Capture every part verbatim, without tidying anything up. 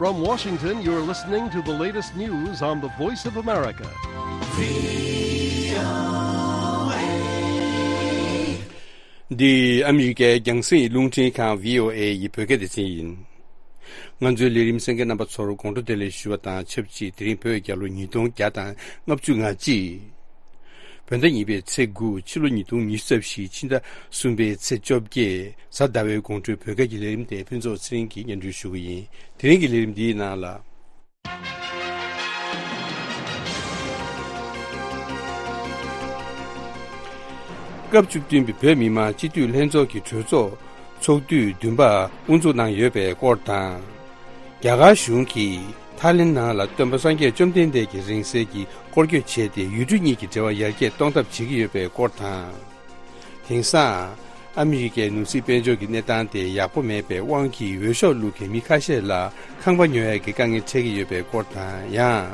From Washington, you're listening to the latest news on the Voice of America. འདི་ཨ་མི་རི་ཀའི་རྒྱང་སྲིང་རླུང་འཕྲིན་ཁང་བྷི་ཨོ་ཨེ་ཡི་བོད་སྐད་སྡེ་ཚན་ཡིན། ང་ཚོའི་ལས་རིམ་གསན་མཁན་རྣམ་པ་ཚོར་དགོང་དྲོ་བདེ་ལེགས་ཞུ་བ་དང་ཆབས་ཅིག་དེ་རིང་བོད་རྒྱལ་ལོ་ཉིས་སྟོང་བརྒྱ་དང་ལྔ་བཅུ་ང་གཅིག་བོད་ཟླ་གཉིས་པའི་ཚེས་དགུ། ཕྱི་ལོ་ཉིས་སྟོང་ཉི་ཤུ་རྩ་བཞི། ཕྱི་ཟླ་གསུམ་པའི་ཚེས་བཅོ་བརྒྱད། གཟའ་ཟླ་བའི་དགོང་དྲོའི་བོད་སྐད་ཀྱི་ལས་རིམ་དེ་ཕུན་ཚོགས་ཚེ་རིང་གིས་སྙན་སྒྲོན་ཞུ་གི་ཡིན། དེ་རིང་གི་ལས་རིམ་འདིའི་ནང་ལ། སྐབས་བཅུ་བདུན་པའི་བོད་མི་མང་སྤྱི་འཐུས་ལྷན་ཚོགས་ཀྱི་གྲོས་ཚོགས་ཚོགས་དུས་བདུན་པ་དབུ་འཛུགས་གནང་ཡོད་པའི་སྐོར་དང་། རྒྱ་གར་གཞུང་གིས་ཐའི་ལེན་ནང་ལ་སྟོན་པ་སངས་རྒྱས་བཅོམ་ལྡན་འདས་ཀྱི་རིང་བསྲེལ་གྱི་སྐོར་སྐྱོད་བྱས་ཏེ་ཡུལ་གྲུ་གཉིས་ཀྱི་འབྲེལ་བ་ཡར་རྒྱས་གཏོང་ཐབས་བྱེད་ཀྱི་ཡོད་པའི་སྐོར་དང་། དེང་སང་ཨ་མི་རི་ཀའི་ནོར་སྲིད་དཔལ་འབྱོར་གྱི་གནས་སྟངས་དེ་ཡག་པོ་མེད་པའི་དབང་གིས་འོས་ཤོག་བླུག་མཁན་མི་ཁ་ཤས་ལ་ཁང་པ་ཉོ་ཡག་གི་དཀའ་ངལ་འཕྲད་ཀྱི་ཡོད་པའི་སྐོར་དང་། ཡང་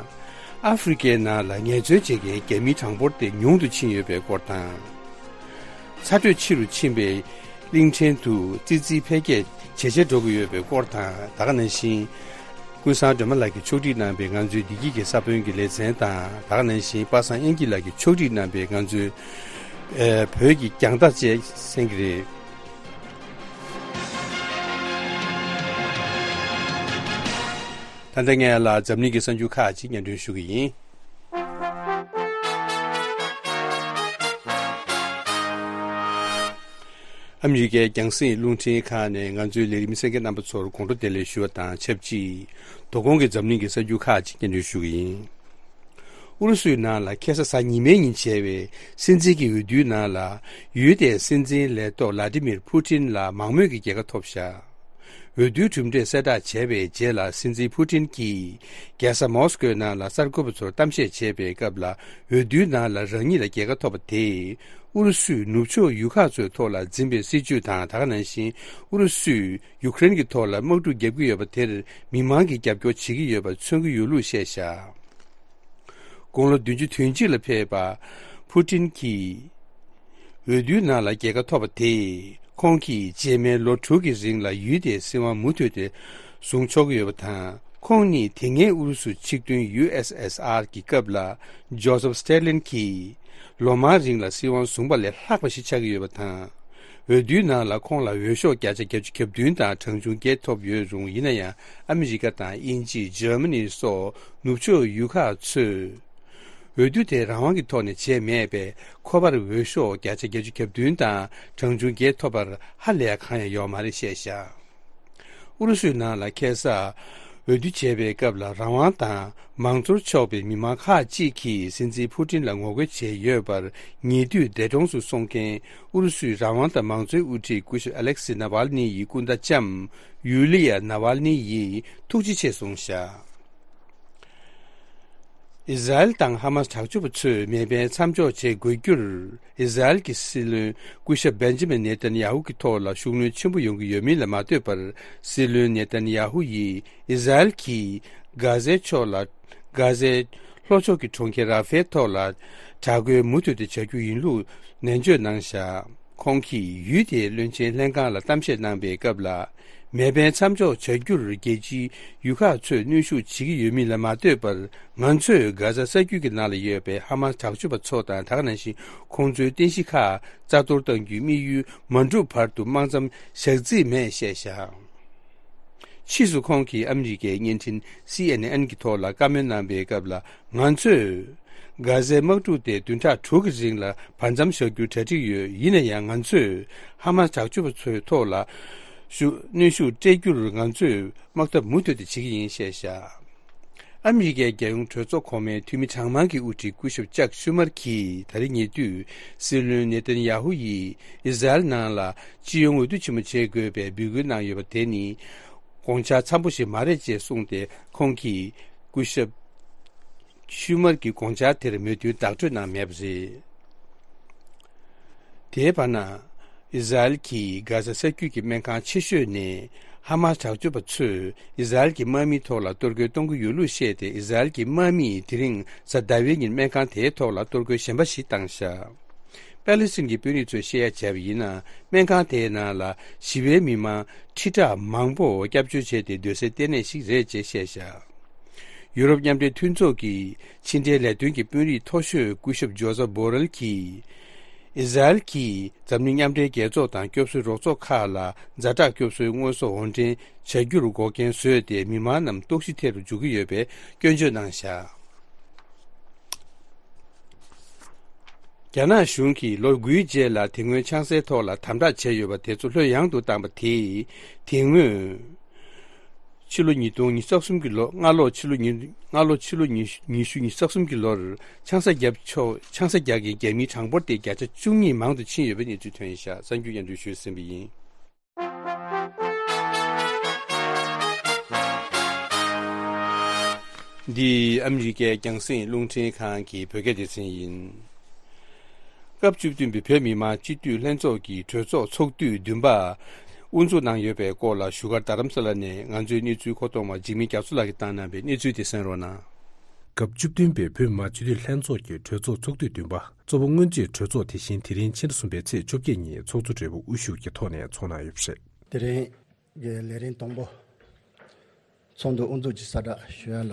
ཨ་ཧྥེ་རི་ཀའི་ནང་ལ་ངལ་རྩོལ་བྱེད་མཁན་རྒྱ་མིའི་གྲངས་འབོར་དེ་ཉུང་དུ་ཕྱིན་ཡོད་པའི་སྐོར་དང་། ཚ་དྲོད་ཆེ་རུ་ཕྱིན་པའི་གླིང་ཕྲན་དུ་ཙི་ཙིའི་འཕེལ་རྒྱས་ཇེ་ཆེར་འགྲོ་གི་ཡོད་པའི་སྐོར་དང་། ད་ག་ནང་བཞིན། ཀུན་བཟང་སྒྲོལ་མ་ལགས་ཀྱིས་ཕྱོགས་སྒྲིག་གནང་བའི་ང་ཚོའི་བདེ་སྐྱིད་ཀྱི་ས་བོན་གྱི་ལེ་ཚན་དང་། ད་ག་ནང་བཞིན་པ་སངས་དབྱངས་སྐྱིད་ལགས་ཀྱིས་ཕྱོགས་སྒྲིག་གནང་བའི་ང་ཚོའི་ཨེ་བོད་ཀྱི་རྒྱང་ལྟ་བཅས་གསན་གྱི་རེད། ད་ལྟ་ངས་ལ་འཛམ་གླིང་གི་གསར་འགྱུར་ཁག་ཅིག་སྙན་སྒྲོན་ཞུ་གི་ཡིན། ཨ་མི་རི་ཀའི་རྒྱང་སྲིང་རླུང་འཕྲིན་ཁང་ནས་ང་ཚོའི་ལས་རིམ་གསན་མཁན་རྣམ་པ་ཚོར་དགོང་དྲོ་བདེ་ལེགས་ཞུ་བ་དང་ཆབས་ཅིག་དོ་དགོང་གི་འཛམ་གླིང་གི་གསར་འགྱུར་ཁག་ཅིག་སྙན་སྒྲོན་ཞུ་གི་ཡིན། ཨུ་རུ་སུའི་ནང་ལ་ཁ་སང་གཟའ་ཉི་མའི་ཉིན་བྱས་པའི་སྲིད་འཛིན་གྱི་འོས་བསྡུའི་ནང་ལ་ཡུལ་དེའི་སྲིད་འཛིན་ལས་ཐོག་ལ་ཏི་མིར་ཕུ་ཏིན་ལ་མང་མོས་ཀྱི་རྒྱལ་ཁ་ཐོབ་བཞག་འོས་བསྡུའི་གྲུབ་འབྲས་གསལ་བསྒྲགས་བྱས་པའི་རྗེས་ལ་སྲིད་འཛིན་ཕུ་ཏིན་གྱིས་རྒྱལ་ས་མོ་སི་ཀོའི་ནང་ལ་གསར་འགོད་པ་ཚོར་གཏམ་བཤད་བྱས་པའི་སྐབས་ལ། འོས་བསྡུའི་ནང་ལ་རང་ཉིད་ལ་རྒྱལ་ཁ་ཐོབ་པ་དེས་ཨུ་རུ་སུས་ནུབ་ཕྱོགས་ཡུལ་ཁག་ཚོའི་ཐོག་ལ་འཛིན་པའི་སྲིད་ཇུས་དང་། ད་ག་ནང་བཞིན་ཨུ་རུ་སུས་ཡུ་ཀེ་རེན་གྱི་ཐོག་ལ་དམག་འཁྲུག་བརྒྱབ་ཀྱི་ཡོད་པ་དེར་མི་མང་གིས་རྒྱབ་སྐྱོར་བྱེད་ཀྱི་ཡོད་པ་མཚོན་གྱི་ཡོད་ལུགས་བཤད་བཞག་དགུང་ལོ་བདུན་ཅུ་དོན་གཅིག་ལ་ཕེབས་པ་ཕུ་ཏིན་གྱིས། འོས་བསྡུའི་ནང་ལ་རྒྱལ་ཁ་ཐོབ་པ་དེས་ཁོང་གིས་རྗེས་མའི་ལོ་དྲུག་གི་རིང་ལ་ཡུལ་དེའི་སྲིད་དབང་མུ་མཐུད་དེ་བཟུང་ཆོག་གི་ཡོད་པ་དང་། ཁོང་ནི་དེ་སྔའི་ཨུ་རུ་སུ་ཆིག་མཐུན་ཡུ་ཨེས་ཨེས་ཨར་གྱི་སྐབས་ལ་ཇོ་སེབ་སྟེ་ལིན་གྱིས་ལོ་མང་རིང་ལ་སྲིད་དབང་བཟུང་པ་ལས་ལྷག་པ་ཞིག་ཆགས་ཀྱི་ཡོད་པ་དང་། འོས་བསྡུའི་ནང་ལ་ཁོང་ལ་འོས་ཤོག་བརྒྱ་ཆ་བརྒྱད་ཅུ་གྱ་བདུན་དང་གྲངས་ཆུང་བརྒྱད་ཐོབ་ཡོད་རུང་། ཡིན་ན་ཡང་ཨ་མི་རི་ཀ་དང་དབྱིན་ཇི། འཇར་མ་ནི་སོགས་ནུབ་ཕྱོགས་ཡུལ་ཁག་ཚོས། འོས་བསྡུ་དེ་རང་དབང་གི་ཐོག་ནས་བྱས་མེད་པས། ཁོ་པར་འོས་ཤོག་བརྒྱ་ཆ་བརྒྱད་ཅུ་གྱ་བདུན་དང་གྲངས་ཆུང་བརྒྱད་ཐོབ་པར་ཧ་ལས་གང་ཡང་ཡོད་མ་རེད་བཤད་བཞག་ཨུ་རུ་སུའི་ནང་ལ་ཁ་སང་འོས་བསྡུ་བྱས་པའི་སྐབས་ལ་རང་དབང་དང་མང་གཙོར་ཕྱོགས་པའི་མི་མང་ཁག་ཅིག་གིས་སྲིད་འཛིན་ཕུ་ཏིན་ལ་ངོ་རྒོལ་བྱས་ཡོད་པར། ཉེ་དུས་འདས་གྲོངས་སུ་སོང་མཁན་ཨུ་རུ་སུའི་རང་དབང་དང་མང་གཙོའི་དབུ་ཁྲིད་སྐུ་ཞབས་ཨ་ལེག་སི་ནཱ་ཝལ་ནི་ཡི་སྐུ་ཟླ་ལྕམ་ཡུ་ལི་ཡ་ནཱ་ཝལ་ནི་ཡིས་ཐུགས་རྗེ་ཆེ་གསུངས་བཞག་ཨི་ཟ་རེལ་དང་ཧ་མཱས་དྲག་སྤྱོད་པ་ཚོས་མེ་འཕེན་མཚམས་འཇོག་བྱེད་དགོས་རྒྱུར། ཨི་ཟ་རེལ་གྱི་སྲིད་བློན་སྐུ་ཞབས་བེན་ཇི་མིན་ནེ་ཐན་ཡ་ཧུ་གྱི་ཐོག་ལ་ཤུགས་སྣོན་ཆེན་པོ་ཡོང་གི་ཡོད་མིན་ལ་མ་ལྟོས་པར། སྲིད་བློན་ནེ་ཐན་ཡ་ཧུ་ཡིས་ཨི་ཟ་རེལ་གྱིས་གྷ་ཟའི་ཕྱོགས་ལ། གྷ་ཟའི་ལྷོ་ཕྱོགས་ཀྱི་གྲོང་ཁྱེར་ར་ཧྥའི་ཐོག་ལ་དྲག་རྒོལ་མུ་མཐུད་དེ་བྱ་རྒྱུ་ཡིན་ལུགས་ནན་བརྗོད་གནང་བཞག་ཁོང་གིས་ཡུལ་དེའི་བློན་ཆེན་ལྷན་ཁང་ལ་གཏམ་བཤད་གནང་པའི་སྐབས་ལ། མེ་འཕེན་མཚམས་འཇོག་བྱ་རྒྱུར་རྒྱལ་སྤྱིའི་ཡུལ་ཁག་ཚོས་གནོན་ཤུགས་བྱེད་ཀྱི་ཡོད་མིན་ལ་མ་ལྟོས་པར། ང་ཚོས་གྷ་ཟ་ས་རྒྱུད་ཀྱི་ནང་ལ་ཡོད་པའི་ཧ་མཱས་དྲག་སྤྱོད་པ་ཚོ་དང་། ད་ག་ནང་བཞིན་ཁོང་ཚོའི་རྟེན་གཞི་ཁག་རྩ་གཏོར་གཏང་རྒྱུའི་དམིགས་ཡུལ་མ་འགྲུབ་བར་དུ་དམག་མཚམས་བཞག་རྩིས་མེད་བཤད་བཞག་ཕྱིས་སུ་ཁོང་གིས་ཨ་མི་རི་ཀའི་བརྙན་འཕྲིན་སི་ཨེན་ཨེན་གྱི་ཐོག་ལ་བཀའ་མོལ་གནང་པའི་སྐབས་ལ། ང་ཚོས་གྷ་ཟའི་དམག་འཁྲུག་དེ་བདུན་ཕྲག་དྲུག་གི་རིང་ལ་བར་མཚམས་བཞག་རྒྱུའི་གྲ་སྒྲིག་ཡོད། ཡིན་ན་ཡང་ང་ཚོས་ཧ་མཱས་དྲག་སྤྱོད་པ་ཚོའི་ཐོག་ལ་ཤུ་གནོན་ཤུགས་སྤྲད་རྒྱུར་ང་ཚོས་དམག་འཐབ་མུ་མཐུད་དེ་བྱེད་ཀྱི་ཡིན་བཤད་བཞག་ཨ་མི་རི་ཀའི་རྒྱལ་ཡོངས་གྲོས་ཚོགས་གོང་མའི་འཐུས་མི་གྲངས་མང་གི་དབུ་ཁྲིད་སྐུ་ཞབས་ཅག་ཤུ་མར་གྱིས་ད་རེས་ཉེ་དུས་སྲིད་བློན་ནེ་ཐན་ཡ་ཧུ་ཡིས་ཨི་ཟ་རེལ་ནང་ལ་སྤྱི་ཡོངས་འོས་བསྡུ་ཆེན་མོ་བྱེད་དགོས་པའི་འབོད་སྐུལ་གནང་ཡོད་པ་དེ་ནི་དགོངས་འཆར་འཚམ་པོ་ཞིག་མ་རེད་ཅེས་གསུངས་ཏེ། ཁོང་གིས་སྐུ་ཞབས་ཤུ་མར་གྱི་དགོངས་འཆར་དེར་མོས་མཐུན་བདག་སྤྲོད་གནང་མེད་པ་རེད། དེའི་བར་ན། ཨི་ཟ་རེལ་གྱིས་གྷ་ཟ་ས་རྒྱུད་ཀྱི་སྨན་ཁང་ཆེ་ཤོས་ནས་ཧ་མཱས་དྲག་སྤྱོད་པ་ཚོས་ཨི་ཟ་རེལ་གྱི་དམག་མིའི་ཐོག་ལ་གཏོར་རྒོལ་གཏོང་གི་ཡོད་ལུགས་བཤད་དེ། ཨི་ཟ་རེལ་གྱི་དམག་མིས་དེ་རིང་གཟའ་ཟླ་བའི་ཉིན་སྨན་ཁང་དེའི་ཐོག་ལ་གཏོར་རྒོལ་གཞན་པ་ཞིག་བཏང་བཞག་པེ་ལི་སི་ཐན་གྱི་དཔོན་རིགས་ཚོས་བཤད་ཡ་བྱས་པ་ཡིན་ན། སྨན་ཁང་དེའི་ནང་ལ་ཞི་བའི་མི་མང་ཁྲི་ཕྲག་མང་པོ་སྐྱབས་བཅོལ་བྱས་ཏེ་སྡོད་སའི་ལྟེ་གནས་ཤིག་རེད་ཅེས་བཤད་བཞག་ཡུ་རོབ་མཉམ་འབྲེལ་མཐུན་ཚོགས་ཀྱི་ཕྱི་འབྲེལ་ལས་དོན་གྱི་དཔོན་རིགས་མཐོ་ཤོས་སྐུ་ཞབས་ཇོ་ཟབ་བྷོ་རེལ་གྱིས། ཨི་ཟ་རེལ་གྱིས་འཛམ་གླིང་མཉམ་འབྲེལ་རྒྱལ་ཚོགས་དང་སྐྱོབ་གསོའི་རོགས་ཚོགས་ཁག་ལ་ཛ་དྲག་སྐྱོབ་གསོའི་དངོས་ཟོག་དབོར་འདྲེན་བྱ་རྒྱུར་འགོག་རྐྱེན་བཟོས་ཏེ། མི་མང་རྣམས་ལྟོགས་ཤི་ཐེབས་རུ་འཇུག་གི་ཡོད་པའི་སྐྱོན་བརྗོད་གནང་བཞག་རྒྱ་ནག་གཞུང་གིས་ལོ་དགུའི་རྗེས་ལ་དེ་སྔོན་ཆང་སའི་ཐོག་ལ་དམ་དྲག་བྱས་ཡོད་པ་དེ་ཚོ་ལྷོད་ཡངས་དུ་བཏང་པ་དེས། དེ་སྔོན་ཕྱི་ལོ་ཉིས་སྟོང་ཉི་ཤུ་རྩ་གསུམ་གྱི་ལོ། སྔ་ལོ་ཕྱི་ལོ་ཉིས། སྔ་ལོ་ཕྱི་ལོ་ཉི་ཤུ་ཉི་ཤུ་ཉི་ཤུ་རྩ་གསུམ་གྱི་ལོར་ཆང་ས་བརྒྱབ་ཆོག་ཆང་ས་རྒྱག་མཁན་རྒྱ་མིའི་གྲངས་འབོར་དེ་བརྒྱ་ཆ་བཅུ་གཉིས་མང་དུ་ཕྱིན་ཡོད་པའི་གནས་ཚུལ་ཐོན་བཞག་གསར་འགྱུར་སྙན་སྒྲོན་ཞུས་ཟིན་པ་ཡིན། འདི་ཨ་མི་རི་ཀའི་རྒྱང་སྲིང་རླུང་འཕྲིན་ཁང་གི་བོད་སྐད་སྡེ་ཚན་ཡིན། སྐབས་བཅུ་བདུན་པའི་བོད་མི་མང་སྤྱི་འཐུས་ལྷན་ཚོགས་ཀྱི་གྲོས་ཚོགས་ཚོགས་དུས་བདུན་པ་དབུ་འཛུགས་གནང་ཡོད་པའི་སྐོར་ལ་བཞུགས་སྒར་རྡ་རམ་ས་ལ་ནས་ང་ཚོའི་གནས་ཚུལ་མཁོ་གཏོང་བ་འཇིགས་མེད་རྒྱ་མཚོ་ལགས་ཀྱིས་བཏང་གནང་བའི་གནས་ཚུལ་དེ་གསན་རོགས་གནང་། སྐབས་བཅུ་བདུན་པའི་བོད་མི་མང་སྤྱི་འཐུས་ལྷན་ཚོགས་ཀྱི་གྲོས་ཚོགས་ཚོགས་དུས་བདུན་པ། གཙོ་བོ་སྔོན་རྩིས་གྲོས་ཚོགས་དེ་བཞིན་དེ་རིང་ཕྱི་ཟླ་གསུམ་པའི་ཚེས་བཅོ་བརྒྱད་ཉིན་ཚོགས་གཙོ་སྦྲེལ་པོ་དབུ་བཞུགས་ཀྱི་ཐོག་ནས་ཚོགས་གནང་ཡོད་པ་རེད། དེ་རིང་གི་ལས་རིམ་དང་པོ། ཚོགས་འདུ་དབུ་འཛུགས་ཀྱི་གསལ་བསྒྲགས་ཞུ་ཡ་ལ།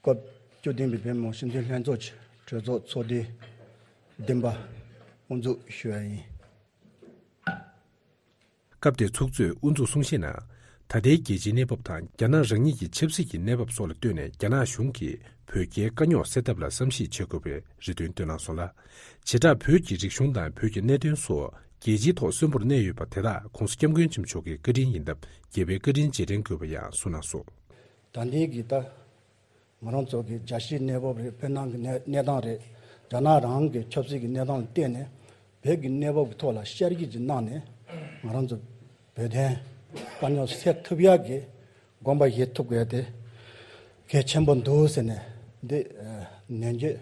སྐབས་བཅུ་བདུན་པའི་བོད་མི་མང་སྤྱི་འཐུས་ལྷན་ཚོགས་ཀྱི་གྲོས་ཚོགས་ཚོགས་དུས་བདུན་པ་དབུ་འཛུགས་ཞུ་ཡ་ཡིན། སྐབས་དེའི་ཚོགས་གཙོས་དབུ་འཛུགས་གསུང་བཤད་ནང་། ད་ལྟའི་རྒྱལ་སྤྱིའི་གནས་བབ་དང་། རྒྱ་ནག་རང་ཉིད་ཀྱི་ཆབ་སྲིད་ཀྱི་གནས་བབ་སོགས་ལ་ལྟོས་ནས། རྒྱ་ནག་གཞུང་གིས་བོད་རྒྱའི་དཀའ་རྙོག་སེལ་ཐབས་ལ་བསམ་གཞིག་བྱེད་དགོས་པའི་རེ་འདུན་བཏོན་གནང་སོང་ལ། བྱེ་བྲག་བོད་ཀྱི་རིག་གཞུང་དང་བོད་ཀྱི་གནད་དོན་སོགས་རྒྱལ་སྤྱིའི་ཐོག་གསོན་པོར་གནས་ཡོད་པ་དེ་དག་༸གོང་ས་༸སྐྱབས་མགོན་ཆེན་པོ་མཆོག་གི་བཀའ་དྲིན་ཡིན་སྟབས། རྒྱལ་བའི་བཀའ་དྲིན་རྗེས་དྲན་དགོས་པ་ཡང་གསུངས་གནང་སོང་། ད་ལྟའི་གི་ད་ང་རང་ཚོ་གི་རྒྱལ་སྤྱིའི་གནས་བབ་རེད། བོད་ནང་གི་གནས་གནས་སྟངས་རེད། རྒྱ་ནག་རང་གི་ཆབ་སྲིད་ཀྱི་གནས་སྟངས་ལ་བལྟས་ནས། བོད་ཀྱི་གནས་བབ་ཀྱི་ཐོག་ལ་བསྐྱར་ཞིབ་ཅིག་གནང་ནས། ང་རང་ཚོ་བོད་དོན་དཀའ་རྙོག་སེལ་ཐུབ་ཡག་གི་དགོངས་པ་བཞེས་ཐུབ་དགོས་ཡ་དེ་གལ་ཆེན་པོ་འདུག་ཟེར་ནས་འདི་ནན་བརྗོད་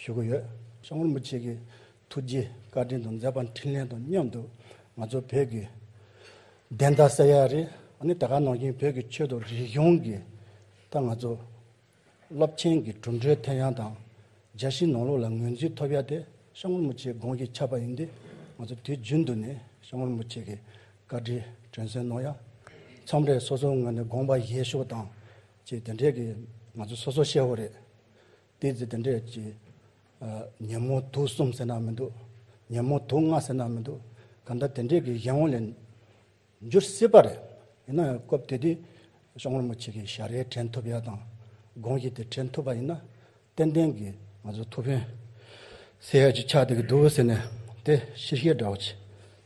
ཞུ་གི་ཡོད། སྐྱབས་མགོན་རིན་པོ་ཆེ་གི་ཐུགས་རྗེ་བཀའ་དྲིན་དང་མཛད་པ་འཕྲིན་ལས་དང་མཉམ་དུ། ང་ཚོ་བོད་ཀྱི་བདེན་མཐའ་གསལ་ཡ་རེད། ཨ་ནི་དེ་ག་ནང་བཞིན་བོད་ཀྱི་ཆོས་དང་རིག་གཞུང་གི་ད་ང་ཚོ་རླབས་ཆེན་གྱི་གྲུབ་འབྲས་ཐོན་ཡ་དང་། རྒྱལ་སྤྱིའི་ནང་ལོགས་ལ་ངོས་འཛིན་ཐོབ་ཡ་དེ་སྐྱབས་མགོན་རིན་པོ་ཆེའི་དགོངས་གཞི་ཆགས་པ་ཡིན་དུས། ང་ཚོ་དུས་རྒྱུན་དུ་ནས་སྐྱབས་མགོན་རིན་པོ་ཆེ་གི་བཀའ་དྲིན་དྲན་གསོ་གནང་ཡ། མཚམས་རེ་སོ་སོའི་ངོས་ནས་དགོངས་པ་བཞེས་ཕྱོགས་དང་བཅས་དེ་འདྲའི་གི་ང་ཚོ་སོ་སོ་ཤེས་པ་རེད། དེ་ཚེ་དེ་འདྲས་ཀྱི་ཨ་ཉོན་མོངས་དུག་གསུམ་ཟེར་ན་མི་འདུག་ཉོན་མོངས་དུག་ལྔ་ཟེར་ན་མི་འདུག་གང་ལྟར་དེ་འདྲས་ཀྱི་གཞན་དབང་ལས་འགྱུར་སྲིད་པ་རེད། ཡིན་ན་ཡང་སྐབས་དེ་དུས་སྐྱབས་མགོན་རིན་པོ་ཆེ་གི་ཞལ་རས་དྲན་ཐུབ་ཡ་དང་། དགོངས་གཞི་དེ་དྲན་ཐུབ་པ་ཡིན་ན། ཏན་ཏན་གྱི་ང་ཚོ་ཐུགས་ཕན་གསོས་ཡ་ཅིག་ཆགས་བསྡད་ཀྱི་འདུག་ཟེར་ནས། དེ་ཕྱི་བཤད་འདྲ་བོ་ཅིག་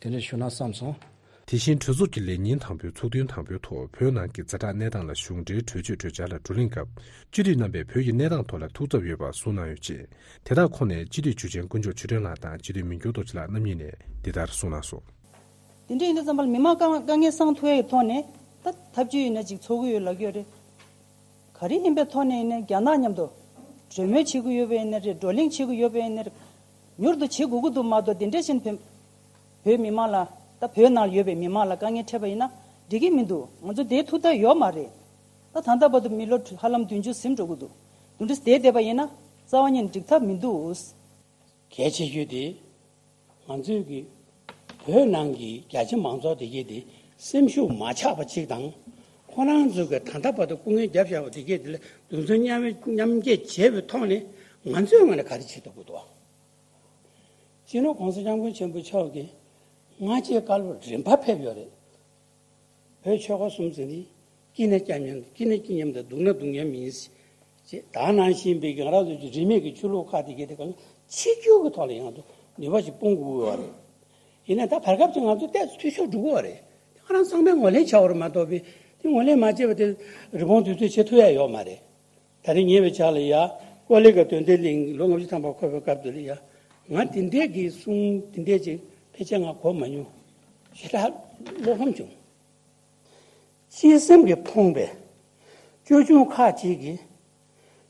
དེ་འདྲས་ཞུ་ན་བསམ་སོང་། དེ་བཞིན་གྲོས་ཚོགས་ཀྱི་ལས་ཉིན་དང་པོའི་ཚོགས་ཐུན་དང་པོའི་ཐོག་བོད་ནང་གི་ཛ་དྲག་གནས་སྟངས་ལ་གཞུང་འབྲེལ་གྲོས་ཆོད་གྲོས་འཆར་ལ་བགྲོ་གླེང་སྐབས། སྤྱི་འཐུས་རྣམ་པས་བོད་ཀྱི་གནས་སྟངས་ཐོག་ལ་ཐུགས་འཚབ་ཡོད་པ་གསུངས་གནང་ཡོད་ཅེས། དེ་དག་ཁོངས་ནས་སྤྱི་འཐུས་ཆོས་ཆེན་དཀོན་མཆོག་ཆོས་སྒྲོན་ལགས་དང་སྤྱི་འཐུས་མི་འགྱུར་རྡོ་རྗེ་ལགས་རྣམ་གཉིས་ནས་འདི་ལྟར་གསུངས་གནང་སོང་། དེ་འདྲ་ཡིན་དུས་ཙམ་པ་ལ་མི་མང་དཀའ་དཀའ་ངལ་སང་ཐུབ་ཡ་གི་ཐོག་ནས། ད་ཐབས་ཇུས་ཡིན་ན་ཅིག་འཚོལ་གི་ཡོད་ལབ་ཀྱི་ཡོད་རེད། ག་རེ་ཡིན་པའི་ཐོག་ནས་ཡིན་ནའི་རྒྱ་ནག་མཉམ་དུ་གྲོས་མོལ་བྱེད་ཀྱི་ཡོད་པ་ཡིན་ནའི་རེད། བགྲོ་གླེང་བྱེད་ཀྱི་ཡོད་པ་ཡིན་ནའི་རེད། མྱུར་དུ་བྱེད་དགོས་ཀྱི་འདུག་མ་གཏོགས། དེ་འདྲ་བཞིན་བོད་བོད་མི་མང་ལ། ད་བོད་ནང་ཡོད་པའི་མི་མང་ལ་དཀའ་ངལ་འཕྲད་པ་ཡིན་ན་འགྲིག་གི་མི་འདུག་ང་ཚོ་དེའི་ཐུགས་ཐག་ཡོད་མ་རེད། ད་ད་ལྟ་བར་དུ་མི་ལོ་ཧ་ལམ་བདུན་ཅུ་ཟིན་འགྲོ་གི་འདུག་དེ་འདྲ་བསྡད་བསྡད་པ་ཡིན་ན་རྩ་བ་ཉིད་ནས་འགྲིག་ཐབས་མི་འདུག་གལ་ཆེ་ཤོས་དེ། ང་ཚོས་ཀྱི་བོད་ནང་གི་རྒྱ་ཆེ་མང་ཚོགས་དེ་གས་དེ་སེམས་ཤུགས་མ་ཆག་པ་ཅིག་དང་། ཁོ་རང་ཚོས་ཀྱི་ད་ལྟ་བར་དུ་སྐུ་ངལ་བརྒྱབ་བཞག་པ་དེ་གས་དེ་ལ་གདུང་སེམས་མཉམ་མཉམ་སྐྱེད་བྱས་པའི་ཐོག་ནས། ང་ཚོའི་ངོས་ནས་ག་རེ་བྱེད་ཐུབ་ཀྱི་འདུག་སྤྱི་ནོར་༸གོང་ས་༸སྐྱབས་མགོན་ཆེན་པོ་མཆོག་གིས་སྔ་རྗེས་བཀའ་སློབ་རིམ་པ་ཕེབས་ཡོད་རེད། བོད་ཆོལ་ཁ་གསུམ་ཟེར་ནི། སྐྱིད་ན་སྐྱིད་མཉམ། སྐྱིད་ན་སྐྱིད་མཉམ་དང་། སྡུག་ན་སྡུག་མཉམ་ཡིན། ཅེས། ད་ནང་བཞིན་པའི་ང་རང་ཚོའི་རིས་མེད་ཀྱི་ཆོས་ལུགས་ཁག་དེ་གས་དེ་གང་ཆིག་སྒྱུར་གྱི་ཐོག་ལ་ཡང་དུ་ནུས་པ་ཞིག་སྤུངས་དགོས་པ་རེད། ཡིན་ན་ད་བར་སྐབས་ཀྱི་ང་ཚོ་ཏོག་ཙམ་འཐུས་ཤོར་འགྲོ་གི་ཡོད་རེད། ང་རང་ཚང་མས་ངོས་ལེན་བྱ་བ་རེད་མ་གཏོགས་པའི། དེ་ངོས་ལེན་མ་བྱས་པ་དེ་རི་བོང་དུས་ཚོད་བྱེད་ཐུབ་ཡ་ཡོད་མ་རེད། ད་རེས་ཉེ་བའི་ཆར་ལ་ཡ། ཀོ་ལི་གི་དོན་ལྡན་གླིང་ལོ་ལྔ་བཅུ་ཐམ་པ་འཁོར་བའི་སྐབས་དེ་ལ་ཡ། ང་དེ་འདྲས་ཀྱི་གསུང་དེ་འདྲས་ཅིག་ཕལ་ཆེར་ང་གོ་མ་མྱོང་། ཞེ་དྲག་བློ་ཕམ་བྱུང་། སྤྱི་སེམས་ཀྱིས་ཕོངས་པའི་ཅོལ་ཆུང་ཁག་ཅིག་གིས་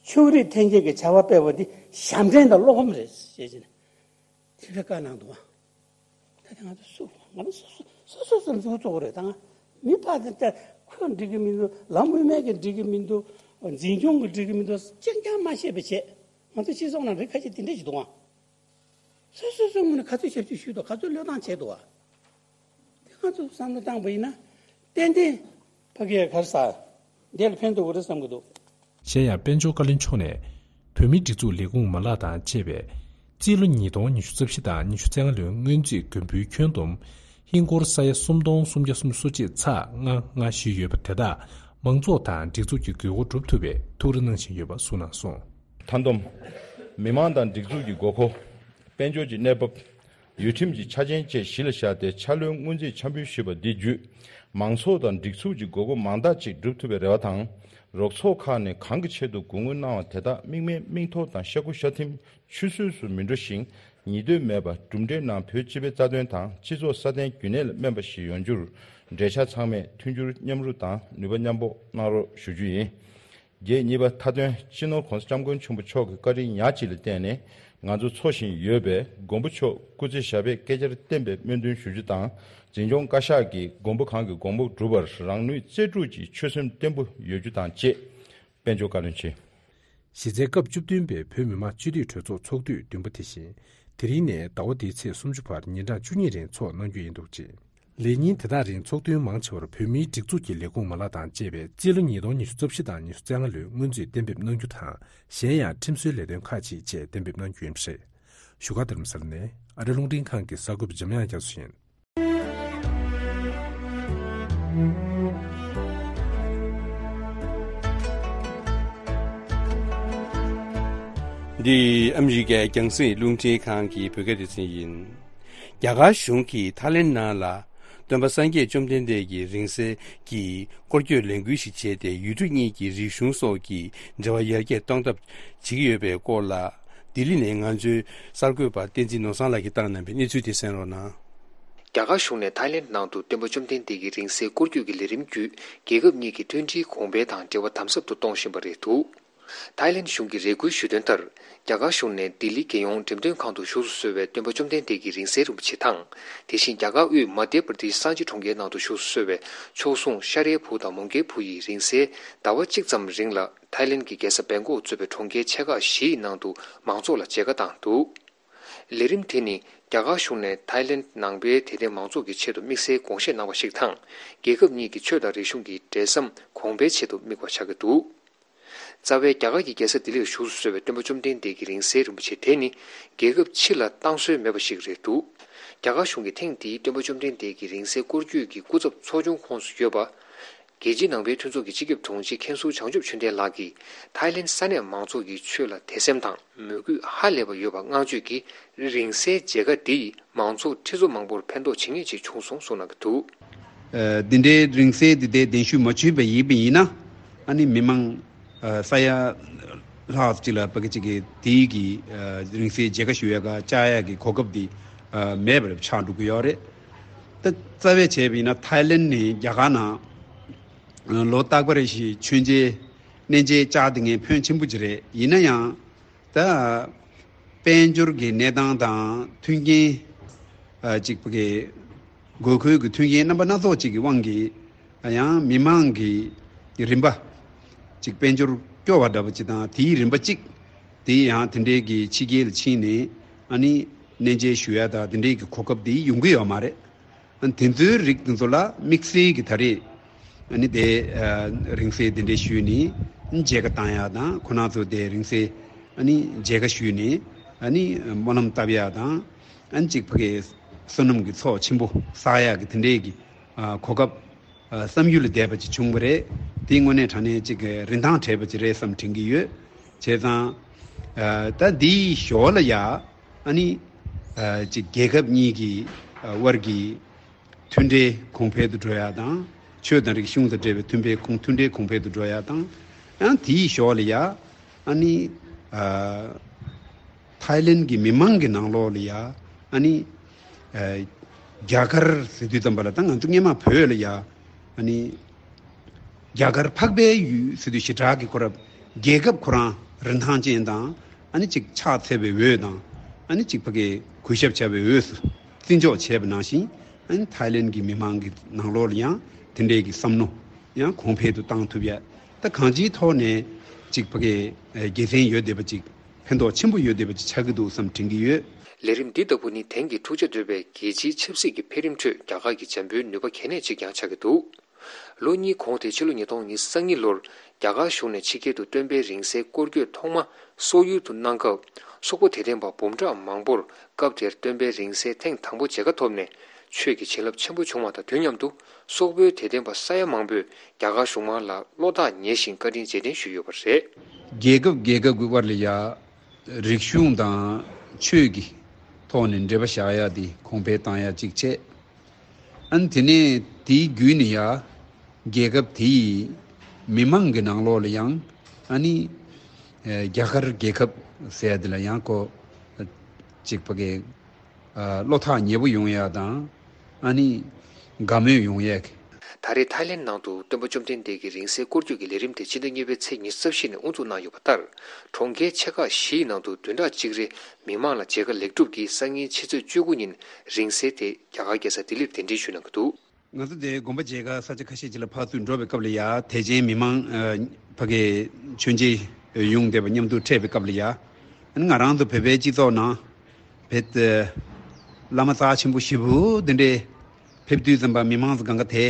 ཕྱོགས་རིས་འཐེན་འཁྱེར་གྱི་བྱ་བ་སྤེལ་བ་འདི་ཞབས་འདྲེན་དང་བློ་ཕམ་རེད་ཅེས་བྱས་ནས་དེ་འདྲ་བཀའ་གནང་འདུག་བ། ད་དེ་ང་ཚོ་སུ། ང་ཚོ་སོ་སོ་སོ་སོ་སེམས་ཚོར་ཚོགས་རེད། ད་ང་མི་ཕར་དེ་ལྟར་ཁོས་འགྲིག་གི་མི་འདུག་ལམ་དབུ་མའི་གིས་འགྲིག་གི་མི་འདུག་འཛིན་སྐྱོང་གིས་འགྲིག་གི་མི་འདུག་གཅིག་ཀྱང་མ་ཤེས་པ་བྱས། ང་ཚོ་སྤྱི་ཚོགས་ནང་རིགས་ཁ་ཤས་དེ་འདྲ་ཞིག་འདུག་ཨང་། སོ་སོ་སོ་ངོས་ནས་ག་ཚོད་ཞབས་ཞུ་ཞུས་འདུག་ག་ཚོད་བློས་བཏང་བྱས་འདུག་བ། དེ་ང་ཚོ་བསམ་བློ་བཏང་པ་ཡིན་ན། ཏན་ཏན་ཕ་གིའི་གར་ས་འདི་ལ་ཕན་ཐོགས་ཀྱི་རེད་བསམ་གྱི་འདུག་གཞན་ཡང་། དཔལ་འབྱོར་བཀའ་བློན་མཆོག་ནས། བོད་མིའི་སྒྲིག་འཛུགས་ལས་ཁུངས་མ་ལག་དང་བཅས་པས། རྩིས་ལོ་ཉིས་སྟོང་ཉི་ཤུ་རྩ་བཞི་དང་ཉི་ཤུ་རྩ་ལྔ་ལོའི་སྔོན་རྩིས་མགོན་པོའི་ཁྱོན་བསྡོམས། ཧིན་སྒོར་ས་ཡ་སུམ་སྟོང་སུམ་བརྒྱ་སུམ་ཅུ་སོ་གཅིག་ཚེག་ལྔ་ལྔ་བཞི་ཡོད་པ་དེ་དག་མང་ཚོགས་དང་སྒྲིག་འཛུགས་ཀྱི་དགོས་མཁོ་སྒྲུབ་ཐུབ་པའི་ཐུགས་རེ་གནང་བཞིན་ཡོད་པ་གསུངས་གནང་སོང་། མཐའ་བསྡོམས། མི་མང་དང་སྒྲིག་འཛུགས་ཀྱི་དགོས་མཁོ། དཔལ་འབྱོར་གྱི་གནས་བབ། ཡུལ་ཁྲིམས་ཀྱི་ཆ་རྐྱེན་བཅས་གཞི་ལ་བཞག་སྟེ་འཆར་ལོའི་སྔོན་རྩིས་འཆར་འབུལ་ཞུས་པ་འདི་བརྒྱུད། མང་ཚོགས་དང་སྒྲིག་འཛུགས་ཀྱི་དགོས་མཁོ་མང་དག་ཅིག་སྒྲུབ་ཐུབ་པའི་རེ་བ་དང་། རོགས་ཚོགས་ཁག་ནས་གང་གི་ཆེད་དུ་དགོས་མཁོ་གནང་བ་དེ་དག་དམིགས་མེད་མིག་ཐོག་དང་ཤ་ཁུ་ཤ་ཐིམ་ཆུད་ཟོས་སུ་མི་འགྲོ་ཞིང་། ཉིས་ལྟོས་མེད་པར་གྲུབ་འབྲས་རྣམས་བོད་སྤྱི་པའི་རྩ་དོན་དང་སྤྱི་ཚོགས་སྲ་བརྟན་རྒྱུན་གནས་ལ་སྨན་པ་ཞིག་ཡོང་རྒྱུར་འབྲེལ་ཆགས་ཚང་མས་མཐུན་འགྱུར་མཉམ་རུབ་དང་ནུས་པ་མཉམ་སྤོགས་གནང་རོགས་ཞུ་རྒྱུ་ཡིན། བརྒྱད་གཉིས་པ། མཐའ་དོན། སྤྱི་ནོར་༸གོང་ས་༸སྐྱབས་མགོན་ཆེན་པོ་མཆོག་གི་བཀའ་དྲིན་ཉག་གཅིག་ལ་བརྟེན་ནས་ང་ཚོ་འཚོ་བཞིན་ཡོད་པའི་མགོན་པོ་མཆོག་སྐུ་ཚེ་ཞབས་པད་བསྐལ་བརྒྱར་བརྟན་པའི་སྨོན་འདུན་ཞུ་རྒྱུ་དང་། འཛིན་སྐྱོང་བཀའ་ཤག་གིས་མགོན་པོ་གང་གི་དགོངས་པ་སྒྲུབ་པར་རང་ནུས་རྩལ་སྤྲུགས་ཀྱིས་ཆོད་སེམས་བརྟན་པོ་ཡོད་རྒྱུ་དང་བཅས། དཔལ་འབྱོར་བཀའ་བློན་ཆེ། གཞི་རྩའི་སྐབས་བཅུ་བདུན་པའི་བོད་མི་མང་སྤྱི་འཐུས་གྲོས་ཚོགས་ཚོགས་དུས་བདུན་པ་དེ་བཞིན། དེ་རིང་ནས་ཟླ་བ་འདིའི་ཚེས་སུམ་ཅུ་བར་ཉིན་གྲངས་བཅུ་གཉིས་རིང་འཚོགས་གནང་རྒྱུ་ཡིན་འདུག་ཅིང་། ལས་ཉིན་དེ་དག་རིང་ཚོགས་ཐུན་མང་ཆེ་བར་བོད་མིའི་སྒྲིག་འཛུགས་ཀྱི་ལས་ཁུངས་མ་ལག་དང་བཅས་པས་རྩིས་ལོ་ཉིས་སྟོང་ཉི་ཤུ་རྩ་བཞི་དང་ཉི་ཤུ་རྩ་ལྔ་ལོའི་སྔོན་རྩིས་གཏན་འབེབས་གནང་རྒྱུ་དང་། གཞན་ཡང་ཁྲིམས་བཟོའི་ལས་དོན་ཁག་ཅིག་བཅས་གཏན་འབེབས་གནང་རྒྱུ་ཡིན་པ་རེད། བཞུགས་སྒར་རྡ་རམ་ས་ལ་ནས་ཨ་རི་རླུང་འཕྲིན་ཁང་གི་གསར་འགོད་པ་འཇམ་དབྱངས་རྒྱ་མཚོ་ཡིན། འདི་ཨ་མི་རི་ཀའི་རྒྱང་སྲིང་རླུང་འཕྲིན་ཁང་གི་བོད་སྐད་སྡེ་ཚན་ཡིན། རྒྱ་གར་གཞུང་གིས་ཐའི་ལེན་ནང་ལ་སྟོན་པ་སངས་རྒྱས་བཅོམ་ལྡན་འདས་ཀྱི་རིང་བསྲེལ་གྱི་སྐོར་སྐྱོད་ལས་འགུལ་ཞིག་བྱས་ཏེ། ཡུལ་གྲུ་གཉིས་ཀྱི་རིག་གཞུང་སོགས་ཀྱི་འབྲེལ་བ་ཡར་རྒྱས་གཏོང་ཐབས་བྱེད་ཀྱི་ཡོད་པའི་སྐོར་ལ། ལྡི་ལི་ནས་ང་ཚོའི་གསར་འགོད་པ་བསྟན་འཛིན་ནོར་བཟང་ལགས་ཀྱིས་བཏང་གནང་བའི་གནས་ཚུལ་དེ་གསན་རོགས་གནང་། རྒྱ་གར་གཞུང་ནས་ཐའི་ལེན་ནང་དུ་སྟོན་པ་བཅོམ་ལྡན་འདས་ཀྱི་རིང་བསྲེལ་སྐོར་སྐྱོད་ཀྱི་ལས་རིམ་བརྒྱུད། རྒྱལ་ཁབ་གཉིས་ཀྱི་མཐུན་སྒྲིལ་གོང་འཕེལ་དང་འབྲེལ་བ་དམ་ཟབ་ཏུ་གཏོང་བཞིན་པ་རེད་འདུག་ཐའི་ལེན་གཞུང་གིས་རེ་སྐུལ་ཞུས་དོན་ལྟར། རྒྱ་གར་གཞུང་ནས་ལྡི་ལི་རྒྱལ་ཡོངས་འགྲེམས་སྟོན་ཁང་དུ་བཞུགས་སུ་གསོལ་བའི་སྟོན་པ་བཅོམ་ལྡན་འདས་ཀྱི་རིང་བསྲེལ་རིན་པོ་ཆེ་དང་། དེ་བཞིན་རྒྱ་གར་དབུས་མ་དྷྱ་པྲ་དེཤ་སངས་རྒྱས་གྲོང་ཁྱེར་ནང་དུ་བཞུགས་སུ་གསོལ་བའི་མཆོག་ཟུང་ཤཱ་རིའི་བུ་དང་མོའུ་འགལ་བུ་ཡི་རིང་བསྲེལ་ཟླ་བ་གཅིག་ཙམ་རིང་ལ་ཐའི་ལེན་གྱི་རྒྱལ་ས་བེང་ཀོག་གཙོས་པའི་གྲོང་ཁྱེར་ཆེ་ཁག་བཞིའི་ནང་དུ་མང་ཚོགས་ལ་མཇལ་ཁ་བཏང་འདུག་ལས་རིམ་དེ་ནི་རྒྱ་གར་གཞུང་ནས་ཐའི་ལེན་ནང་པའི་དད་ལྡན་མང་ཚོགས་ཀྱི་ཆེད་དུ་དམིགས་བསལ་དགོངས་བཞེས་གནང་བ་ཞིག་དང་། རྒྱལ་ཁབ་གཉིས་ཀྱི་ཆོས་དང་རིག་གཞུང་གི་འབྲེལ་ཟམ་གོང་འཕེལ་ཆེད་དུ་དམིགས་པ་ཆགས་ཀྱི་འདུག་རྩ་བའི་རྒྱ་གར་གྱི་རྒྱལ་ས་ལྡི་ལིར་བཞུགས་སུ་གསོལ་བའི་སྟོན་པ་བཅོམ་ལྡན་འདས་ཀྱི་རིང་བསྲེལ་རིན་པོ་ཆེ་དེ་ནི་རྒྱལ་ཁབ་ཕྱི་ལ་བཏང་སྲོལ་མེད་པ་ཞིག་རེད་འདུག་རྒྱ་གར་གཞུང་གིས་ཐེངས་འདིའི་སྟོན་པ་བཅོམ་ལྡན་འདས་ཀྱི་རིང་བསྲེལ་སྐོར་སྐྱོད་ཀྱི་སྐུ་ཚབ་ཚོགས་ཆུང་ཁོངས་སུ་ཡོད་པ། རྒྱལ་སྤྱིའི་ནང་པའི་མཐུན་ཚོགས་ཀྱི་སྤྱི་ཁྱབ་དྲུང་ཆེ་མཁན་ཟུར་བྱང་ཆུབ་ཆོས་ལྡན་ལགས་ཀྱིས་ཐའི་ལེན་ས་གནས་མང་ཚོགས་ཀྱི་ཆོས་ལ་དད་སེམས་དང་མོས་གུས་ཧ་ལས་པ་ཡོད་པ་བསྔགས་བརྗོད་ཀྱིས། རིང་བསྲེལ་མཇལ་ཁ་འདི་ཡིས་མང་ཚོགས་ཁྲི་ཚོ་མང་པོར་ཕན་ཐོགས་ཇི་སྙེད་ཅིག་བྱུང་སོང་གསུངས་གནང་གི་འདུག་ཨ། འདི་འདྲའི་རིང་བསྲེལ་འདི་ལྟའི་གདན་ཞུ་མ་ཞུས་པ་ཡིན་པ་ཡིན་ན། ཨ་ནི་མི་མང་ཨ། ས་ཡ་ལྷག་ཅིག་ལ་ཕ་གི་ཅིག་གིས་དེའི་གི་ཨ། རིང་བསྲེལ་མཇལ་ཁ་ཞུ་ཡ་ག་བཅར་ཡ་གི་གོ་སྐབས་འདི་ཨ། མེད་པར་ཆགས་འགྲོ་གི་ཡོད་རེད། ད་རྩ་བའི་བྱས་པ་ཡིན་ན་ཐའི་ལེན་ནི་རྒྱ་གར་ནང་ལོ་རྟག་པ་རེ་བཞིན་མཆོད་མཇལ་གནས་མཇལ་བཅར་བསྡད་མཁན་ཕོན་ཆེན་པོ་ཅིག་རེད། ཡིན་ན་ཡང་། ད་དཔལ་འབྱོར་གྱི་གནས་སྟངས་དང་མཐུན་རྐྱེན། ཨ། གཅིག་པ་གི་དགོས་མཁོའི་གི་མཐུན་རྐྱེན་རྣམ་པ་སྣ་ཚོགས་གཅིག་གི་དབང་གིས། ཡང་མི་མང་གི་རིམ་པ་གཅིག་དཔལ་འབྱོར་སྐྱོ་བ་འདྲ་པོ་གཅིག་དང་དེའི་རིམ་པ་གཅིག་དེ་ཡང་དེ་འདྲའི་གི་ཕྱི་རྒྱལ་ལ་ཕྱིན་ནས་ཨ་ནི་གནས་མཇལ་ཞུ་ཡ་དང་དེ་འདྲའི་གི་གོ་སྐབས་དེ་ཡོང་གི་ཡོད་མ་རེད། དེ་ཚོའི་རིགས་དེ་ཚོ་ལ་དམིགས་བསལ་གྱི་ད་རེས་ཨ་ནི་དེ་ཨ་རིང་བསྲེལ་དེ་འདྲས་ཞུས་ནས་མཇལ་ཁ་བཏང་ཡག་དང་ཁོ་རང་ཚོ་དེ་རིང་བསྲེལ་ཨ་ནི་མཇལ་ཁ་ཞུས་ནས་ཨ་ནི་སྨོན་ལམ་བཏབ་ཡག་དང་ཨ་ནི་གཅིག་ཕ་གིའི་བསོད་ནམས་ཀྱི་ཚོགས་ཆེན་པོ་བསགས་ཡག་གི་དེ་འདྲས་ཀྱི་ཨ་གོ་སྐབས་ཨ་བསམ་ཡུལ་ལས་འདས་པ་ཅིག་བྱུང་བ་རེད། དེ་དངོས་གནས་དྲང་གནས་གཅིག་གི་རིན་ཐང་བྲལ་བ་ཅིག་རེད་བསམ་དྲན་གྱི་ཡོད། བྱས་ཙང་ཨ་ད་འདིའི་ཞོར་ལ་ཡ། ཨ་ནི། ཨ་ཅིག་རྒྱལ་ཁབ་གཉིས་ཀྱི་ཨ་དབར་གྱི་མཐུན་འབྲེལ་གོང་འཕེལ་དུ་འགྲོ་ཡག་དང་། ཆོས་དང་རིག་གཞུང་དང་འབྲེལ་བའི་མཐུན་པའི་གོང་མཐུན་འབྲེལ་གོང་འཕེལ་དུ་འགྲོ་ཡག་དང་། ཡང་དེའི་ཞོར་ལ་ཡ། ཨ་ནི། ཨ་ཐའི་ལེན་གྱི་མི་མང་གི་ནང་ལོགས་ལ་ཡ། ཨ་ནི། ཨ་རྒྱ་གར་ཟེར་དུས་ཙམ་པ་ལ་ད་ང་ཚོ་སྔོན་མ་བོད་ལ་ཡ། ཨ་ནི། རྒྱ་གར་འཕགས་པའི་ཡུལ་ཟེར་དུས་ཞེ་དྲག་གི་ཁོ་རང་རྒྱལ་ཁབ་ཁོ་རང་རིན་ཐང་ཅན་དང་ཨ་ནི་གཅིག་ཕྱག་འཚལ་བའི་འོས་དང་ཨ་ནི་གཅིག་ཕ་གི་གུས་ཞབས་བྱ་བའི་འོས་སུ་བརྩི་འཇོག་བྱས་པ་ནང་བཞིན་ཨ་ནི་ཐའི་ལེན་གྱི་མི་མང་གི་ནང་ལོགས་ལ་ཡང་དེ་འདྲའི་གི་བསམ་མནོ་ཡང་གོང་འཕེལ་དུ་བཏང་ཐུབ་ཡ། ད་གང་ཅིའི་ཐོག་ནས་གཅིག་ཕ་གི་དགེ་མཚན་ཡོད་བསྡད་པ་ཅིག་ཕན་ཐོགས་ཆེན་པོ་ཡོད་བསྡད་པ་ཅིག་ཆགས་ཀྱི་འདུག་བསམ་དྲན་གྱི་ཡོད། ལས་རིམ་འདི་ལྟ་བུ་ནི་དེང་གི་འཁྲུག་ཆ་དོད་པའི་རྒྱལ་སྤྱིའི་ཆབ་སྲིད་ཀྱི་འཕེལ་རིམ་ཁྲོད་རྒྱ་གར་གྱི་འཇམ་པོའི་ནུས་པ་གལ་གནད་ཅིག་ཀྱང་ཆགས་ཀྱི་འདུག་ལོ་གཉིས་གོང་སྟེ་ཕྱི་ལོ་ཉིས་སྟོང་ཉི་ཤུ་རྩ་གཉིས་ལོར་རྒྱ་གར་གཞུང་ནས་ཕྱི་རྒྱལ་དུ་སྟོན་པའི་རིང་བསྲེལ་སྐོར་སྐྱོད་ཐོག་མ་སོག་ཡུལ་དུ་གནང་སྐབས། སོག་པོ་དད་ལྡན་པ་འབུམ་ཕྲག་མང་པོར་སྐབས་དེར་སྟོན་པའི་རིང་བསྲེལ་ཐེངས་དང་པོ་མཇལ་ཁ་ཐོབ་ནས་ཆོས་ཀྱི་བྱིན་རླབས་ཆེན་པོ་བྱུང་བ་དང་དུས་མཉམ་དུ། སོག་པོའི་དད་ལྡན་པ་ས་ཡ་མང་པོས་རྒྱ་གར་གཞུང་མང་ལ་བློ་ཐག་ཉེ་ཞིང་བཀའ་དྲིན་རྗེས་དྲན་ཞུས་ཡོད་པ་རེད། རྒྱལ་ཁབ་རྒྱལ་ཁབ་ཀྱི་དབར་ལ་ཡ། རིག་གཞུང་དང་ཆོས་ཀྱི་ཐོག་ནས་འབྲེལ་བ་བཞག་ཡ་དེ་གོང་འཕེལ་བཏང་ཡ་གཅིག་བྱས། ཨ་ནི་དེ་ནས་དེའི་བརྒྱུད་ནས་ཡ། རྒྱལ་ཁབ་དེའི་མི་མང་གི་ནང་ལོགས་ལ་ཡང་ཨ་ནི། ཨེ། རྒྱ་གར་རྒྱལ་ཁབ་ཟེར་ཡ་དེ་ལ་ཡང་ཁོ། གཅིག་ཕ་གི། ཨ། བློ་ཐག་ཉེ་པོ་ཡོང་ཡ་དང་། ཨ་ནི། དགའ་མོས་ཡོང་ཡས་ཀྱི། ད་རེས་ཐའི་ལེན་ནང་དུ་སྟོན་པ་བཅོམ་ལྡན་འདས་ཀྱི་རིང་བསྲེལ་སྐོར་སྐྱོད་ཀྱི་ལས་རིམ་དེ་ཕྱི་ཟླ་གཉིས་པའི་ཚེས་ཉི་ཤུ་རྩ་བཞི་ནས་དབུ་འཛུགས་གནང་ཡོད་པ་ལྟར། གྲོང་ཁྱེར་ཆེ་ཁག་བཞིའི་ནང་དུ་བདུན་ཕྲག་གཅིག་རིང་མི་མང་ལ་མཇལ་ཁ་ལེགས་གྲུབ་ཀྱིས་སང་ཉིན་ཕྱི་ཚེས་བཅུ་དགུ་ཉིན་རིང་བསྲེལ་དེ་རྒྱ་གར་རྒྱལ་ས་ལྡི་ལིར་གདན་འདྲེན་ཞུས་གནང་གི་འདུག་ང་ཚོ་དེ་དགོན་པ་མཇལ་ཁ་ས་ཆ་ཁ་ཤས་ཅིག་ལ་ཕར་ཚུར་འགྲོ་བའི་སྐབས་ལ་ཡ། དད་ཅན་མི་མང་། ཨ། ཕ་གིའི་མཆོད་མཇལ་ཡོང་བསྡད་པ་མཉམ་དུ་འཕྲད་པའི་སྐབས་ལ་ཡ། ཨ་ནི་ང་རང་ཚོ་བོད་པའི་སྤྱི་ཚོགས་ནང་བོད་བླ་མ་རྩ་ཆེན་པོ་ཞེ་པོ་འདི་འདྲའི་ཕེབས་དུས་ཙམ་པ་མི་མང་ཚོ་གང་ག་དེ་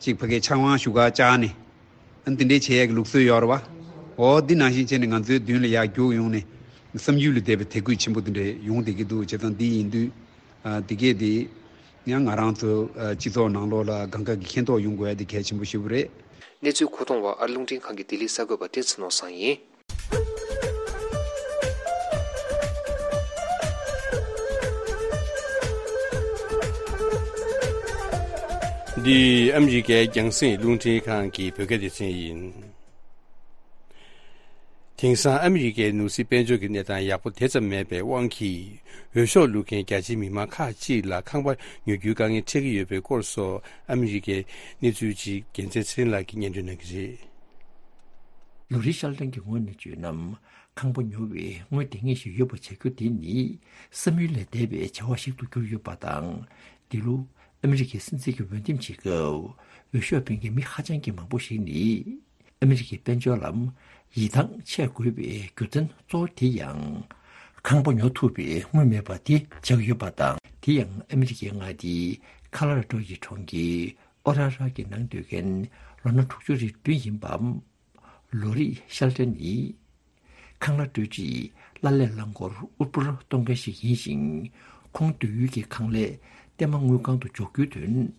ཅིག་ཕ་གིའི་ཕྱག་དབང་ཞུ་ག་བཅར་ནས། ཨ་ནི་འདི་འདྲའི་བྱེད་ཡག་གི་ལུགས་སྲོལ་ཡོད་རེད་བ། འོ་འདི་ནང་བཞིན་བྱས་ནས་ང་ཚོའི་མདུན་ལ་ཡར་རྒྱུགས་ཡོང་ནས་བསམ་ཡུལ་ལས་འདས་པའི་དད་གུས་ཆེན་པོ་འདི་འདྲ་ཡོང་བསྡད་ཀྱི་འདུག་བྱས་ཙང་འདི་ཡིན་དུས། ཨ། འདི་གས་འདི་ཡང་ང་རང་ཚོ། ཨ། སྤྱི་ཚོགས་ནང་ལོགས་ལ་གང་ག་གི་མཁྱེན་རྟོགས་ཡོང་དགོས་ཡ་འདི་གལ་ཆེན་པོ་ཞེ་པོ་རེད། གནས་ཚུལ་མཁོ་གཏོང་བ་ཨ་རི་རླུང་འཕྲིན་ཁང་གི་ལྡི་ལི་གསར་འགོད་པ་བསྟན་འཛིན་ནོར་བཟང་ཡིན། འདི་ཨ་མི་རི་ཀའི་རྒྱང་སྲིང་རླུང་འཕྲིན་ཁང་གི་བོད་སྐད་སྡེ་ཚན་ཡིན། དེང་སང་ཨ་མི་རི་ཀའི་ནང་སྲིད་དཔལ་འབྱོར་གྱི་གནས་སྟངས་ཡག་པོ་དེ་ཙམ་མེད་པའི་དབང་གིས། འོས་ཤོག་བླུག་མཁན་རྒྱ་ཆེའི་མི་མང་ཁག་ཅིག་ལ་ཁང་པ་ཉོ་རྒྱུའི་དཀའ་ངལ་འཕྲད་ཀྱི་ཡོད་པའི་སྐོར་སོགས། ཨ་མི་རི་ཀའི་གནས་ཚུལ་ཅིག་རྒྱལ་མཚན་ཚེ་རིང་ལགས་ཀྱིས་སྙན་སྒྲོན་གནང་གི་རེད། ལོ་རེའི་ཤར་གླིང་གི་སྔོན་ནས་བརྗོད་ན། ཁང་པ་ཉོ་བའི་དངུལ་ལྡང་ངེས་ཤིག་ཡོད་པ་བྱ་རྒྱུ་དེ་ནི་བསམ་ཡུལ་ལས་འདས་པའི་བྱ་བ་ཞིག་ཏུ་གྱུར་ཡོད་པ་དང་། འདི་ལོ་ཨ་མི་རི་ཀའི་སྲིད་འཛིན་གྱི་འོས་འདེམས་བྱེད་སྐབས་འོས་ཤོག་འཕེན་མཁན་མི་ཧ་ཅང་གི་མང་པོ་ཞིག་ནི། ཨ་མི་རི་ཀའི་དཔལ་འབྱོར་ལ་ཡིད་ཐང་ཆད་དགོས་པའི་རྒྱུ་མཚན་གཙོ་བོ་དེ་ཡང་། ཁང་པ་ཉོ་ཐུབ་པའི་དངུལ་མེད་པ་དེ་ཆགས་ཡོད་པ་དང་། དེ་ཡང་ཨ་མི་རི་ཀའི་མངའ་སྡེ་ཁ་ལ་ར་ཏོ་ཡི་གྲོང་ཁྱེར་ཨོ་ར་ར་གི་ནང་སྡོད་མཁན་ལོ་ན་དྲུག་ཅུ་རེ་བདུན་ཡིན་པ། ལོ་རེའི་ཤར་ཏེ་ནི། ཁང་གླ་སྤྲོད་རྗེས་གླ་ལས་རླངས་འཁོར་དབུལ་པོར་གཏོང་མཁན་ཞིག་ཡིན་ཞིང་། ཁོང་སྡོད་ཡུལ་གྱི་ཁང་ལས་ལྟད་མོ་དངུལ་ཁང་དུ་འཇོག་རྒྱུའི་དོན།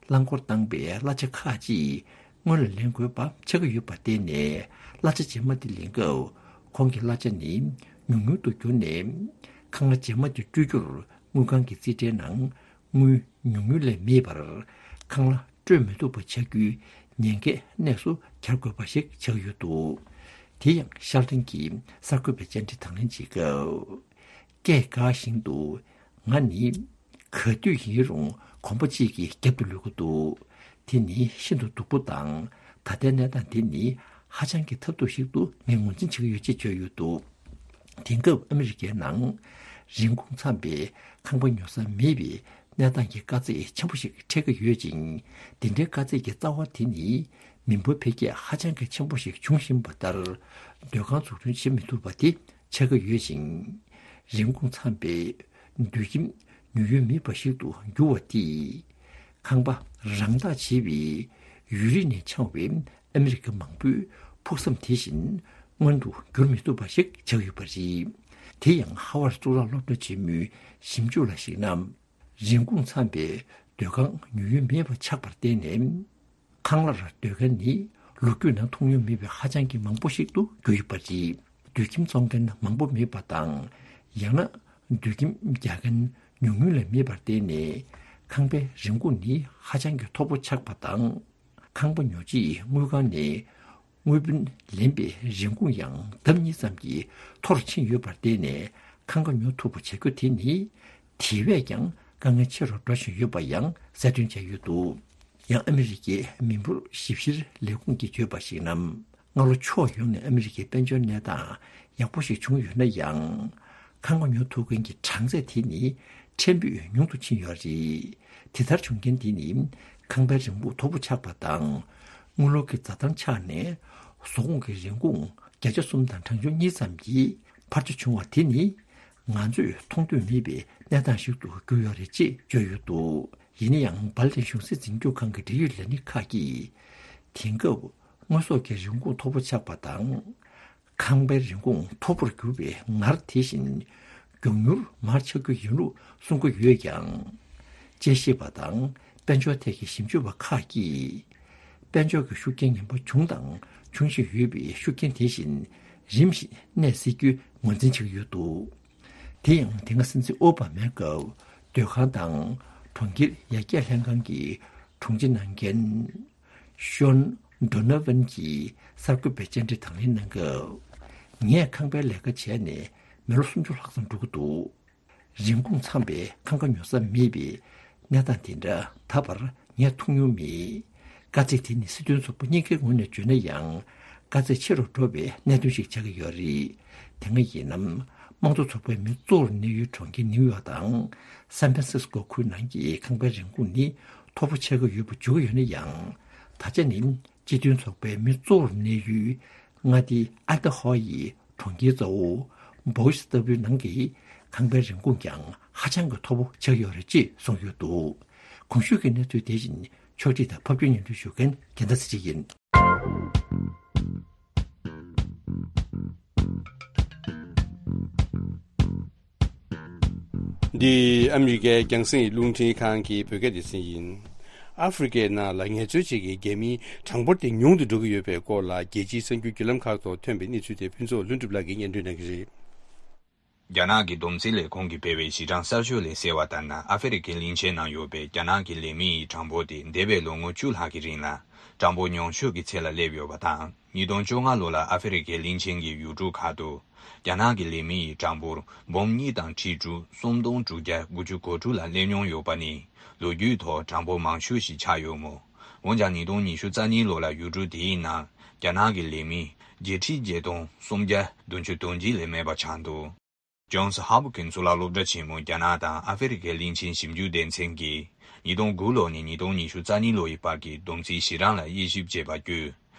རླངས་འཁོར་བཏང་པའི་གླ་ཆ་ཁག་ཅིག་སྔོན་ལ་ལེན་དགོས་པ་ཆགས་ཀྱི་ཡོད་པར་བརྟེན་ནས། གླ་ཆ་རྗེས་མ་དེ་ལེན་སྐབས་ཁོང་གི་གླ་ཆ་ནི་ཉུང་ཉུང་དུ་གྱུར་ནས། ཁང་གླ་རྗེས་མ་དེ་སྤྲོད་རྒྱུར་དངུལ་ཁང་གི་རྩིས་ཁྲའི་ནང་དངུལ་ཉུང་ཉུང་ལས་མེད་པར་ཁང་གླ་སྤྲོད་མི་ཐུབ་པ་ཆགས་རྒྱུའི་ཉེན་ཁའི་གནས་སུ་གྱར་དགོས་པ་ཞིག་ཆགས་ཡོད་འདུག་དེ་ཡང་ཤར་ཏེ་གི་གསར་འགོད་པས་བཅར་འདྲི་དང་ལེན་བྱེད་སྐབས། སྐད་འགག་བཞིན་དུ། ང་ནི་ག་དུས་ཡིན་རུང་གོམ་པ་གཅིག་གི་རྒྱབ་ཏུ་ལུས་ཀྱི་འདུག་དེ་ནི་ཤིན་ཏུ་སྡུག་པོ་དང་། ད་ལྟའི་གནས་སྟངས་དེ་ནི་ཧ་ཅང་གི་ཐབས་སྡུག་ཞིག་ཏུ་ངས་ངོས་འཛིན་བྱེད་ཀྱི་ཡོད་ཅེས་བརྗོད་ཡོད་འདུག་དེང་སྐབས་ཨ་མི་རི་ཀའི་ནང་རིན་གོང་འཚམ་པའི་ཁང་པ་ཉོ་ས་མེད་པའི་གནས་སྟངས་ཀྱི་དཀའ་ཚེགས་ཆེན་པོ་ཞིག་འཕྲད་ཀྱི་ཡོད་ཅིང་། འདི་འདྲའི་དཀའ་ཚེགས་ཀྱི་རྩ་བ་དེ་ནི་མི་འབོར་འཕེལ་རྒྱས་ཧ་ཅང་གི་ཆེན་པོ་ཞིག་བྱུང་བཞིན་པ་ལྟར། སྡོད་ཁང་འཛུགས་སྐྲུན་བྱེད་མི་ཐུབ་པ་དེ་ཆགས་ཀྱི་ཡོད་ཅིང་། རིན་གོང་འཚམ་པའི་སྡོད་ཁྱིམ་ཉོ་ཡུལ་མེད་པ་ཞིག་ཏུ་འགྱུར་བ་དེས། ཁང་པ་རང་བདག་བྱེད་པའི་ཡུལ་རིས་ནས་འཆང་བའི་ཨ་མི་རི་ཀ་མང་པོའི་ཕུགས་བསམ་དེ་བཞིན་མངོན་དུ་འགྱུར་མི་ཐུབ་པ་ཞིག་ཆགས་ཡོད་པ་རེད། དེ་ཡང་ཧ་ཝར་གཙུག་ལག་སློབ་གྲྭ་ཆེན་མོའི་ཞིབ་འཇུག་ལ་གཞིགས་ན། རིན་གོང་འཚམ་པའི་སྡོད་ཁང་ཉོ་ཡུལ་མེད་པ་ཆགས་པར་བརྟེན་ནས། ཁང་གླར་སྡོད་མཁན་ནི་ལོ་རྒྱུས་ནང་མཐོང་མྱོང་མེད་པའི་ཧ་ཅང་གི་མང་པོ་ཞིག་ཏུ་གྱུར་ཡོད་པ་རེད། སྡོད་ཁྱིམ་བཙོང་མཁན་མང་པོ་མེད་པ་དང་། ཡང་ན་སྡོད་ཁྱིམ་རྒྱག་མཁན་ཉུང་ཉུང་ལས་མེད་པར་བརྟེན་ནས། ཁང་པའི་རིན་གོང་ནི་ཧ་ཅང་གི་མཐོ་པོ་ཆགས་པ་དང་། ཁང་པ་ཉོ་རྗེས་དངུལ་ཁང་ནས་དངུལ་བུན་ལེན་པའི་རིན་གོང་ཡང་ལྡབ་གཉིས་ཙམ་གྱིས་མཐོ་རུ་ཕྱིན་ཡོད་པར་བརྟེན་ནས། ཁང་པ་ཉོ་ཐུབ་པ་བྱ་རྒྱུ་དེ་ནི། དེ་བས་ཀྱང་དཀའ་ངལ་ཆེ་རུ་འགྲོ་བཞིན་ཡོད་པ་ཡང་གསལ་སྟོན་བྱས་ཡོད་འདུག་ཡང་ཨ་མི་རི་ཀའི་མི་འབོར་ཞིབ་བཤེར་ལས་ཁུངས་ཀྱིས་བརྗོད་པར་གཞིགས་ན། སྔ་ལོ་ཕྱོགས་ཡོངས་ནས་ཨ་མི་རི་ཀའི་དཔལ་འབྱོར་གནས་སྟངས་ཡག་པོ་ཞིག་བྱུང་ཡོད་ན་ཡང་། ཁང་པ་ཉོ་ཐུབ་མཁན་གྱི་གྲངས་ཚད་དེ་ནི་ཕྲན་བུ་ཉུང་དུ་ཕྱིན་ཡོད་རེད། དེ་ལྟར་བྱུང་རྐྱེན་དེ་ནི། ཁང་པའི་རིན་གོང་མཐོ་པོ་ཆགས་པ་དང་། དངུལ་ལོར་གྱི་འཛའ་ཐང་ཆག་ནས། བཟོ་ཁོངས་ཀྱི་རིན་གོང་བརྒྱ་ཆ་གསུམ་དང་གྲངས་ཆུང་གཉིས་ཙམ་གྱིས་འཕར་ཆ་བྱུང་བ་དེ་ནི། ང་ཚོས་མཐོང་ཐོས་མེད་པའི་གནས་སྟངས་ཤིག་ཏུ་གྱུར་ཡོད་རེད་ཅེས་བརྗོད་ཡོད་འདུག་ཡིན་ན་ཡང་འབར་ལིན་གཞུང་སྲིད་འཛིན་སྐྱོང་ཁང་གི་འབྲེལ་ཡོད་ལས་སྣེ་ཁག་གིས། དེང་སྐབས་དངོས་ཟོག་གི་རིན་གོང་མཐོ་པོ་ཆགས་པ་དང་། ཁང་པའི་རིན་གོང་མཐོ་པོར་གྱུར་བའི་ངར་དེ་བཞིན་མགྱོགས་མྱུར་མར་ཆག་རྒྱུ་ཡིན་ལུགས་གསུང་གི་ཡོད་ཀྱང་། དཔྱད་ཞིབ་པ་དང་དཔལ་འབྱོར་ཐད་ཀྱི་ཞིབ་འཇུག་པ་ཁག་གིས། དཔལ་འབྱོར་གྱི་ཤུགས་རྐྱེན་ངན་པ་བྱུང་དང་འབྱུང་བཞིན་ཡོད་པའི་ཤུགས་རྐྱེན་དེ་བཞིན་རིམ་བཞིན་གནས་སྲིད་རྒྱུའི་ངོས་འཛིན་བྱེད་ཀྱི་ཡོད་འདུག་དེ་ཡང་དེ་སྔ་སྲིད་འཛིན་ཨོ་བྷ་མའི་སྐབས་སྡོད་ཁང་དང་གྲོང་ཁྱེར་ཡར་རྒྱས་ལྷན་ཁང་གི་དྲུང་ཆེ་གནང་མཁན། ཤོན་ཌོ་ནོ་ཝན་གྱིས་གསར་འགོད་པའི་བཅར་འདྲི་དང་ལེན་གནང་སྐབས། ངས་ཁང་པའི་ལས་ཀ་བྱས་ནས་མི་ལོ་སུམ་ཅུ་ལྷག་ཙམ་འགྲོ་གི་འདུག་རིན་གོང་འཚམས་པའི་ཁང་ཁ་ཉོ་ས་མེད་པའི་གནས་སྟངས་དེ་འདྲ་ད་བར་ངས་མཐོང་མྱོང་མེད། དཀའ་ཚེགས་དེ་ནི་སྲིད་དོན་ཚོགས་པ་གཉིས་ཀའི་ངོས་ནས་བརྗོད་ན་ཡང་། དཀའ་ཚེགས་ཆེ་རུ་འགྲོ་བའི་གནད་དོན་ཞིག་ཆགས་ཀྱི་ཡོད་རེད། དེ་སྔ་ཡིན་ནམ། དམངས་གཙོ་ཚོགས་པའི་མི་གཙོ་བོར་གནས་ཡུལ་གྲོང་ཁྱེར་ནིའུ་ཡོག་དང་སན་ཕྲན་སིས་ཀོ་ཁུལ་ནང་གི་ཁང་པའི་རིན་གོང་ནི་མཐོ་པོ་ཆགས་ཀྱི་ཡོད་པ་བརྗོད་ཀྱི་ཡོད་ན་ཡང་། ད་ཆ་ནི་སྤྱི་མཐུན་ཚོགས་པའི་མི་གཙོ་བོར་གནས་ཡུལ་མངའ་སྡེ་ཨ་ཏི་ཧོ་ཡི་གྲོང་ཁྱེར་གཙོ་བོ་བོ་ཤི་ལྟ་བུའི་ནང་གི་ཁང་པའི་རིན་གོང་ཀྱང་ཧ་ཅང་གི་མཐོ་པོ་ཆགས་ཡོད་རེད་ཅེས་གསུངས་ཡོད་འདུག་གོང་ཞུས་ཀྱི་གནས་ཚུལ་དེ་བཞིན་ཕྱོགས་སྒྲིག་དང་ཕབ་སྒྱུར་སྙན་སྒྲོན་ཞུ་མཁན་རྒྱལ་མཚན་ཚེ་རིང་ཡིན། འདི་ཨ་མི་རི་ཀའི་རྒྱང་སྲིང་རླུང་འཕྲིན་ཁང་གི་བོད་སྐད་སྡེ་ཚན་ཡིན། ཨ་ཧྥེ་རི་ཁའི་ནང་ལ་ངལ་རྩོལ་བྱེད་མཁན་རྒྱ་མིའི་གྲངས་འབོར་དེ་ཉུང་དུ་འགྲོ་གི་ཡོད་པའི་སྐོར་ལ། རྒྱལ་སྤྱིའི་གསར་འགྱུར་བརྒྱུད་ལམ་ཁག་ཐོག་ཐོན་པའི་གནས་ཚུལ་དེ་ཕུན་ཚོགས་ལྷུན་གྲུབ་ལགས་ཀྱིས་སྙན་སྒྲོན་གནང་གི་རེད། རྒྱ་ནག་གི་བསྡོམས་རྩིས་ལས་ཁུངས་ཀྱིས་སྤེལ་བའི་གཞི་གྲངས་གསར་ཤོས་ལས་གསལ་བ་ལྟར་ན། ཨ་ཧྥེ་རི་ཁའི་གླིང་ཆེན་ནང་ཡོད་པའི་རྒྱ་ནག་གི་ལས་མི་ཡི་གྲངས་འབོར་དེ་འདས་པའི་ལོ་ངོ་བཅུ་ལྷག་གི་རིང་ལ་གྲངས་འབོར་ཉུང་ཤོས་ཀྱི་ཚད་ལ་སླེབས་ཡོད་པ་དང་། ཉིས་སྟོང་བཅོ་ལྔ་ལོ་ལ་ཨ་ཧྥེ་རི་ཁའི་གླིང་ཆེན་གྱི་ཡུལ་གྲུ་ཁག་ཏུ་རྒྱ་ནག་གི་ལས་མི་ཡི་གྲངས་འབོར་འབུམ་གཉིས་དང་ཁྲི་དྲུག་སུམ་སྟོང་དྲུག་བརྒྱ་དགུ་བཅུ་གོ་དྲུག་ལ་སླེབས་མྱོང་ཡོད་པ་ནི་ལོ་རྒྱུས་ཐོག་གྲངས་འབོར་མང་ཤོས་ཤིག་ཆགས་ཡོད་མོད། འོན་ཀྱང་ཉིས་སྟོང་ཉི་ཤུ་རྩ་གཉིས་ལོ་ལ་ཡུལ་གྲུ་དེའི་ནང་རྒྱ་ནག་གི་ལས་མི་བརྒྱད་ཁྲི་བརྒྱད་སྟོང་སུམ་བརྒྱ་བདུན་ཅུ་དོན་གཅིག་ལས་མེད་པ་ཆགས་འདུག་ཇོན་སི་ཧོབ་ཀིན་སི་གཙུག་ལག་སློབ་གྲྭ་ཆེན་མོ་རྒྱ་ནག་དང་ཨ་ཧྥེ་རི་ཁའི་གླིང་ཆེན་ཞིབ་འཇུག་སྡེ་ཚན་གྱིས་ཉིས་སྟོང་དགུ་ལོ་ནས་ཉིས་སྟོང་ཉི་ཤུ་རྩ་གཉིས་ལོ་ཡི་བར་གྱི་བསྡོམས་རྩིས་གཞི་གྲངས་ལ་དབྱེ་ཞིབ་བྱས་པ་བརྒྱུད།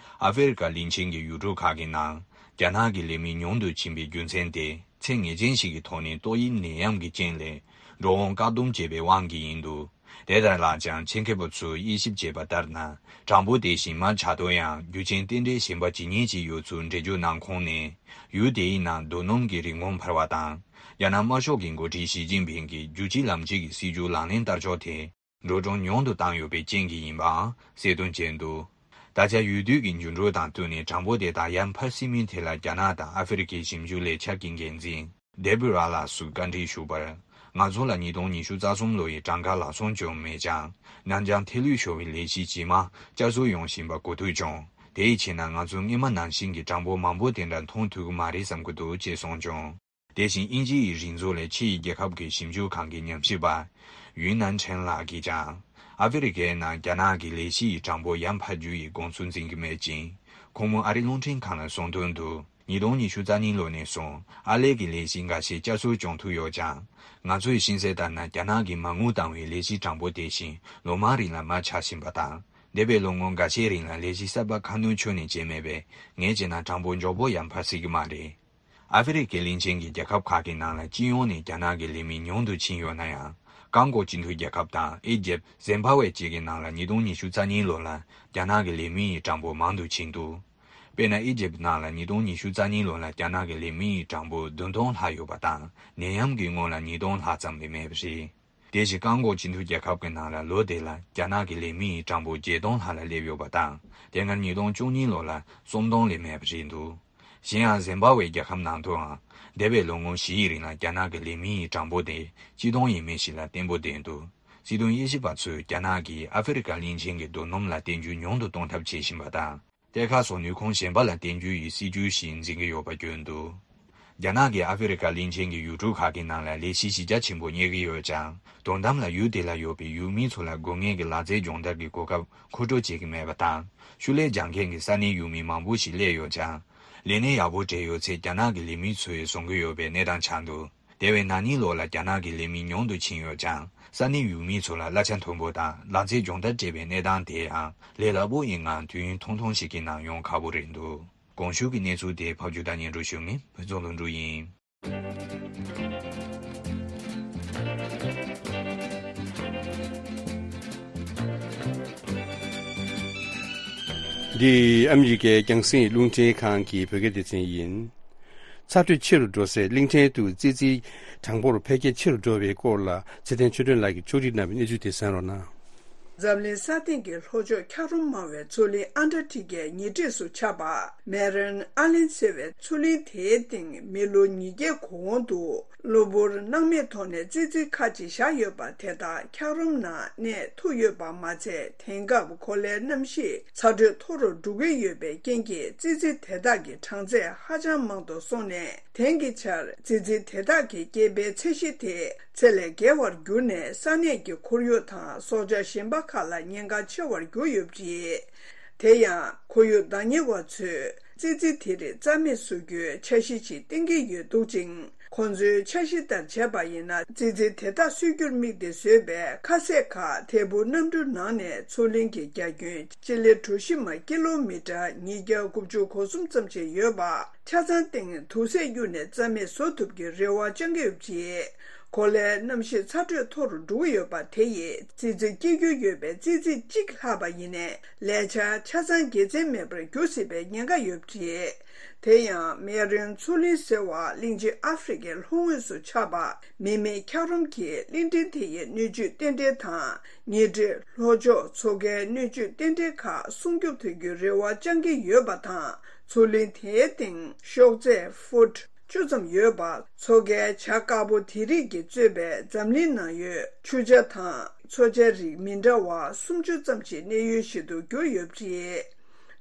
ཨ་ཧྥེ་རི་ཁ་གླིང་ཆེན་གྱི་ཡུལ་གྲུ་ཁག་གི་ནང་རྒྱ་ནག་གི་ལས་མི་ཉུང་དུ་ཕྱིན་པའི་རྒྱུ་མཚན་དེ་ཚད་ངེས་ཅན་ཞིག་གི་ཐོག་ནས་ཏོག་དབྱིབས་ནད་ཡམས་ཀྱི་རྐྱེན་ལས་འགྲོ་འོང་བཀག་སྡོམ་བྱས་པའི་དབང་གིས་ཡིན་འདུག་དེ་ལྟར་ལགས་ཀྱང་ཆེད་མཁས་པ་ཚོས་དབྱེ་ཞིབ་བྱས་པ་ལྟར་ན། གྲངས་འབོར་དེ་བཞིན་མར་ཆག་དོན་ཡང་རྒྱུ་རྐྱེན་རྟེན་འབྲེལ་གཞན་པ་ཇི་སྙེད་ཅིག་ཡོད་ཚུལ་འགྲེལ་བརྗོད་གནང་ཁུངས་ནས། ཡུལ་དེའི་ནང་རྡོ་སྣུམ་གྱི་རིན་གོང་འཕར་བ་དང་། རྒྱ་ནག་དམར་ཤོག་གི་འགོ་ཁྲིད་ཞི་ཅིན་ཕིང་གིས་རྒྱུད་གཅིག་ལམ་གཅིག་གི་སྲིད་ཇུས་ལག་ལེན་བསྟར་ཕྱོགས་དེ། འགྲོ་གྲོན་ཉུང་དུ་བཏང་ཡོད་པའི་རྐྱེན་གྱིས་ཡིན་པའང་གསལ་སྟོན་བྱས་འདུག་ད་ཆ་ཡུལ་དུས་ཀྱི་འགྱུར་འགྲོས་དང་བསྟུན་ནས་གྲངས་འབོར་དེ་དག་ཡར་འཕར་སྲིད་མིན་ཐད་ལ་རྒྱ་ནག་དང་ཨ་ཧྥེ་རི་ཁའི་ཞིབ་འཇུག་ལས་འཆར་གྱི་འགན་འཛིན་ཌེ་བྷི་ར་ལགས་སུ་བཀའ་འདྲི་ཞུས་པར། ང་ཚོ་ལ་ཉིས་སྟོང་ཉི་ཤུ་རྩ་གསུམ་ལོ་ཡི་གྲངས་ཀ་ལག་སོང་བྱུང་མེད་ཀྱང་། ནང་འགྱངས་ཐེ་ལུས་ཤོར་བའི་ལས་གཞི་ཇི་མ་བསྐྱར་གསོ་ཡོང་བཞིན་པ་གོ་ཐོས་བྱུང་། དེའི་ཕྱིར་ན་ང་ཚོ་སྔོན་མ་ནང་བཞིན་གྱི་གྲངས་འབོར་མང་པོ་དེ་འདྲ་མཐོང་ཐུབ་ཀྱི་མ་རེད་བསམ་གྱི་འདུག་ཅེས་གསུངས་བྱུང་། དེ་བཞིན་དབྱིན་ཇི་ཡི་རིག་མཛོད་ལས་ཕྱི་ཡི་རྒྱལ་ཁབ་ཀྱི་ཞིབ་འཇུག་ཁང་གི་ཉམས་ཞིབ་པ་ཡུན་ནན་ཁྲེན་ལགས་ཀྱིས་ཀྱང་། ཨ་ཧྥེ་རི་ཁའི་ནང་རྒྱ་ནག་གི་ལས་གཞི་ཡི་གྲངས་འབོར་ཡར་འཕར་རྒྱུ་ཡི་དགོངས་ཚུལ་འཛིན་གྱི་མེད་ཅིང་། ཁོང་མོ་ཨ་རི་རླུང་འཕྲིན་ཁང་ལ་གསུངས་དོན་དུ། ཉིས་སྟོང་ཉི་ཤུ་རྩ་གཉིས་ལོ་ནས་བཟུང་ཨར་ལས་ཀྱི་ལས་གཞི་འགའ་ཤས་བསྐྱར་གསོ་བྱུང་ཐུབ་ཡོད་ཀྱང་། ང་ཚོས་ཤེས་གསལ་ལྟར་ན། རྒྱ་ནག་གིས་མ་དངུལ་བཏང་བའི་ལས་གཞིའི་གྲངས་འབོར་དེ་བཞིན་ལོ་མང་རིང་ལ་མར་ཆག་བཞིན་པ་དང་། འདས་པའི་ལོ་ངོ་འགའ་ཤས་རིང་ལ་ལས་གཞི་གསར་པ་ཁ་སྣོན་ཁྱོན་ནས་བྱས་མེད་པས། ངས་བྱས་ན་གྲངས་འབོར་མགྱོགས་པོ་ཡར་འཕར་སྲིད་ཀྱི་མ་རེད། ཨ་ཧྥེ་རི་ཁའི་གླིང་ཆེན་གྱི་རྒྱལ་ཁབ་ཁག་གི་ནང་ལ་སྤྱི་ཡོངས་ནས་རྒྱ་ནག་གི་ལས་མི་ཉུང་དུ་ཕྱིན་ཡོད་ན་ཡང་། ཀོང་ཀོ་སྤྱི་མཐུན་རྒྱལ་ཁབ་དང་ཨི་ཇེབ། ཟིམ་བྷ་ཝེ་བཅས་ཀྱི་ནང་ལ་ཉིས་སྟོང་ཉི་ཤུ་རྩ་གཉིས་ལོ་ལ་རྒྱ་ནག་གི་ལས་མི་ཡི་གྲངས་འབོར་མང་དུ་ཕྱིན་འདུག་དཔེར་ན། ཨི་ཇེབ་ནང་ལ་ཉིས་སྟོང་ཉི་ཤུ་རྩ་གཉིས་ལོ་ལ་རྒྱ་ནག་གི་ལས་མི་ཡི་གྲངས་འབོར་བདུན་སྟོང་ལྷག་ཡོད་པ་དང་། ནད་ཡམས་ཀྱི་སྔོན་ལ་ཉིས་སྟོང་ལྷག་ཙམ་ལས་མེད་པ་རེད། དེ་བཞིན་ཀོང་ཀོ་སྤྱི་མཐུན་རྒྱལ་ཁབ་ཀྱི་ནང་ལ་ལོ་དེ་ལ་རྒྱ་ནག་གི་ལས་མི་ཡི་གྲངས་འབོར་བརྒྱད་སྟོང་ལྷག་ལ་སླེབས་ཡོད་པ་དང་། དེ་སྔ་ཉིས་སྟོང་བཅུ་གཉིས་ལོ་ལ་སུམ་སྟོང་ལས་མེད་པ་རེད་འདུག་གཞན་ཡང་། ཟིམ་བྷ་ཝེ་རྒྱལ་ཁབ་ནང་དུའང་འདས་པའི་ལོ་ངོ་བཞི་ཡི་རིང་ལ་རྒྱ་ནག་གི་ལས་མི་ཡི་གྲངས་འབོར་དེ་སྤྱི་སྟོང་ཡས་མས་ཤིག་ལ་བརྟན་པོ་བསྡད་འདུག་སྲིད་དོན་དབྱེ་ཞིབ་པ་ཚོས་རྒྱ་ནག་གིས་ཨ་ཧྥེ་རི་ཁ་གླིང་ཆེན་གྱི་རྡོ་སྣུམ་ལ་བརྟེན་རྒྱུ་ཉུང་དུ་གཏོང་ཐབས་བྱེད་བཞིན་པ་དང་། གཏེར་ཁ་སོགས་ནུས་ཁུངས་གཞན་པ་ལ་བརྟེན་རྒྱུ་ཡི་སྲིད་ཇུས་ཤིག་འཛིན་གྱི་ཡོད་པ་བརྗོད་འདུག་རྒྱ་ནག་གིས་ཨ་ཧྥེ་རི་ཁ་གླིང་ཆེན་གྱི་ཡུལ་གྲུ་ཁག་གི་ནང་ལ་ལས་གཞི་གཞི་རྒྱ་ཆེན་པོ་གཉེར་གྱི་ཡོད་ཀྱང་། དོན་དམ་ལ་ཡུལ་དེ་ལ་ཡོད་པའི་ཡུལ་མི་ཚོ་ལ་དགོས་ངེས་ཀྱི་ལག་རྩལ་སྦྱོང་བརྡར་གྱི་གོ་སྐབས་མཁོ་སྤྲོད་བྱེད་ཀྱི་མེད་པ་དང་། ཤུགས་ལས་སྦྱང་མཁན་གྱི་ས་གནས་ཡུལ་མི་མང་པོ་ཞིག་སླེབས་ཡོད་ཀྱང་། ལས་གནས་ཡག་པོ་སྤྲད་ཡོད་ཚེ་རྒྱ་ནག་གི་ལས་མི་ཚོས་བཟུང་གི་ཡོད་པའི་གནས་སྟངས་ཆགས་འདུག་དེ་བས་ན་ནིང་ལོ་ལ་རྒྱ་ནག་གི་ལས་མི་ཉུང་དུ་ཕྱིན་ཡོད་ཀྱང་། ས་གནས་ཡུལ་མི་ཚོ་ལ་གླ་ཆ་མཐོན་པོ་དང་ལག་རྩལ་སྦྱོང་བརྡར་སྤྲད་པའི་གནས་སྟངས་དེའང་ལས་སླ་པོ་ཡིན་ངང་དུས་ཡུན་ཐུང་ཐུང་ཞིག་གི་ནང་ཡོང་ཁག་པོ་རེད་འདུག་གོང་ཞུས་ཀྱི་གནས་ཚུལ་དེ་ཕབ་སྒྱུར་དང་སྙན་སྒྲོན་ཞུ་མཁན་བོད་ཚོགས་ལྷུན་གྲུབ་ཡིན། འདི་ཨ་མི་རི་ཀའི་རྒྱང་སྲིང་རླུང་འཕྲིན་ཁང་གི་བོད་སྐད་སྡེ་ཚན་ཡིན། ཚ་དྲོད་ཆེ་རུ་འགྲོ་སའི་གླིང་ཕྲན་དུ་ཙི་ཙིའི་གྲངས་འབོར་འཕེལ་རྒྱས་ཆེ་རུ་འགྲོ་བའི་སྐོར་ལ་ཚེ་བརྟན་ཆོས་སྒྲོན་ལགས་ཀྱིས་ཕྱོགས་སྒྲིག་གནང་བའི་གནས་ཚུལ་དེ་གསན་རོགས་གནང་། འཛམ་གླིང་ས་སྟེང་གི་ལྷོ་ཕྱོགས་འཁྱགས་རོམ་མང་བའི་མཚོ་གླིང་ཨན་ཊར་ཀི་ཀའི་ཉེ་འཁྲིས་སུ་ཆགས་པ་མེ་རན་ཨ་ལན་ཟེར་བའི་མཚོ་གླིང་དེའི་སྟེང་མི་ལོ་ཉིས་བརྒྱའི་གོང་དུ་གློ་བུར་སྣང་མེད་ཐོག་ནས་ཙི་ཙི་ཁ་ཅིག་བཞག་ཡོད་པ་དེ་དག་འཁྱགས་རོམ་ནང་གནས་ཐུབ་ཡོད་པ་མ་ཚད། དེང་སྐབས་གོ་ལའི་གནམ་གཤིས་ཚ་དྲོད་མཐོ་རུ་འགྲོ་གི་ཡོད་པའི་རྐྱེན་གྱིས་ཙི་ཙི་དེ་དག་གི་གྲངས་ཚད་ཧ་ཅང་མང་དུ་སོང་ནས། དེང་གི་ཆར་ཙི་ཙི་དེ་དག་གི་སྐྱེ་འཕེལ་ཚད་གཞི་དེ་ཚད་ལས་བརྒལ་བར་གྱུར་ནས་ས་གནས་ཀྱི་ཁོར་ཡུག་དང་སྲོག་ཆགས་གཞན་པ་ཁག་ལ་ཉེན་ཁ་ཆེ་བར་གྱུར་ཡོད་པ་རེད། དེ་ཡང་ཁོར་ཡུག་བདག་གཉེར་བ་ཚོས་ཙི་ཙི་དེ་རིགས་རྩ་མེད་བཟོ་རྒྱུའི་འཆར་གཞི་ཞིག་བཏིང་གི་ཡོད་འདུག་ཅིང་། ཁོང་ཚོའི་འཆར་གཞི་ལྟར་བྱས་པ་ཡིན་ན། ཙི་ཙི་དེ་དག་གསོད་རྒྱུར་དམིགས་ཏེ་བཟོས་པའི་ཁ་ཟས་ཁག་ཐད་འཕུར་གནམ་གྲུ་ནང་ནས་མཚོ་གླིང་གི་རྒྱ་ཁྱོན་སྤྱི་ལེ་གྲུ་བཞི་མ་ཀི་ལོ་མི་ཊར་ཉིས་བརྒྱ་དགུ་བཅུ་གོ་གསུམ་ཙམ་ཞིག་ཡོད་པ། ཆ་ཚང་སྟེང་དུག་སེལ་གཡུགས་ནས་རྩ་མེད་བཟོ་ཐུབ་ཀྱི་རེ་བ་བཅང་གི་ཡོད་པ་རེད། གོ་ལའི་གནམ་གཤིས་ཚ་དྲོད་མཐོ་རུ་འགྲོ་གི་ཡོད་པ་དེ་ཡིས་ཙི་ཙི་སྐྱེ་རྒྱུ་ཡོད་པའི་ཙི་ཙི་གཅིག་ལྷག་པ་ཡིན་ནའི་ལས་འཆར་ཆ་ཚང་དགེ་མཚན་མེད་པར་འགྱུར་སྲིད་པའི་ཉེན་ཁ་ཡོད་པ་རེད། དེ་ཡང་མེ་རོན་མཚོ་གླིང་ཟེར་བ་གླིང་རྗེ་ཨ་ཧྥེ་རི་ཁའི་ལྷོ་ངོས་སུ་ཆགས་པ་མི་མེད་འཁྱགས་རོམ་གྱིས་གླིང་ཕྲན་དེ་ཡི་སྣོད་བཅུད་རྟེན་འབྲེལ་དང་། ཉེ་འཁྲིས་ལྷོ་ཕྱོགས་མཚོ་ཁའི་སྣོད་བཅུད་རྟེན་འབྲེལ་ཁག་སྲུང་སྐྱོབ་ཐུབ་རྒྱུའི་རེ་བ་བཅང་གི་ཡོད་པ་དང་། མཚོ་གླིང་དེའི་སྟེང་གཤོག་རྩལ་ཧྥུཊ་བཅུ་ཙམ་ཡོད་པ། མཚོ་ཁའི་བྱ་དཀར་པོ་དེ་རིགས་ཀྱིས་གཙོས་པའི་འཛམ་གླིང་ནང་ཡོད་ཆུ་བྱ་དང་མཚོ་བྱ་རིགས་མི་འདྲ་བ་སུམ་ཅུ་ཙམ་ཞིག་གནས་ཡུལ་ཞིག་ཏུ་གྱུར་ཡོད་པ་རེད།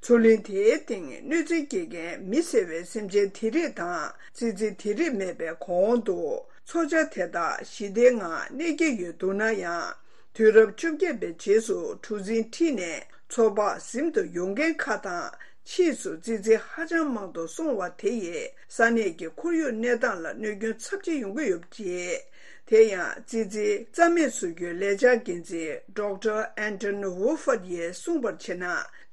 མཚོ་གླིང་དེའི་སྟེང་གནོད་འཚེ་སྐྱེལ་མཁན་མི་ཟེར་བའི་སེམས་ཅན་དེ་རིགས་དང་ཙི་ཙི་དེ་རིགས་མེད་པའི་གོང་དུ་མཚོ་བྱ་དེ་དག་ཞི་བདེའི་ངང་གནས་ཀྱི་ཡོད་འདུག་ན་ཡང་། དུས་རབས་བཅོ་བརྒྱད་པའི་རྗེས་སུ་གྲུ་གཟིངས་ཁྲིད་ནས་མཚོ་འབག་ཟིན་དུ་ཡོང་མཁན་ཁག་དང་། ཕྱིས་སུ་ཙི་ཙི་ཧ་ཅང་མང་དུ་སོང་བ་དེ་ཡིས་ས་གནས་ཀྱི་ཁོར་ཡུག་གནས་སྟངས་ལ་གནོད་སྐྱོན་ཚབས་ཆེ་ཡོང་གི་ཡོད་པ་རེད། དེ་ཡང་ཙི་ཙི་རྩ་མེད་བཟོ་རྒྱུའི་ལས་འཆར་འགན་འཛིན་ཌོག་ཊར་ཨན་ཊོན་ཝུ་ཧྥར་ཡིས་གསུངས་པར་བྱས་ན།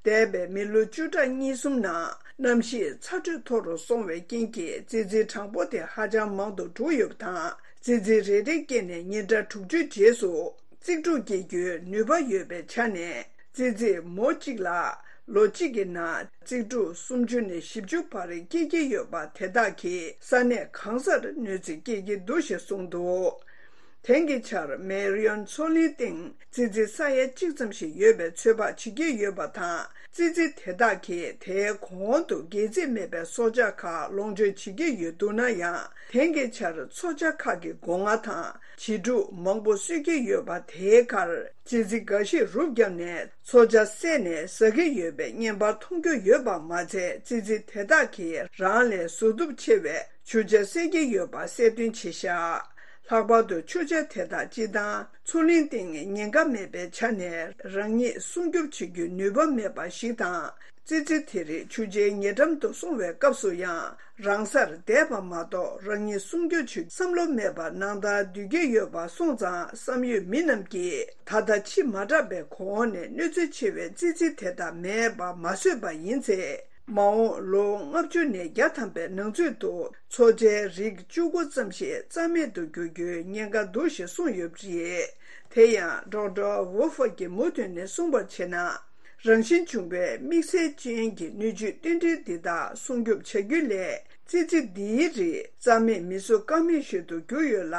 འདས་པའི་མི་ལོ་བཅུ་ཕྲག་གཉིས་གསུམ་ནང་གནམ་གཤིས་ཚ་དྲོད་མཐོ་རུ་སོང་བའི་རྐྱེན་གྱིས་ཙི་ཙིའི་གྲངས་འབོར་དེ་ཧ་ཅང་མང་དུ་འགྲོ་ཡོད་པ་དང་། ཙི་ཙི་རེ་རེ་སྐྱེས་ནས་ཉིན་གྲངས་དྲུག་ཅུའི་རྗེས་སུ་རྩིག་དྲུག་སྐྱེ་རྒྱུའི་ནུས་པ་ཡོད་པའི་ཆ་ནས། ཙི་ཙི་མོ་གཅིག་ལ་ལོ་གཅིག་གི་ནང་རྩིག་དྲུག་སུམ་ཅུ་ནས་བཞི་བཅུ་བར་སྐྱེ་གི་ཡོད་པ་དེ་དག་གིས་ས་གནས་གང་སར་གནོད་འཚེ་སྐྱེལ་གྱི་འདུག་ཞེས་གསུངས་འདུག་དེང་གི་ཆར་མེ་རི་ཡོན་མཚོ་གླིང་སྟེང་ཙི་ཙི་ས་ཡ་གཅིག་ཙམ་ཞིག་ཡོད་པའི་ཚོད་དཔག་བྱེད་ཀྱི་ཡོད་པ་དང་། ཙི་ཙི་དེ་དག་གིས་དེའི་གོང་དུ་སྒལ་ཚིགས་མེད་པའི་སྲོག་ཆགས་ཁག་ལོངས་སྤྱོད་བྱེད་ཀྱི་ཡོད་འདུག་ན་ཡང་། དེང་གི་ཆར་མཚོ་བྱ་ཁག་གི་སྒོ་ང་དང་བྱི་ཕྲུག་མང་པོ་གསོད་ཀྱི་ཡོད་པ་དེའི་ཁར། ཙི་ཙི་འགའ་ཞིག་རུབ་བརྒྱབ་ནས་མཚོ་བྱ་བསད་ནས་ཟ་གི་ཡོད་པའི་བརྙན་པར་མཐོང་རྒྱུ་ཡོད་པ་མ་ཚད། ཙི་ཙི་དེ་དག་གིས་རང་ལས་གཟུགས་སྟོབས་ཆེ་བའི་ཆུ་བྱ་བསད་ཀྱི་ཡོད་པ་གསལ་སྟོན་བྱས་ཤག་ལྷག་པར་དུ་ཆུ་བྱ་དེ་དག་སྤྱིར་བཏང་མཚོ་གླིང་སྟེང་ཉེན་ཁ་མེད་པའི་ཆ་ནས་རང་ཉིད་སྲུང་སྐྱོབ་བྱེད་རྒྱུའི་ནུས་པ་མེད་པ་ཞིག་དང་། ཙི་ཙི་དེ་རིགས་ཆུ་བྱའི་ཉེ་འགྲམ་དུ་སོང་བའི་སྐབས་སུ་ཡང་། རང་སར་བསྡད་པ་མ་གཏོགས་རང་ཉིད་སྲུང་སྐྱོབ་བྱེད་བསམ་བློ་མེད་པར་ནང་ལྟར་སྡོད་ཀྱི་ཡོད་པ་སོང་ཙང་། བསམ་ཡོད་མི་རྣམས་ཀྱིས་ད་ལྟ་ཕྱི་མ་དྲགས་པའི་གོང་ནས་གནོད་འཚེ་ཆེ་བའི་ཙི་ཙི་དེ་དག་མེད་པ་མ་བཟོས་པ་ཡིན་ཚེ། མ་འོངས་ལོ་ལྔ་བཅུ་ནས་བརྒྱ་ཐམ་པའི་ནང་ཚུད་དུ་མཚོ་བྱའི་རིགས་བཅུ་དགུ་ཙམ་ཞིག་རྩ་མེད་དུ་འགྱུར་རྒྱུའི་ཉེན་ཁ་འདུག་ཞེས་གསུངས་ཡོད་པ་རེད། དེ་ཡང་ཌོག་ཊར་ཝུ་ཧྥར་གྱིས་མུ་མཐུད་ནས་གསུངས་པར་བྱས་ན། རང་བཞིན་བྱུང་བའི་དམིགས་བསལ་ཅན་གྱི་སྣོད་བཅུད་རྟེན་འབྲེལ་འདི་དག་སྲུང་སྐྱོབ་བྱ་རྒྱུ་ལས། ཙི་ཙི་འདིའི་རིགས་རྩ་མེད་མི་བཟོ་ཀ་མེད་ཞིག་ཏུ་གྱུར་ཡོད་ལ།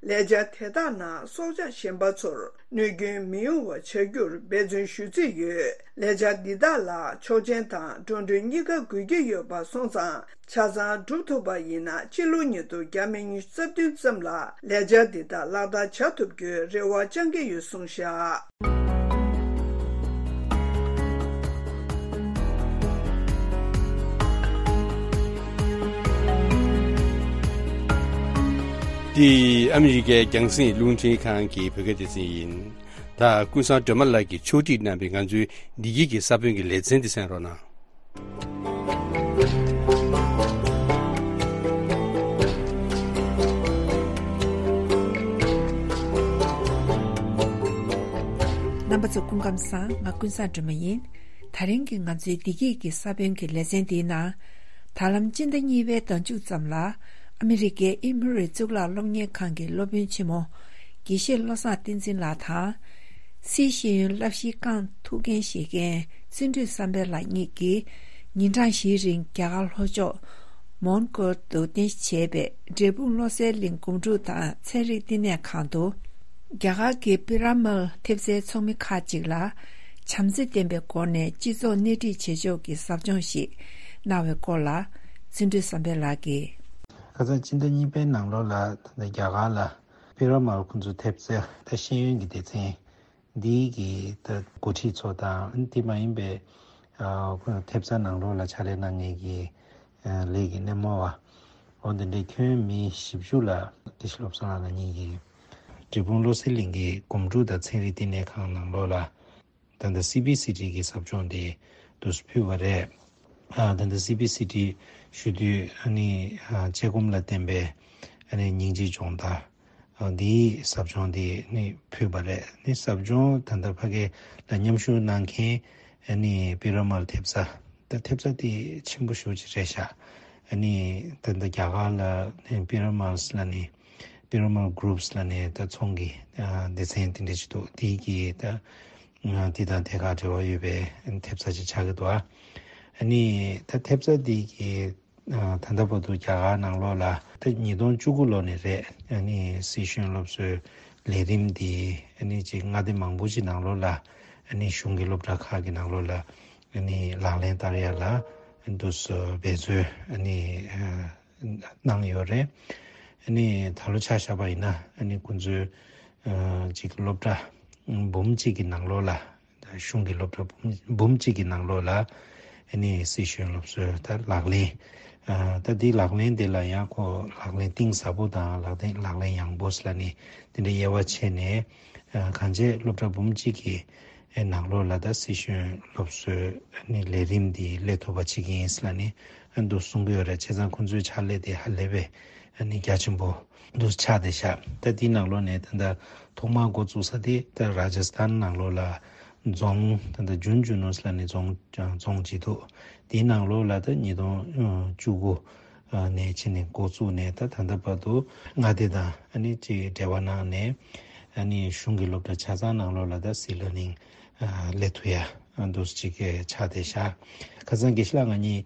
ལས་འཆར་དེ་དག་ནང་སྲོག་ཆགས་གཞན་པ་ཚོར་གནོད་སྐྱོན་མི་ཡོང་བ་བྱ་རྒྱུར་འབད་བརྩོན་ཞུ་རྩིས་ཡོད། ལས་འཆར་འདི་དག་ལ་ཆོག་མཆན་དང་འགྲོ་གྲོན་གཉིས་ཀ་དགོས་ཀྱི་ཡོད་པ་སོང་ཙང་། ཆ་ཚང་འགྲུབ་ཐུབ་པ་ཡིན་ན་ཕྱི་ལོ་ཉིས་སྟོང་ཉི་ཤུ་རྩ་བདུན་ཙམ་ལ་ལས་འཆར་འདི་དག་ལག་བསྟར་བྱ་ཐུབ་རྒྱུའི་རེ་བ་བཅང་གི་ཡོད་གསུངས་བཞག་འདི་ཨ་མི་རི་ཀའི་རྒྱང་སྲིང་རླུང་འཕྲིན་ཁང་གི་བོད་སྐད་སྡེ་ཚན་ཡིན། ད་ཀུན་བཟང་སྒྲོལ་མ་ལགས་ཀྱིས་ཕྱོགས་སྒྲིག་གནང་བའི་ང་ཚོའི་བདེ་སྐྱིད་ཀྱི་ས་བོན་གྱི་ལེ་ཚན་འདི་གསན་རོགས་གནང་། རྣམ་པ་ཚོ་སྐུ་ཁམས་བཟང་། ང་ཀུན་བཟང་སྒྲོལ་མ་ཡིན། ད་རིང་གི་ང་ཚོའི་བདེ་སྐྱིད་ཀྱི་ས་བོན་གྱི་ལེ་ཚན་འདིའི་ནང་། ད་ལམ་སྤྱི་ཟླ་གཉིས་པའི་ཟླ་མཇུག་ཙམ་ལ། ཨ་མི་རི་ཀའི་ཨི་མུ་རི་གཙུག་ལག་སློབ་གཉེར་ཁང་གི་སློབ་དཔོན་ཆེན་མོ་དགེ་བཤེས་བློ་བཟང་བསྟན་འཛིན་ལགས་དང་། སིད་ཤེས་ཡོན་བསླབ་གཞིའི་རྐང་ཐུགས་འགན་བཞེས་མཁན་བརྩོན་འགྲུས་བསམ་འཕེལ་ལགས་གཉིས་ཀྱིས་ཉིན་གྲངས་བཞིའི་རིང་རྒྱ་གར་ལྷོ་ཕྱོགས་མོན་གྷོ་དུ་རྟེན་གཞི་བྱས་པའི་འབྲས་སྤུངས་བློ་གསལ་གླིང་སྒོམ་སྒྲུབ་དང་ཚན་རིག་བསྟི་གནས་ཁང་དུ། རྒྱ་གར་གྱི་པི་ར་མལ་ཐེབས་རྩའི་ཚོགས་མི་ཁག་ཅིག་ལ་བྱམས་བརྩེ་ལྡན་པའི་སྒོ་ནས་སྤྱི་ཚོགས་སྣེ་ཁྲིད་བྱེད་ཕྱོགས་ཀྱི་ཟབ་སྦྱོང་ཞིག་གནང་བའི་སྐོར་ལ། བརྩོན་འགྲུས་བསམ་འཕེལ་ལགས་ཀྱིས། ཁ་སང་སྤྱི་ཟླ་གཉིས་པའི་ནང་ལོགས་ལ་ད་ལྟ་རྒྱ་གར་ལ་པི་ར་མལ་ཁོང་ཚོའི་ཐེབས་རྩ་ད་ཤེས་ཡོན་གྱི་སྡེ་ཚན་འདིའི་གི་ད་འགོ་ཁྲིད་ཚོ་དང་དེ་མ་ཡིན་པའི་ཨ་ཐེབས་རྩ་ནང་ལོགས་ལ་ཕྱག་ལས་གནང་མཁན་གྱི་ཨ་ལས་ཀྱི་སྣེ་མོ་བ། འོ་འདི་འདྲའི་ཁྱོན་མི་བཞི་བཅུ་ལ་དགེ་བཤེས་བློ་བཟང་ལགས་གཉིས་ཀྱིས་འབྲས་སྤུངས་བློ་གསལ་གླིང་གི་སྒོམ་སྒྲུབ་དང་ཚན་རིག་བསྟི་གནས་ཁང་ནང་ལོགས་ལ། ད་ལྟ་སི་བི་སི་ཊི་གི་ཟབ་སྦྱོང་དེ་དུ་ཕུལ་བ་རེད། ཨ་ད་ལྟ་སི་བི་སི་ཊི་ཞུ་དུས་ཨ་ནི་ཨ་དཔྱད་སྒོམ་ལ་བརྟེན་པའི་ཨ་ནི་སྙིང་རྗེའི་སྦྱོང་བརྡར། ཨ་འདིའི་ཟབ་སྦྱོང་དེ་ནི་ཕུལ་བ་རེད། ནི་ཟབ་སྦྱོང་ད་ལྟ་ཕ་གི་ལ་མཉམ་ཞུགས་གནང་མཁན་ཨ་ནི་པི་ར་མལ་ཐེབས་རྩ། ད་ཐེབས་རྩ་དེ་ཆེན་པོ་ཞེ་པོ་ཅིག་རེད་ཤག་ཨ་ནི་ད་ལྟ་རྒྱ་གར་ལ་ནི་པི་ར་མལ་ལ་ནི་པི་ར་མལ་གུ་རུབ་ལ་ནི་ད་ཚོང་གི་ཨ་སྡེ་ཚན་དེ་འདྲ་ཞིག་འདུག་དེའི་གི་ད་ཨ་དེ་དང་དེ་ག་འབྲེལ་བ་ཡོད་པའི་ཐེབས་རྩ་ཅིག་ཆགས་ཀྱི་འདུག་ཨ་ནི་ད་ཐེབས་རྩ་དེ་གི་ཨ་ད་ལྟ་བར་དུ་རྒྱ་གར་ནང་ལོགས་ལ་ད་ཉིས་སྟོང་བཅུ་དགུ་ལོ་ནས་རེད། ཨ་ནི་སྲིད་གཞུང་སློབ་གསོའི་ལས་རིམ་འདི་ཨ་ནི་ཅིག་མངའ་སྡེ་མང་པོ་ཅིག་ནང་ལོགས་ལ་ཨ་ནི་གཞུང་གི་སློབ་གྲྭ་ཁག་གི་ནང་ལོགས་ལ་ཨ་ནི་ལག་ལེན་བསྟར་ཡ་ལ་འདུག་སེ་འབད་རྩོལ་ཨ་ནི་ཨ་གནང་ཡོད་རེད། ཨ་ནི་ད་ལོ་ཆ་བཞག་པ་ཡིན་ན་ཨ་ནི་ཁོང་ཚོའི་ཨ་ཅིག་སློབ་གྲྭ་འབུམ་གཅིག་གི་ནང་ལོགས་ལ། གཞུང་གི་སློབ་གྲྭ་འབུམ་འབུམ་གཅིག་གི་ནང་ལོགས་ལ་ཨ་ནི་སྲིད་གཞུང་སློབ་གསོའི་ད་ལག་ལེན། ཨ་ད་འདི་ལག་ལེན་འདི་ལ་ཡང་ཁོ་ལག་ལེན་གཏིང་ཟབ་པོ་དང་ལག་ལེན་ལག་ལེན་ཡངས་པོ་ཟེར་ལ་ནི་དེ་འདྲའི་དབྱེ་བ་ཕྱེ་ནས། ཨ་གང་བྱས་སློབ་གྲྭ་འབུམ་གཅིག་གི་ཨ་ནང་ལོགས་ལ་ད་སྲིད་གཞུང་སློབ་གསོའི་ཨ་ནི་ལས་རིམ་འདི་སླེབས་ཐུབ་པ་བྱེད་ཀྱི་ཡིན་ཟེར་ལ་ནི་ཨ་འདུག་གསུང་གི་ཡོད་རེད། བྱས་ཙང་ཁོང་ཚོའི་ཕྱག་ལས་དེ་ཧ་ལས་པའི་ཨ་ནི་རྒྱ་ཆེན་པོ་འདུག་ཆགས་བསྡད་ཤག་ད་འདི་ནང་ལོགས་ནས་ད་ལྟ་ཐོག་མར་འགོ་བཙུགས་ས་དེ་ད་ར་ཇ་སི་ཐན་ནང་ལོགས་ལ་རྫོང་ད་ལྟ་ཇུན་ཇུ་ནུ་ཟེར་ལ་ནི་རྫོང་རྫོང་ཅིག་འདུག་དེའི་ནང་ལོགས་ལ་ད་ཉིས་སྟོང་བཅུ་དགུ་ནས་ཕྱིན་ནས་འགོ་བཙུགས་ནས་ད་ད་ལྟ་བར་དུ་མངའ་སྡེ་དང་ཨ་ནི་ཅིག་འབྲེལ་བ་གནང་ནས་ཨ་ནི་གཞུང་གི་སློབ་གྲྭ་ཆ་ཚང་ནང་ལོགས་ལ་ད་སི་ལར་ནིང་སླེབས་ཐུབ་ཡ་འདུག་ཅིག་ཆགས་བསྡད་ཤག་ཁ་སང་དགེ་བཤེས་ལགས་ང་གཉིས་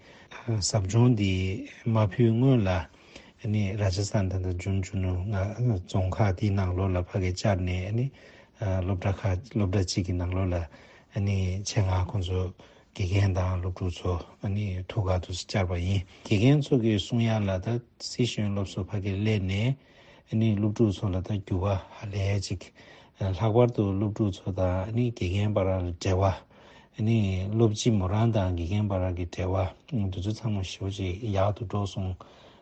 ཟབ་སྦྱོང་འདི་མ་ཕུལ་སྔོན་ལ། ཨ་ནི་ར་ཇ་སི་ཐན་ད་ལྟ་ཇུན་ཇུ་ནུ་ང་རྫོང་ཁག་དེའི་ནང་ལོགས་ལ་ཕ་གི་བཅར་ནས་ཨ་ནི་ཨ་སློབ་གྲྭ་ཁག་སློབ་གྲྭ་གཅིག་གི་ནང་ལོགས་ལ་ཨ་ནི་ཆེད་མངགས་ཁོང་ཚོ་དགེ་རྒན་དང་སློབ་ཕྲུག་ཚོ་ཨ་ནི་ཐུག་ག་དུ་བཅར་བ་ཡིན། དགེ་རྒན་ཚོ་གིས་གསུང་ཡ་ལ་ད་སྲིད་གཞུང་སློབ་གསོ་ཕ་གི་སླེབས་ནས་ཨ་ནི་སློབ་ཕྲུག་ཚོ་ལ་ད་འགྱུར་བ་ཧ་ལས་ཅིག་ལྷག་པར་དུ་སློབ་ཕྲུག་ཚོ་དང་ཨ་ནི་དགེ་རྒན་བར་ལ་འབྲེལ་བ། ཨ་ནི་སློབ་སྤྱི་མོ་རང་དང་དགེ་རྒན་བར་གྱི་འབྲེལ་བ་འདི་ཚོ་ཚང་མ་ཞེ་པོ་ཅིག་ཡག་ཏུ་འགྲོ་སོང་།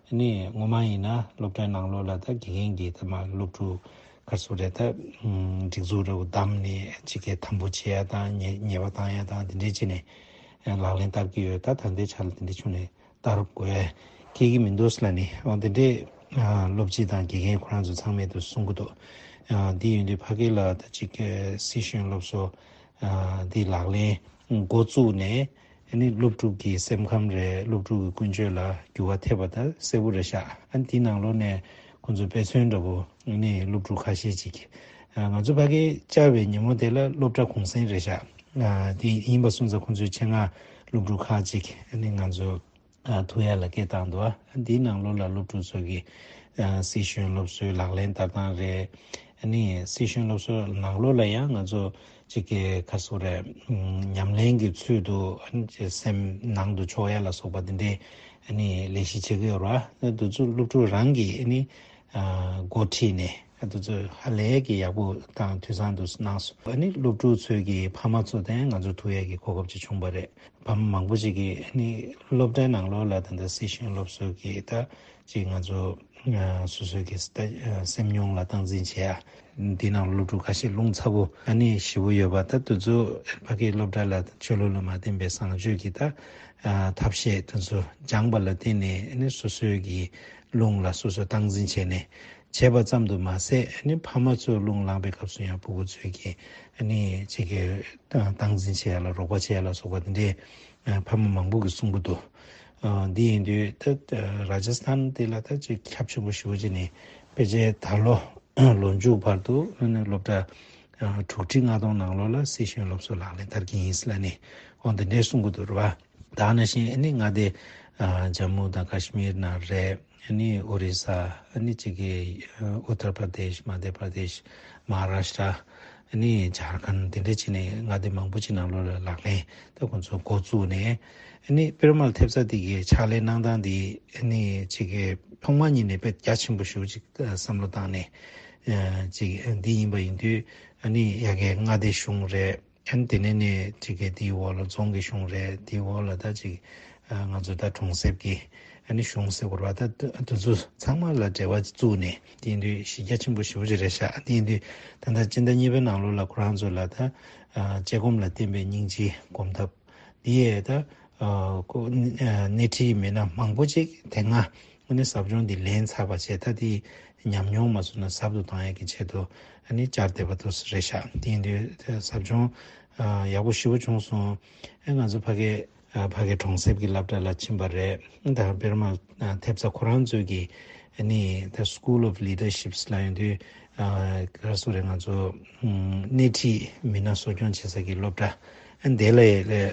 ཨ་ནི་སྔོན་མ་ཡིན་ན་སློབ་གྲྭའི་ནང་ལོགས་ལ་ད་དགེ་རྒན་གྱིས་ད་མ་སློབ་ཕྲུག་ག་རེ་ཟེར་དགོས་རེད་ད། སྒྲིག་འཛུགས་འདྲ་བོ་བདམས་ནས་ཅིག་གི་དམ་པོ་བྱེད་ཡ་དང་ཉེས་ཉེས་པ་བཏང་ཡ་དང་དེ་འདྲས་བྱས་ནས་ལག་ལེན་བསྟར་གྱི་ཡོད། ད་ད་ལྟའི་ཆ་ལ་དེ་འདྲས་བྱུང་ནས་ལྟ་རུབ་དགོས་ཡ་ཁེལ་གྱི་མི་འདུག་ཟེར་ལ་ནི། འོ་དེ་འདྲས་ཨ་སློབ་སྤྱི་དང་དགེ་རྒན་ཁོ་རང་ཚོ་ཚང་མས་དུ་གསུང་གི་འདུག་ཨ་འདི་ཡིན་དུས་ཕ་གི་ལ་ད་ཅིག་སྲིད་གཞུང་སློབ་གསོ་ཨ་འདི་ལག་ལེན་འགོ་བཙུགས་ནས་ཨ་ནི་སློབ་ཕྲུག་གི་སེམས་ཁམས་རེད། སློབ་ཕྲུག་གི་ཀུན་སྤྱོད་ལ་འགྱུར་བ་ཐེབས་པ་ད་གསལ་པོ་རེད་ཤག་ཨ་འདི་ནང་ལོགས་ནས་ཁོང་ཚོ་དཔེ་མཚོན་འདྲ་པོ་ཨ་ནི་སློབ་ཕྲུག་ཁ་ཤས་ཅིག་ཨ་ང་ཚོ་ཕ་གི་བཅར་བའི་ཉིན་མོ་དེ་ལ་སློབ་གྲྭ་གུང་སེང་རེད་ཤག་ཨ་དེ་ཡིན་པ་སོང་ཙང་ཁོང་ཚོའི་ཆེད་མངགས་སློབ་ཕྲུག་ཁག་ཅིག་ཨ་ནི་ང་ཚོ་ཨ་ཐུག་ཡ་ལ་སྐད་བཏང་འདུག་ཨ་འདིའི་ནང་ལོགས་ལ་སློབ་ཕྲུག་ཚོ་གི་ཨ་སྲིད་གཞུང་སློབ་གསོའི་ལག་ལེན་བསྟར་སྟངས་རེད། ཨ་ནི་སྲིད་གཞུང་སློབ་གསོའི་ནང་ལོགས་ལ་ཡང་ང་ཚོ་གཅིག་གི་ག་རེ་ཟེར་དགོས་རེད། ཨམ་ཉམས་ལེན་གྱི་ཚུལ་དུ་ཨ་ནི་སེམས་ནང་དུ་འཇོག་ཡ་ལ་སོགས་པ་འདི་འདྲའི་ཨ་ནི་ལས་གཞི་བྱེད་ཀྱི་ཡོད་རེད་བ། འདི་ཚོ་སློབ་ཕྲུག་རང་གིས་ཨ་ནི་ཨ་འགོ་ཁྲིད་ནས་ཨ་འདི་ཚོ་ཧ་ལས་ཀྱི་ཡག་པོ་དང་དུས་སང་དུ་གནང་སོང་། ཨ་ནི་སློབ་ཕྲུག་ཚོའི་གི་ཕ་མ་ཚོ་དང་ང་ཚོ་ཐུག་ཡ་གི་གོ་སྐབས་ཅིག་བྱུང་བ་རེད། ཕ་མ་མང་པོ་ཞིག་གིས་ནི་སློབ་གྲྭའི་ནང་ལོགས་ལ་ད་ལྟ་སྲིད་གཞུང་སློབ་གསོ་གི་ད་ཅིག་ང་ཚོ་ཨ་སོ་སོའི་གི་ད་ཨ་སེམས་མྱོང་ལ་སྟངས་འཛིན་བྱེད་ཡ། འདི་ནང་སློབ་ཕྲུག་ཁ་ཤས་རླུང་ཚ་པོ་ཨ་ནི་ཞེ་པོ་ཡོད་པ། ད་དུས་ཚོད་ཕ་གིའི་སློབ་གྲྭ་ལ་ཆོས་ལུགས་ལ་མ་བརྟེན་པའི་བཟང་སྤྱོད་ཀྱི་ད་ཨ་ཐབས་ཤེས་དེ་ཚོ་སྦྱངས་པ་ལ་བརྟེན་ནས་ཨ་ནི་སོ་སོའི་གི་རླུང་ལ་སོ་སོ་སྟངས་འཛིན་བྱས་ནས་བྱས་པ་ཙམ་དུ་མ་ཟད་ཨ་ནི་ཕ་མ་ཚོའི་རླུང་ལངས་པའི་སྐབས་སུ་ཡང་ཕྲུ་གུ་ཚོའི་གི་ཨ་ནི་ཅིག་གི་སྟངས་འཛིན་བྱེད་ཡ་ལ་རོགས་པ་བྱེད་ཡ་ལ་སོགས་པ་འདི་འདྲའི་ཨ་ཕ་མ་མང་པོ་གིས་གསུང་གི་འདུག་འདི་ཡིན་དུས་ད་ར་ཇ་སི་ཐན་དེ་ལ་ད་ཅིག་ཁྱབ་ཆེན་པོ་ཞེ་པོ་ཅིག་ནས་ཕལ་ཆེར་ད་ལོ་ལོ་མཇུག་བར་དུ་སློབ་གྲྭ་དྲུག་ཁྲི་ལྔ་སྟོང་ནང་ལོགས་ལ་སི་ཤེས་ཡོན་སློབ་གསོ་ལག་ལེན་བསྟར་གྱི་ཡིན་ལབ་ནས་འོ་འདི་འདྲའི་གསུང་གི་འདུག་རེད་བ། ད་ནང་བཞིན་ཨ་ནི་མངའ་སྡེ་ཇམ་མུ་དང་ཀ་ཤི་མིར་ནང་རེད། ཨ་ནི་ཨོ་རི་ས། ཨ་ནི་ཅིག་གི་ཨུ་ཏར་པར་དེཤ། མ་དྷྱ་པར་དེཤ། མ་ཧཱ་རཱཤ་ཏྲ། ཨ་ནི་ཇར་ཁན། དེ་འདྲ་བྱས་ནས་མངའ་སྡེ་མང་པོ་ཅིག་ནང་ལོགས་ལ་ལག་ལེན་ད་ཁོང་ཚོ་འགོ་བཙུགས་ནས། ཨ་ནི་པི་ར་མལ་ཐེབས་རྩ་དེ་གའི་ཕྱག་ལས་གནང་སྟངས་དེ་ཨ་ནི་ཅིག་གི་ཐོག་མ་ཉིད་ནས་དཔེ་རྒྱ་ཆེན་པོ་ཞེ་པོ་ཅིག་བསམ་བློ་བཏང་ནས་ཅིག་འདི་ཡིན་པ་ཡིན་དུས། ཨ་ནི་ཡ་གའི་མངའ་སྡེ་གཞུང་རེད། ཨ་ནི་དེ་ནས་ནས་ཅིག་གི་དེའི་འོག་ལ་རྫོང་གི་གཞུང་རེད། དེའི་འོག་ལ་ད་ཅིག་ང་ཚོ་ད་གྲོང་གསེབ་ཀྱི་ཨ་ནི་གཞུང་ཟེར་དགོས་རེད་བ། ད་དེ་ཚོ་ཚང་མ་ལ་འབྲེལ་བ་བཙུགས་ནས། དེ་ཡིན་དུས་གཞི་རྒྱ་ཆེན་པོ་ཞེ་པོ་ཅིག་རེད་ཤག་དེ་ཡིན་དུས་ད་ལྟ་སྤྱི་ཟླ་གཉིས་པའི་ནང་ལོགས་ལ་ཁོ་རང་ཚོ་ལ་ད་ཨ་དཔྱད་སྒོམ་ལ་བརྟེན་པའི་སྙིང་རྗེའི་སྒོམ་ཐབས་འདི་ཡས་ད་ཨ་ཁོ་སྣེ་ཁྲིད་མི་སྣ་མང་པོ་ཅིག་དེ་སྔ་ཨ་ནི་ཟབ་སྦྱོང་འདི་ལེན་ཚར་བ་བྱས། ད་དེ་ཉམས་མྱོང་མ་བཟོས་ན་ཟབ་ཏུ་གཏོང་ཡས་ཀྱི་ཆེད་དུ་ཨ་ནི་བཅར་བསྡད་པ་དེ་རེད་ཤག་དེ་ཡིན་དུས་ཟབ་སྦྱོང་ཨ་ཡག་པོ་ཞེ་པོ་བྱུང་སོང་། ཨ་ང་ཚོ་ཕ་གི་ཨ་ཕ་གི་གྲོང་གསེབ་ཀྱི་སློབ་གྲྭ་ལ་ཕྱིན་པ་རེད། ད་པི་ར་མལ་ཐེབས་རྩ་ཁོ་རང་ཚོས་ཀྱི་ཨ་ནི་ད་School of Leadership ལབ་ཡོང་དུས། ཨ་ག་རེ་ཟེར་དགོས་རེད། ང་ཚོ་ཨམ་སྣེ་ཁྲིད་མི་སྣ་གསོ་སྐྱོང་བྱེད་ས་ཀྱི་སློབ་གྲྭ་ཨ་དེ་ལ་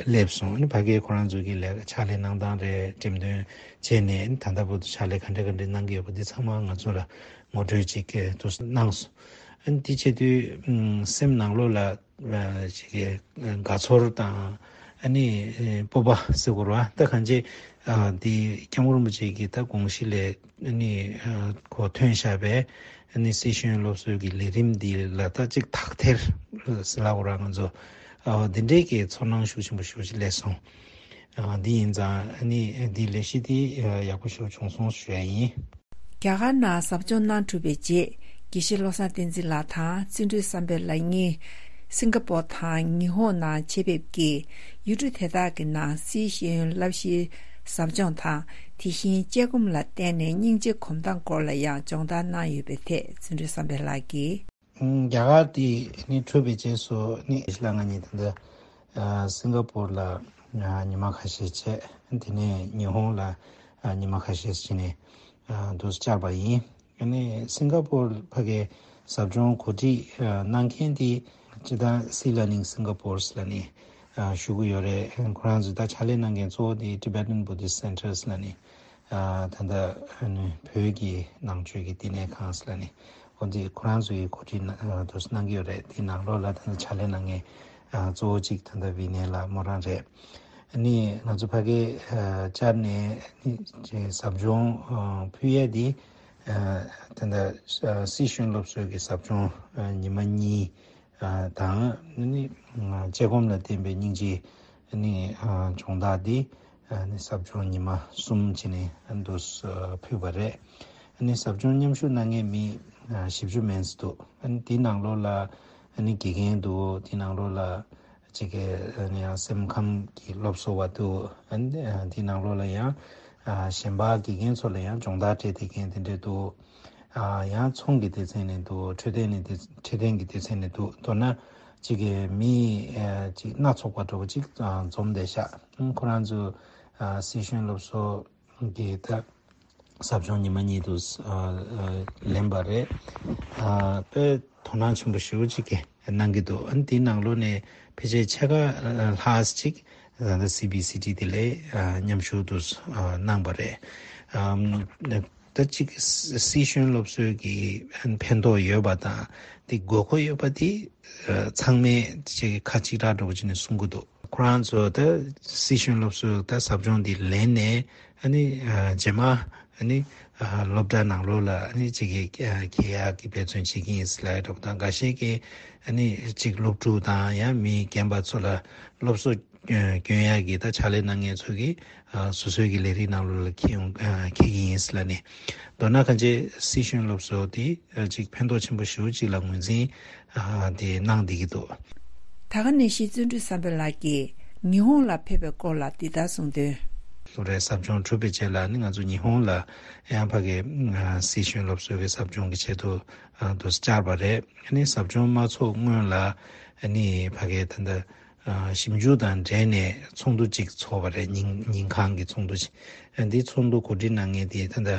སླེབས་སོང་། ཨ་ནི་ཕ་གིའི་ཁོ་རང་ཚོ་གི་ལས་ཀ་ཕྱག་ལས་གནང་སྟངས་རེད། འགྲེམས་སྟོན་བྱས་ནས། ཨ་ནི་ད་ལྟ་བར་དུ་ཕྱག་ལས་ག་འདྲ་ག་འདྲ་གནང་གི་ཡོད་པ་འདི་ཚང་མ་ང་ཚོ་ལ་ངོ་སྤྲོད་ཅིག་དུ་གནང་སོང་། ཨ་ནི་དེ་བྱེད་དུས་ཨམ་སེམས་ནང་ལོགས་ལ་ཅིག་གི་དགའ་ཚོར་དང་ཨ་ནི་སྤོབས་པ་ཟེར་དགོས་རེད་བ། ད་གང་ཅི་ཨ་འདི་སྐྱབས་མགོན་རིན་པོ་ཆེ་གི་ད་དགོངས་གཞི་ལས་ཨ་ནི་ཨ་གོ་ཐོན་བཞག་པའི་ཨ་ནི་སི་ཤེས་ཡོན་སློབ་གསོའི་གི་ལས་རིམ་འདི་ལ་ད་ཅིག་དག་ཐེར་ཟེར་ལབ་དགོས་རེད། ང་ཚོ་ཨ་འདི་འདྲའི་གི་ཚོར་སྣང་ཤུགས་ཆེན་པོ་ཞེ་པོ་ཅིག་སླེབས་སོང་། ཨ་འདི་ཡིན་ཙང་ཨ་ནི་འདི་ལས་གཞི་འདི་ཡག་པོ་ཞེ་པོ་བྱུང་སོང་ཞུ་ཡ་ཡིན། རྒྱ་གར་ནང་ཟབ་སྦྱོང་གནང་གྲུབ་པའི་རྗེས། དགེ་བཤེས་བློ་བཟང་བསྟན་འཛིན་ལགས་དང་བརྩོན་འགྲུས་བསམ་འཕེལ་ལགས་གཉིས་སིང་ག་པོར་དང་ཉི་ཧོང་ནང་ཆེད་ཕེབས་ཀྱིས། ཡུལ་གྲུ་དེ་དག་གི་ནང་སི་ཤེས་ཡོན་བསླབ་གཞིའི་ཟབ་སྦྱོང་དང་། དེ་བཞིན་དཔྱད་སྒོམ་ལ་བརྟེན་ནས་སྙིང་རྗེ་སྒོམ་སྟངས་སྐོར་ལ་ཡང་སྦྱོང་བརྡར་གནང་ཡོད་པའི་ཐད་བརྩོན་འགྲུས་བསམ་འཕེལ་ལགས་ཀྱིས། ཨང་། རྒྱ་གར་དེ་ནི་གྲུབ་པའི་རྗེས་སུ་ནི་ལ་ང་གཉིས་ད་ལྟ་ཨ་སིང་ག་པོར་ལ་ཨ་ཉི་མ་ཁ་ཤས་བྱས། དེ་ནས་ཉི་ཧོང་ལ་ཨ་ཉི་མ་ཁ་ཤས་ཕྱིན་ནས་ཨ་དུ་བཅར་བ་ཡིན། ཨ་ནི་སིང་ག་པོར་ཕ་གི་ཟབ་སྦྱོང་གོ་སྒྲིག་ཨ་གནང་མཁན་དེ་སྤྱིར་བཏང་སི་ལར་ནིང་སིང་ག་པོར་ལ་ནི་ཨ་ཞུ་གི་ཡོད་རེད། ཁོ་རང་ཚོས་ད་ཕྱག་ལས་གནང་མཁན་གཙོ་བོ་དེ་Tibetan Buddhist Centers ལ་ནི། ཨ་ད་ལྟ་ཨ་ནི་བོད་ཀྱི་ནང་ཆོས་ཀྱི་བསྟི་གནས་ཁང་ཟེར་ལ་ནི་འོ་འདི་ཁོ་རང་ཚོ་ཡི་གོ་སྒྲིག་གནང་ཨ་དུ་གནང་གི་ཡོད་རེད། དེའི་ནང་ལོགས་ལ་ད་ལྟ་ཕྱག་ལས་གནང་མཁན་ཨ་གཙོ་བོ་གཅིག་ད་ལྟ་བི་ནེ་ལགས་མོ་རང་རེད། ཨ་ནི་ང་ཚོ་ཕ་གིར་ཨ་བཅར་ནས་ཨ་ནི་ཅིག་ཟབ་སྦྱོང་ཨ་ཕུལ་ཡས་འདི་ཨ་ད་ལྟ་ཨ་སི་ཤེས་ཡོན་སློབ་གསོའི་གི་ཟབ་སྦྱོང་ཨ་ཉི་མ་གཉིས། ཨ་དང་ནི་ཨ་དཔྱད་སྒོམ་ལ་བརྟེན་པའི་སྙིང་རྗེ་ནི་ཨ་སྦྱོང་བརྡར་འདི་ཨ་ནི་ཟབ་སྦྱོང་ཉི་མ་གསུམ་བྱས་ནས་ཨ་འདུག་སེ་ཕུལ་བ་རེད། ཨ་ནི་ཟབ་སྦྱོང་མཉམ་ཞུགས་གནང་མཁན་མི་ཨ་བཞི་བཅུ་མན་ཙམ་འདུག་ཨ་ནི་དེའི་ནང་ལོགས་ལ་ཨ་ནི་དགེ་རྒན་འདུག་དེའི་ནང་ལོགས་ལ་ཅིག་གི་ཨ་ནི་ཡང་སེམས་ཁམས་ཀྱི་སློབ་གསོ་བ་འདུག་ཨ་ནི་ཨ་དེའི་ནང་ལོགས་ལ་ཡང་ཨ་གཞན་པ་དགེ་རྒན་ཚོ་ལ་ཡང་སྦྱོང་བརྡར་སྤྲད་བསྡད་མཁན་དེ་འདྲས་འདུག་ཨ་ཡང་ཚོང་གི་སྡེ་ཚན་ནས་འདུག་འཕྲོད་བསྟེན་ནས་སྡེ་འཕྲོད་བསྟེན་གྱི་སྡེ་ཚན་ནས་འདུག་མདོར་ན་གཅིག་གི་མི་ཨ་གཅིག་སྣ་ཚོགས་པ་འདྲ་བོ་གཅིག་ཨ་འཛོམས་བསྡད་ཤག་ཁོ་རང་ཚོ་ཨ་སི་ཤེས་ཡོན་སློབ་གསོ་གི་ད་ཟབ་སྦྱོང་ཉི་མ་གཉིས་འདུག་ཨ་ཨ་ལེན་པ་རེད། ཨ་དཔེ་དོ་སྣང་ཆེན་པོ་ཞེ་པོ་ཅིག་གི་གནང་གི་འདུག་ཨ་ནི་དེའི་ནང་ལོགས་ནས་ཕལ་ཆེར་ཕྱེད་ཀ་ལྷག་ཅིག་ད་ལྟ་སི་བི་སི་ཊི་དེ་ལ་ཨ་མཉམ་ཞུགས་འདུག་ཨ་གནང་བ་རེད། ཨམ་ད་ཅིག་སི་ཤེས་ཡོན་སློབ་གསོའི་གི་ཕན་ཐོགས་ཡོད་པ་དང་དེ་དགོས་མཁོ་ཡོད་པ་དེ་ཨ་ཚང་མས་ཅིག་ཁ་གཅིག་གྲགས་འདྲ་བོ་བྱས་ནས་གསུང་གི་འདུག་ཁོ་རང་ཚོ་ད་སི་ཤེས་ཡོན་སློབ་གསོའི་ད་ཟབ་སྦྱོང་འདི་ལེན་ནས་ཨ་ནི་ཨ་རྗེས་མ་ཨ་ནི་ཨ་སློབ་གྲྭ་ནང་ལོགས་ལ་ཨ་ནི་ཅིག་གི་ཨ་འཁྱེར་ཡག་གི་འབད་བརྩོན་བྱེད་ཀྱི་ཡིན་ཟེར་ལབ་ཡ་འདྲ་བོ་དང་། འགའ་ཤས་ཀྱིས་ཨ་ནི་ཅིག་སློབ་ཕྲུག་དང་ཡང་མི་རྒན་པ་ཚོ་ལ་སློབ་གསོ་སྐྱོན་ཡག་གི་ད་ཕྱག་ལས་གནང་མཁན་ཚོ་གིས་ཨ་སོ་སོའི་གི་ལས་རིགས་ནང་ལོགས་ལ་འཁྱེར་ཡོང་ཨ་འཁྱེར་གྱི་ཡིན་ཟེར་ལབ་ནས། མདོར་ན་གང་ཅི་སི་ཤེས་ཡོན་སློབ་གསོ་དེ་ཨ་ཅིག་ཕན་ཐོགས་ཆེན་པོ་ཞེ་པོ་ཅིག་ལ་ངོས་འཛིན་ཨ་དེ་གནང་བསྡད་ཀྱི་འདུག་ད་ག་ནང་བཞིན་བརྩོན་འགྲུས་བསམ་འཕེལ་ལགས་ཀྱིས་ཉི་ཧོང་ལ་ཕེབས་པའི་སྐོར་ལ་འདི་ལྟར་གསུངས་དོན། ལོ་རེའི་ཟབ་སྦྱོང་གྲུབ་པའི་རྗེས་ལ་ནི་ང་ཚོ་ཉི་ཧོང་ལ་ཡང་ཕ་གི་ཨ་སི་ཤེས་ཡོན་སློབ་གསོའི་གི་ཟབ་སྦྱོང་གི་ཆེད་དུ་ཨ་དུ་བཅར་བ་རེད། ཨ་ནི་ཟབ་སྦྱོང་མ་ཚོགས་སྔོན་ལ་ཨ་ནི་ཕ་གི་ད་ལྟ་ ཞིབ་འཇུག་དང་འབྲེལ་ནས་ཚོགས་འདུ་གཅིག་ཚོགས་པ་རེད། ཉིན་ཉིན་གང་གི་ཚོགས་འདུ་ཞིག་འདི་ཚོགས་འདུ་གོ་སྒྲིག་གནང་མཁན་དེ་ད་ལྟ་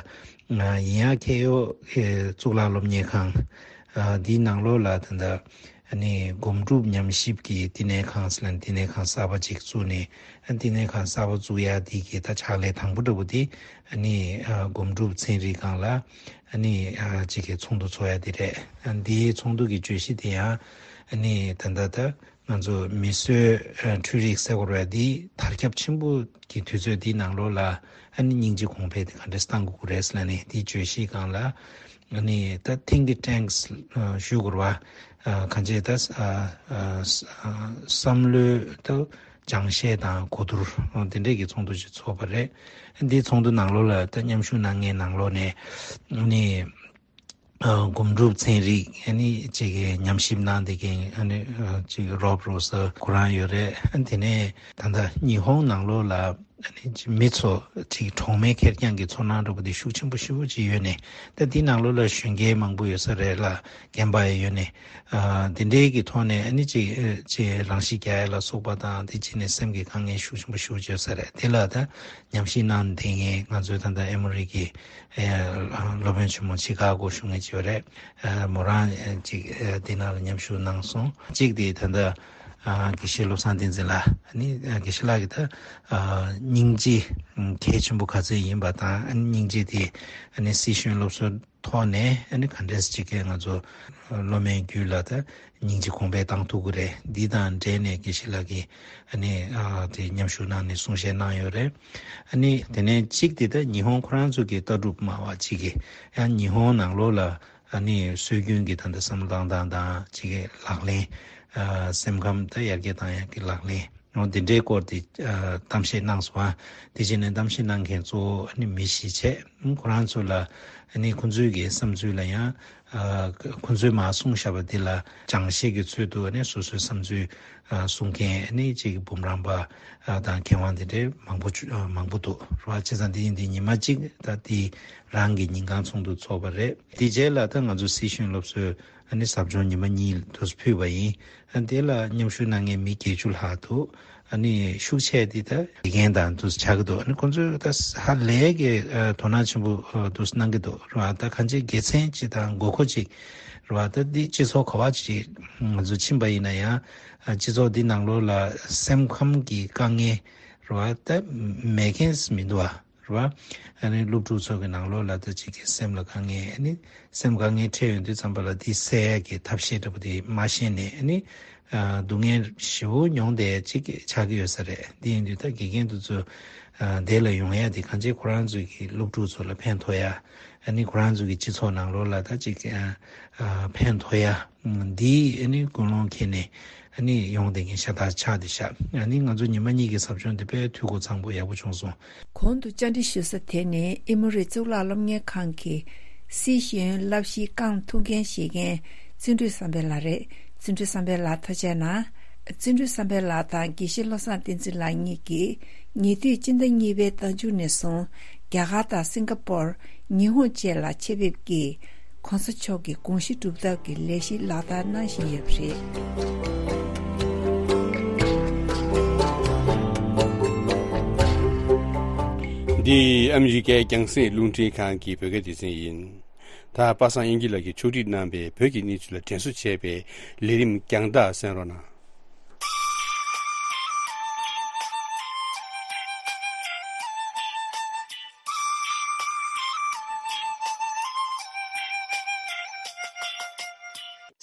ཡིན་ཡང་ཁེ་ཡོ་གཙུག་ལག་སློབ་གཉེར་ཁང་འདིའི་ནང་ལོགས་ལ་ད་ལྟ་ཨ་ནི་སྒོམ་སྒྲུབ་ཉམས་ཞིབ་ཀྱི་བསྟི་གནས་ཁང་ཟེར་ལ་བསྟི་གནས་ཁང་གསར་པ་ཅིག་བཙུགས་ནས། ཨ་བསྟི་གནས་ཁང་གསར་པ་བཙུགས་ཡ་དེ་གི་ད་ཕྱག་ལས་དང་པོ་འདྲ་པོ་དེ་ཨ་ནི་སྒོམ་སྒྲུབ་ཚན་རིག་སྒང་ལ་ཨ་ནི་ཅིག་གི་ཚོགས་འདུ་ཚོགས་ཡ་དེ་རེད། ཨ་འདིའི་ཚོགས་འདུ་གི་བརྗོད་གཞི་དེ་ཡང་ཨ་ནི་ད་ལྟ་ད་ང་ཚོ་མི་གསོད་འཕྲུལ་རིག་སེལ་དགོས་རེད། འདི་དར་ཁྱབ་ཆེན་པོ་གི་དུས་ཚོད་འདིའི་ནང་ལོགས་ལ་ཨ་ནི་སྙིང་རྗེ་གོང་འཕེལ་དེ་ག་འདྲས་གཏང་དགོས་ཀྱི་རེད་ཟེར་ལ་ནི་དེའི་བརྗོད་གཞིའི་སྒང་ལ་ཨ་ནི་ད་think tanks ཞུ་དགོས་རེད་བ། གང་ཅི་ད་བསམ་བློའི་ད་སྦྱང་བཤད་དང་གོ་བསྡུར་དེ་འདྲས་ཀྱི་ཚོགས་འདུ་ཞིག་ཚོགས་པ་རེད། འདིའི་ཚོགས་འདུ་ནང་ལོགས་ལ་ད་མཉམ་ཞུགས་གནང་མཁན་ནང་ལོགས་ནས་ཨ་ནི། སྒོམ་སྒྲུབ་ཚན་རིག་ཨ་ནི་ཅིག་གི་ཉམས་ཞིབ་གནང་བསྡད་མཁན་ཨ་ནི་ཅིག་རོབ་རོ་ས་ཁོ་རང་ཡོད་རེད། ཨ་དེ་ནས་ད་ལྟ་ཉི་ཧོང་ནང་ལོགས་ལ་ཨ་ནི་མི་ཚོ་ཅིག་གྲོགས་མེད་ཁེར་རྐྱང་གི་ཚོར་སྣང་འདྲ་པོ་དེ་ཤུགས་ཆེན་པོ་ཞེ་པོ་ཅིག་ཡོད་ནས། ད་དེ་ནང་ལོགས་ལ་གཞོན་སྐྱེས་མང་པོ་ཡོད་ས་རེད་ལ་རྒན་པ་ཡང་ཡོད་ནས། ཨ་དེ་འདྲའི་གི་ཐོག་ནས་ཨ་ནི་ཅིག་ཅིག་རང་ཤི་རྒྱག་ཡ་ལ་སོགས་པ་དང་དེ་བྱས་ནས་སེམས་ཀྱི་དཀའ་ངལ་ཤུགས་ཆེན་པོ་ཞེ་པོ་ཅིག་ཡོད་ས་རེད། དེ་ལ་ད་ཉམས་ཞིབ་གནང་བསྡད་མཁན་ང་ཚོའི་ད་ལྟ་ཨེ་མོ་རི་གི་སློབ་དཔོན་ཆེན་མོ་ཆི་ཀ་གོ་བཞུགས་མཁན་ཅིག་ཡོད་རེད། མོ་རང་ཅིག་འདི་ནང་ལ་མཉམ་ཞུགས་གནང་སོང་། གཅིག་དེ་ད་ལྟ་དགེ་བཤེས་བློ་བཟང་བསྟན་འཛིན་ལགས་ཨ་ནི་དགེ་བཤེས་ལགས་ཀྱི་ད་སྙིང་རྗེ་གལ་ཆེན་པོ་ག་ཚོད་ཡིན་པ་དང་ཨ་ནི་སྙིང་རྗེ་དེ་ཨ་ནི་སྲིད་གཞུང་སློབ་གསོ་ཐོག་ནས་ཨ་ནི་ག་འདྲས་ཅིག་གིས་ང་ཚོ་སློབ་མའི་རྒྱུད་ལ་ད་སྙིང་རྗེ་གོང་འཕེལ་བཏང་ཐུབ་ཀྱི་རེད། འདི་དང་འབྲེལ་ནས་དགེ་བཤེས་ལགས་ཀྱིས་ཨ་ནི་ཨ་དེ་མཉམ་ཞུགས་གནང་ནས་གསུང་བཤད་གནང་ཡོད་རེད། ཨ་ནི་དེ་ནས་གཅིག་དེ་ད་ཉི་ཧོང་ཁོ་རང་ཚོ་གི་ལྟ་གྲུབ་སྨྲ་བ་གཅིག་གིས་ཡང་ཉི་ཧོང་ནང་ལོགས་ལ་ཨ་ནི་སྲོལ་རྒྱུན་གྱི་ད་ལྟ་བསམ་བློ་བཏང་སྟངས་དང་གཅིག་གི་ལག་ལེན་ཨ་སེམས་ཁམས་ད་ཡར་རྒྱས་བཏང་ཡག་གི་ལག་ལེན། འོ་དེ་འདྲའི་སྐོར་དེ་ཨ་གཏམ་བཤད་གནང་སོང་ཨ། དེ་བྱས་ནས་གཏམ་བཤད་གནང་མཁན་གཙོ་བོ་ཨ་ནི་མི་གཞིས་བྱས། ཁོ་རང་ཚོ་ལ་ཨ་ནི་ཁོ་ཚོའི་གི་བསམ་ཚུལ་ལ་ཡང་ཨ་ཁོ་ཚོས་མར་གསུངས་བཞག་པ་འདི་ལ་སྦྱང་བཤད་ཀྱི་ཚུལ་དུ་ཨ་ནི་སོ་སོའི་བསམ་ཚུལ་ཨ་གསུང་མཁན་ཨ་ནི་གཅིག་གི་འབུམ་རམས་པ་ཨ་དང་མཁས་དབང་དེ་འདྲའི་མང་པོ་བྱུ་ཨ་མང་པོ་འདུག་རེད་བ། བྱས་ཙང་དེ་ཡིན་དུས་ཉི་མ་གཅིག་ད་དེ་རང་གི་ཉིན་གང་ཚོགས་འདུ་ཚོགས་པ་རེད། དེ་རྗེས་ལ་ད་ང་ཚོ་སྲིད་གཞུང་སློབ་གསོའི་ཨ་ནི་ཟབ་སྦྱོང་ཉི་མ་གཉིས་དུ་ཕུལ་བ་ཡིན། ཨ་དེ་ལ་མཉམ་ཞུགས་གནང་མཁན་མི་བརྒྱད་ཅུ་ལྷག་འདུག་ཨ་ནི་ཤུགས་ཆེ་དེ་ད་དགེ་རྒན་དང་དུ་ཆགས་ཀྱི་འདུག་ཨ་ནི་ཁོང་ཚོས་ད་ཧ་ལས་ཀྱི་ཨ་དོ་སྣང་ཆེན་པོ་ཨ་དུ་གནང་གི་འདུག་རེད་བ། ད་གང་ཅི་དགེ་མཚན་ཅིག་དང་དགོས་མཁོ་ཅིག་རེད་བ། ད་འདི་སྤྱི་ཚོགས་ག་བ་ཅིག་ང་ཚོ་ཕྱིན་པ་ཡིན་ན་ཡང་ཨ་སྤྱི་ཚོགས་འདི་ནང་ལོགས་ལ་སེམས་ཁམས་ཀྱི་དཀའ་ངལ་རེད་བ་ད་མེད་མཁན་མི་འདུག་བ། རེད་བ། ཨ་ནི་སློབ་ཕྲུག་ཚོ་གི་ནང་ལོགས་ལ་ད་ཅིག་གི་སེམས་ལ་དཀའ་ངལ་ཨ་ནི་སེམས་དཀའ་ངལ་འཕྲད་ཡོང་དུས་ཙམ་པ་ལ་དེ་སེལ་ཡག་གི་ཐབས་ཤེས་འདྲ་པོ་དེ་མ་ཤེས་ནས་ཨ་ནི་ཨ་སྡུག་བསྔལ་ཞེ་པོ་མྱོང་བསྡད་ཅིག་ཆགས་ཀྱི་ཡོད་ས་རེད། དེ་ཡིན་དུས་ད་དགེ་རྒན་དེ་ཚོ་ཨ་འདི་ལ་ཡོང་ཡག་དེ་གང་ཅི་ཁོ་རང་ཚོ་གི་སློབ་ཕྲུག་ཚོ་ལ་ཕན་ཐོགས་ཡག་ཨ་ནི་ཁོ་རང་ཚོ་གི་སྤྱི་ཚོགས་ནང་ལོགས་ལ་ད་ཅིག་ཨ་ཨ་ཕན་ཐོགས་ཡག་འདི་ཨ་ནི་ཀུན་སློང་འཁྱེར་ནས་ཨ་ནི་ཡོང་བསྡད་མཁན་ཤ་སྟག་ཆགས་བསྡད་ཤག་ཨ་ནི་ང་ཚོ་ཉི་མ་གཉིས་ཀྱི་ཟབ་སྦྱོང་འདི་དཔེ་འཐུས་སྒོ་ཚང་པོ་ཡག་པོ་བྱུང་སོང་། གོང་དུ་བཅར་འདྲི་ཞུ་ས་དེ་ནི་ཨེ་མོ་རི་གཙུག་ལག་སློབ་གཉེར་ཁང་གི་སྲིད་གཞུང་བསླབ་གཞིའི་རྐང་ཐུག་འགན་བཞེས་མཁན་བརྩོན་འགྲུས་བསམ་འཕེལ་ལགས་རེད། བརྩོན་འགྲུས་བསམ་འཕེལ་ལགས་ཐུགས་རྗེ་གནང་། བརྩོན་འགྲུས་བསམ་འཕེལ་ལགས་དང་དགེ་བཤེས་བློ་བཟང་བསྟན་འཛིན་ལགས་གཉིས་ཀྱིས་ཉེ་དུས་སྤྱི་ཟླ་གཉིས་པའི་ཟླ་མཇུག་ནས་བཟུང་རྒྱ་གར་དང་སིང་ག་པོར། ཉི་ཧོང་བཅས་ལ་ཆེད་ཕེབས་ཀྱིས་གོང་ས་མཆོག་གི་དགོངས་གཞི་སྒྲུབ་ཐབས་ཀྱི་ལས་གཞི་ལག་བསྟར་གནང་བཞིན་ཡོད་པ་རེད། འདི་ཨ་མི་རི་ཀའི་རྒྱང་སྲིང་རླུང་འཕྲིན་ཁང་གི་བོད་སྐད་སྡེ་ཚན་ཡིན། ད་པ་སངས་དབྱངས་སྐྱིད་ལགས་ཀྱིས་ཕྱོགས་སྒྲིག་གནང་པའི་བོད་ཀྱི་གནས་ཚུལ་ལ་དྲན་གསོ་བྱས་པའི་ལས་རིམ་རྒྱང་ཐག་གསན་རོགས་གནང་།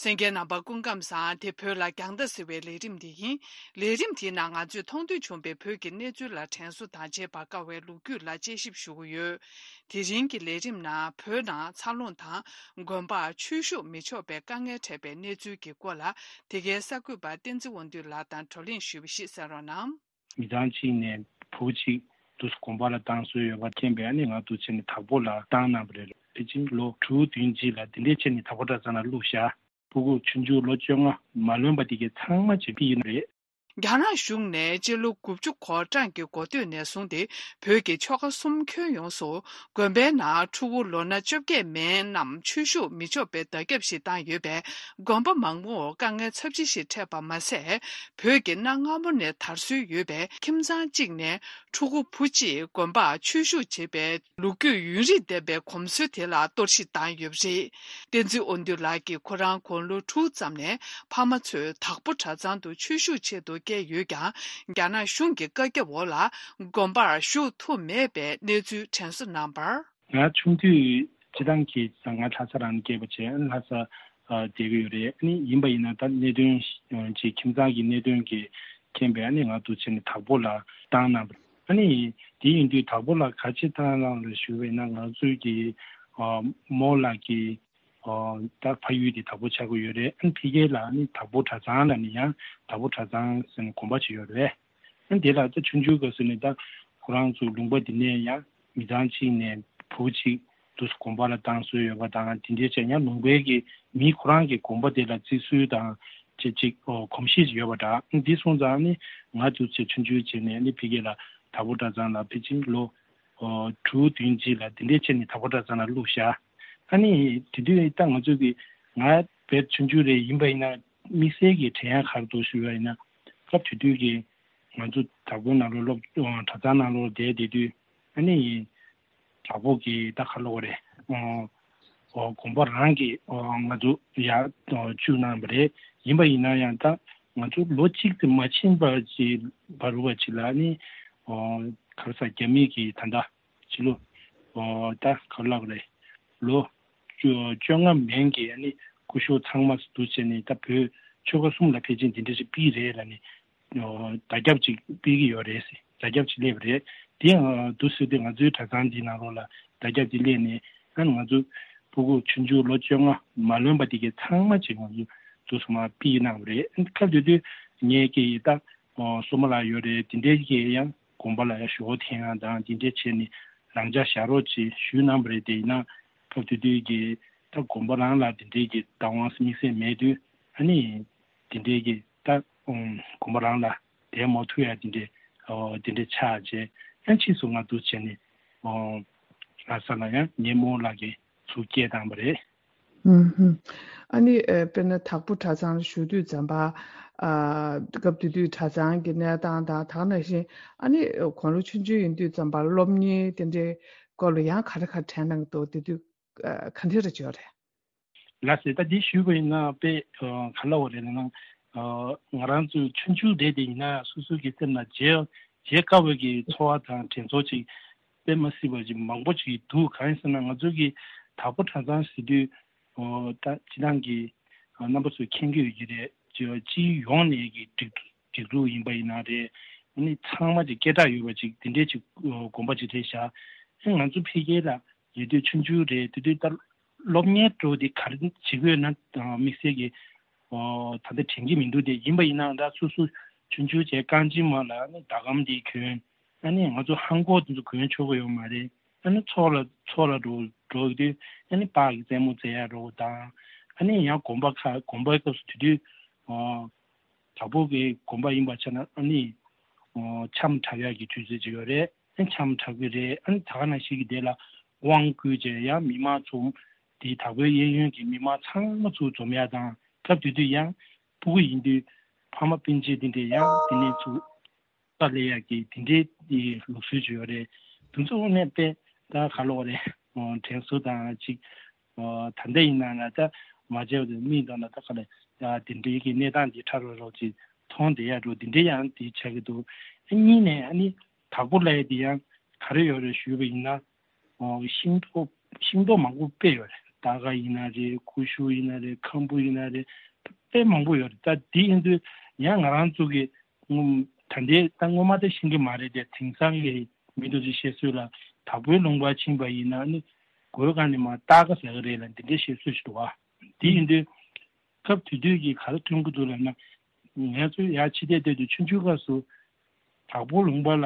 གསན་མཁན་རྣམ་པ་སྐུ་ཁམས་བཟང་། དེ་བོད་ལ་རྒྱང་ལྟ་ཟེར་བའི་ལས་རིམ་དེ་ཡིན། ལས་རིམ་དེའི་ནང་ང་ཚོས་མཐོང་ཐོས་བྱུང་བའི་བོད་ཀྱི་གནས་ཚུལ་ལ་དྲན་གསོ་དང་རྗེས་བར་དཀའ་བའི་ལོ་རྒྱུས་ལ་དཔྱད་ཞིབ་ཞུ་གི་ཡོད། དེ་རིང་གི་ལས་རིམ་ནང་བོད་ནང་འཚར་ལོངས་དང་དགོན་པར་ཆོས་ཞུགས་མི་ཆོག་པའི་དཀའ་ངལ་འཕྲད་པའི་གནས་ཚུལ་གྱི་སྐོར་ལ་དེ་གའི་གསར་འགོད་པ་བསྟན་འཛིན་དབང་འདུས་ལགས་དང་བགྲོ་གླེང་ཞུས་པ་ཞིག་གསན་རོགས་གནང་། མི་ཚང་གཅིག་ནས་བུ་གཅིག་དུས་དགོན་པ་ལ་བཏང་སྲོལ་ཡོད་པ་མཁྱེན་པས་ཨ་ནི་ང་དུ་ཆེ་ནས་དྭགས་པོ་ལ་བཏང་གནང་བ་རེད། དེ་ཕྱིན་ལོ་དྲུག་བདུན་རྗེས་ལ་དེ་འདྲའི་ཆེ་ནས་དྭགས་པོ་གྲྭ་ཚང་ལ་བླུགས་བཞག་ཕྲུ་གུ་ཆུང་ཆུང་ལོ་བཅོ་ལྔ་མ་ལོན་པ་དེ་གའི་ཚང་མ་བྱེད་ཀྱི་ཡིན་རེད། རྒྱ་ནག་གཞུང་ནས་སྤྱི་ལོ་དགུ་བཅུ་གོ་གྲངས་ཀྱི་འགོ་སྟོད་ནས་བཟུང་སྟེ་བོད་ཀྱི་ཆོལ་ཁ་གསུམ་ཁྱོན་ཡོངས་སུ་དགོན་པའི་ནང་ཕྲུ་གུ་ལོ་ན་བཅོ་བརྒྱད་མན་རྣམས་ཆོས་ཞུགས་མི་ཆོག་པའི་བརྡ་ཁྱབ་ཞིག་བཏང་ཡོད་པས། དགོན་པ་མང་པོར་དཀའ་ངལ་ཚབས་ཆེ་ཞིག་འཕྲད་པ་མ་ཟད། བོད་ཀྱི་གནའ་སྔ་མོ་ནས་དར་སྲོལ་ཡོད་པའི་ཁྱིམ་ཚང་གཅིག་ནས་ཕྲུ་གུ་བུ་གཅིག་དགོན་པར་ཆོས་ཞུགས་བྱེད་པའི་ལོ་རྒྱུས་ཡུན་རིང་ལྡན་པའི་གོམས་སྲོལ་དེ་ལ་གཏོར་བཤིག་བཏང་ཡོད་པ་རེད། བསྟན་འཛིན་དབང་འདུས་ལགས་ཀྱིས་ཁོ་རང་དགུང་ལོ་དྲུག་ཙམ་ནས་ཕ་མ་ཚོས་དྭགས་པོ་གྲྭ་ཚང་དུ་ཆོས་ཞུགས་ཆེད་དུ་བསྐྱལ་ཡོད་ཀྱང་། རྒྱ་ནག་གཞུང་གི་བཀའ་ཁྱབ་འོག་ལ་དགོན་པར་ཞུགས་ཐུབ་མེད་པའི་གནས་ཚུལ་དྲན་གསོ་གནང་བར། ང་ཆུང་དུས་སྤྱི་བཏང་གི་ང་ལྷ་ས་རང་སྐྱེས་པ་བྱས། ལྷ་ས་བསྡད་ཀྱི་ཡོད་རེད། ཨ་ནི་ཡིན་པ་ཡིན་ན་ད་གནད་དོན་ཅིག་ཁྱིམ་ཚང་གི་གནད་དོན་གྱི་རྐྱེན་པས། ཨ་ནི་ང་འདུག་བྱས་ནས་དྭགས་པོ་ལ་བཏང་གནང་བ་རེད། ཨ་ནི་དེ་ཡིན་དུས་དྭགས་པོ་ལ་ག་ཅི་བཏང་གནང་ལ་ཞུས་པ་ཡིན་ན། ང་ཚོའི་གི་རྨོ་ལགས་ཀྱི་ད་ཕ་ཡུལ་དེ་དྭགས་པོ་ཆགས་ཀྱི་ཡོད་རེད། ཨ་ནི་ཕ་གི་ལ་ཨ་ནི་དྭགས་པོ་གྲྭ་ཚང་ལ་ནི་ཡང་དྭགས་པོ་གྲྭ་ཚང་ཟེར་ནས་དགོན་པ་ཅིག་ཡོད་རེད། ཨ་ནི་དེ་ལ་ད་ཆུང་ཆུང་སྐབས་སུ་ནས་ད་ཁོ་རང་ཚོ་ལུང་པ་འདི་ནས་ཡང་མི་ཚང་གཅིག་ནས་བུ་གཅིག་དུ་དགོན་པ་ལ་བཏང་སྲོལ་ཡོད་པ་དང་། དེ་འདྲའི་བྱས་ཡང་ལུང་པའི་གི་མི་ཁོ་རང་གི་དགོན་པ་དེ་ལ་བརྩི་སྲོལ་དང་ཅིག་ཅིག་གོམས་གཤིས་ཅིག་ཡོད་པ་འདྲ། ཨ་ནི་འདི་སོང་ཙང་ནི་ང་དུ་ཚེ་ཆུང་ཆུང་བྱས་ནས་ནི་ཕ་གི་ལ་དྭགས་པོ་གྲྭ་ཚང་ལ་ཕལ་ཆེར་ལོ་ཨོ་དྲུག་བདུན་རྗེས་ལ་དེ་འདྲའི་བྱས་ནས་དྭགས་པོ་གྲྭ་ཚང་ལ་བླུགས་བཞག་ཨ་ནི་དེ་དུས་ད་ང་ཚོ་གི་ང་བས་ཆུང་ཆུང་རེ་ཡིན་པ་ཡིན་ན། དམིགས་བསལ་གྱི་དྲན་ཡག་ག་རེ་འདུག་ཞུས་པ་ཡིན་ན། སྐབས་དེ་དུས་ཀྱི་ང་ཚོ་དྭགས་པོའི་ནང་ལོགས་སློབ་གྲྭ་ཚང་ནང་ལོགས་བསྡད་བསྡད་དུས། ཨ་ནི་དྭགས་པོ་གི་ད་ག་ལབ་དགོས་རེད། ཨོ་ཨོ་དགོན་པ་རང་གི་ཨོ་ང་ཚོ་ཡར་ཨོ་བཅུག་གནང་བ་རེད། ཡིན་པ་ཡིན་ན་ཡང་ད་ང་ཚོ་ལོ་གཅིག་ཙམ་མ་ཕྱིན་པ་ཅིག་བར་རུ་བ་ཅིག་ལ་ནི་ཨོ་ག་རེ་ཟ་རྒྱ་མི་གི་ད་ལྟ་ཕྱི་ལོ་ཨོ་ད་ག་རེ་ལབ་རེད། ལོ་བཅོ་བཅོ་ལྔ་མན་གྱི་ཨ་ནི་སྐུ་ཞབས་ཚང་མ་འདུ་བྱས་ནས་ད་བོད་ཆོལ་ཁ་གསུམ་ལ་ཕལ་ཆེར་འདི་འདྲ་ཞིག་ཕུལ་རེད་ལབ་ནས་ཨོ་བརྡ་ཁྱབ་ཅིག་ཕུལ་གྱི་ཡོད་རེད་ཟེར། བརྡ་ཁྱབ་ཅིག་སླེབས་པ་རེད། དེ་ཡང་འདུག་སེ་དེ་ང་ཚོའི་གྲྭ་ཚང་འདི་ནང་ལོགས་ལ་བརྡ་ཁྱབ་དེ་སླེབས་ནས། ཨ་ནི་ང་ཚོ་ཕྲུ་གུ་ཆུང་ཆུང་ལོ་བཅོ་ལྔ་མ་ལོན་པ་དེ་གའི་ཚང་མ་ཅིག་ང་ཚོ་འདུག་སེ་མར་ཕུལ་གནང་བ་རེད། སྐབས་དེ་དུས་ངའི་སྐད་ཡིག་ད་ཨོ་སོ་མ་ལགས་ཡོད་རེད། དེ་འདྲའི་གི་ཡང་དགོན་པ་ལ་ཡང་ཞོགས་འཐེན་ཡག་དང་དེ་འདྲ་བྱས་ནས་རང་འཇགས་བཞག་རོགས་ཅེས་ཞུས་གནང་བ་རེད། དེ་ཡིན་ན་སྐབས་དེ་དུས་ཀྱི་ད་དགོན་པ་རང་ལ་དེ་འདྲའི་གི་བདག་དབང་དམིགས་བསལ་མེད་དུས། ཨ་ནི་དེ་འདྲའི་གི་ད་ཨུམ་དགོན་པ་རང་ལ་བསྡད་མ་ཐུབ་ཡག་དེ་འདྲའི་ཨོ་དེ་འདྲའི་ཆགས་བྱས། ཨ་ཕྱིས་སུ་ང་འདུག་བྱས་ནས་ཨོ་ལྷ་ས་ལ་ཡང་ངའི་རྨོ་ལགས་ཀྱིས་ཚུར་སྐད་བཏང་བ་རེད། ཨུམ་ཧུམ། ཨ་ནི་ཨ་དཔེར་ན་དྭགས་པོ་གྲྭ་ཚང་ལ་ཞུགས་དུས་ཙམ་པ། ཨ་སྐབས་དེ་དུས་གྲྭ་ཚང་གི་གནས་སྟངས་དང་། ད་ག་ནང་བཞིན་ཨ་ནི་དགུང་ལོ་ཆུང་ཆུང་ཡིན་དུས་ཙམ་པ་སློབ་གཉེར་དེ་འདྲའི་སྐོར་ལ་ཡང་ག་རེ་ག་རེ་དྲན་གནང་འདུག་དེ་དུས་ཨ་ག་འདྲ་རེ་བྱས་རེད། ལགས་སེ། ད་འདི་ཞུས་པ་ཡིན་ན་དཔེ་ཨ་ག་ལབ་དགོས་རེད་ལབ་ན། ཨ་ང་རང་ཚོའི་ཆུང་ཆུང་དེ་དེ་ཡིན་ན་སོ་སོ་གི་སེམས་ལ་བརྗེད་བརྗེད་དཀའ་བའི་གི་ཚོར་བ་དང་དྲན་ཚོར་ཅིག་དཔེ་མ་སྲིད་པ་ཅིག་མང་པོ་ཅིག་འདུག་གང་ཡིན་ཟེར་ན། ང་ཚོ་གི་དྭགས་པོ་གྲྭ་ཚང་ཟེར་དུས་ཨོ་ད་སྤྱི་བཏང་གི་ཨ་རྣམ་པ་ཚོས་མཁྱེན་གྱི་ཡོད་ཀྱི་རེད། ཅིག་སྤྱི་ཡོངས་ནས་ཀྱི་སྒྲིག་སྒྲིག་འཛུགས་ཡིན་པ་ཡིན་ན་རེད། ཨ་ནི་ཚང་མ་ཅིག་སྐད་གྲགས་ཡོད་པ་ཅིག་དེ་འདྲས་ཅིག་ཨོ་དགོན་པ་ཅིག་རེད་ཤག་ཨ་ང་ཚོ་ཕ་གི་ལ་ཡོད་དུས་ཆུང་ཆུང་རེད། དེ་དུས་ལྟར་སློབ་གཉེར་འགྲོ་དེ་ག་རེ་བྱེད་དགོས་ན་དམིགས་བསལ་གྱི་ཨོ་ད་ལྟ་དྲན་གྱི་མི་འདུག་དེ་ཡིན་པ་ཡིན་ནའང་ད་སོ་སོ་ཆུང་ཆུང་བྱས་རྐང་རྗེན་མ་ལ་ནི་ཟླ་གམ་དེ་གྱོན། ཨ་ནི་ང་ཚོ་ལྷམ་གོག་དེ་ཚོ་གྱོན་ཆོག་གི་ཡོད་མ་རེད། ཨ་ནི་ཚོགས་ལ་ཚོགས་ལ་འགྲོ་འགྲོ་དུས་ཨ་ནི་པཱ་གི་རྩེད་མོ་རྩེ་ཡག་འགྲོ་དང་། ཨ་ནི་ཡང་དགོན་པ་ཁག་དགོན་པའི་སྐབས་སུ་དེ་དུས་ཨོ་དྭགས་པོ་གི་དགོན་པ་ཡིན་པ་ཆ་ན་ཨ་ནི་ཨོ་འཆམ་འཁྲབ་ཡག་གི་དུས་ཚོད་ཅིག་ཡོད་རེད། ཨ་ནི་འཆམ་འཁྲབ་གི་རེད། ཨ་ནི་ད་ག་ནང་བཞིན་གྱི་དེ་ལ་དབང་བསྐུར་བྱས་ཡང་མི་མང་ཚོ་དེ་དྭགས་པོའི་གཡས་གཡོན་གྱི་མི་མང་ཚང་མ་ཚུར་འཛོམས་ཡག་དང་། སྐབས་དེ་དུས་ཡང་ཕྲུ་གུ་ཡིན་དུས་ཕ་མ་སྤུན་མཆེད་དེ་འདྲས་ཡང་དེ་ནས་ཚུར་ས་ལས་ཡག་གི་དེ་འདྲའི་ལུགས་སྲོལ་ཅིག་ཡོད་རེད། དེ་ཚོ་དངོས་གནས་དཔེ་ད་ག་ལབ་དགོས་རེད། དྲན་གསོ་དང་ཅིག་ད་ལྟ་ཡིན་ན་ལ་ད་མ་བྱས་པ་དེ་མིག་མདུན་ལ་ད་ག་ལ་ཡ་དེ་འདྲའི་གི་གནས་སྟངས་འདི་ཕྲ་རོག་རོག་ཅིག་མཐོང་བསྡད་ཡག་འགྲོ་དེ་འདྲའི་ཡང་དེ་ཆགས་ཀྱི་འདུག་ཨ་གཉིས་ནས་ཨ་ནི་དྭགས་པོ་ལབ་ཡ་དེ་ཡང་ག་རེ་ཡོད་རེད་ཞུས་པ་ཡིན་ན། ཤིང་ཏོག་ཤིང་ཏོག་མང་པོ་དཔེ་ཡོད་རེད། སྟར་ཁ་ཡིན་ན་རེད། ཀུ་ཤུ་ཡིན་ན་རེད། ཁམ་བུ་ཡིན་ན་རེད། དཔེ་མང་པོ་ཡོད་རེད། ད་དེ་ཡིན་དུས་ཡང་ང་རང་ཚོ་གི་ད་ལྟའི་ད་སྔོན་མ་ད་ཤེས་ཀྱི་མ་རེད་དེ། དེང་སང་གི་མི་དེ་ཚོས་བཤད་སྲོལ་ལ་དྭགས་པོའི་ལུང་པར་ཕྱིན་པ་ཡིན་ན་ནི་གོས་གང་ནས་མར་སྟར་ཁ་ཟ་གི་རེད་ལབ་འདི་འདྲའི་བཤད་སྲོལ་ཞིག་འདུག་བ། དེ་ཡིན་དུས་སྐབས་དེ་དུས་ཀྱི་ག་རེ་མཐོང་གི་འདུག་ལབ་ན། ང་ཚོ་ཡར་ཕྱི་བལྟས་བལྟས་དུས་ཆུང་ཆུང་སྐབས་སུ་དྭགས་པོ་ལུང་པ་ལ་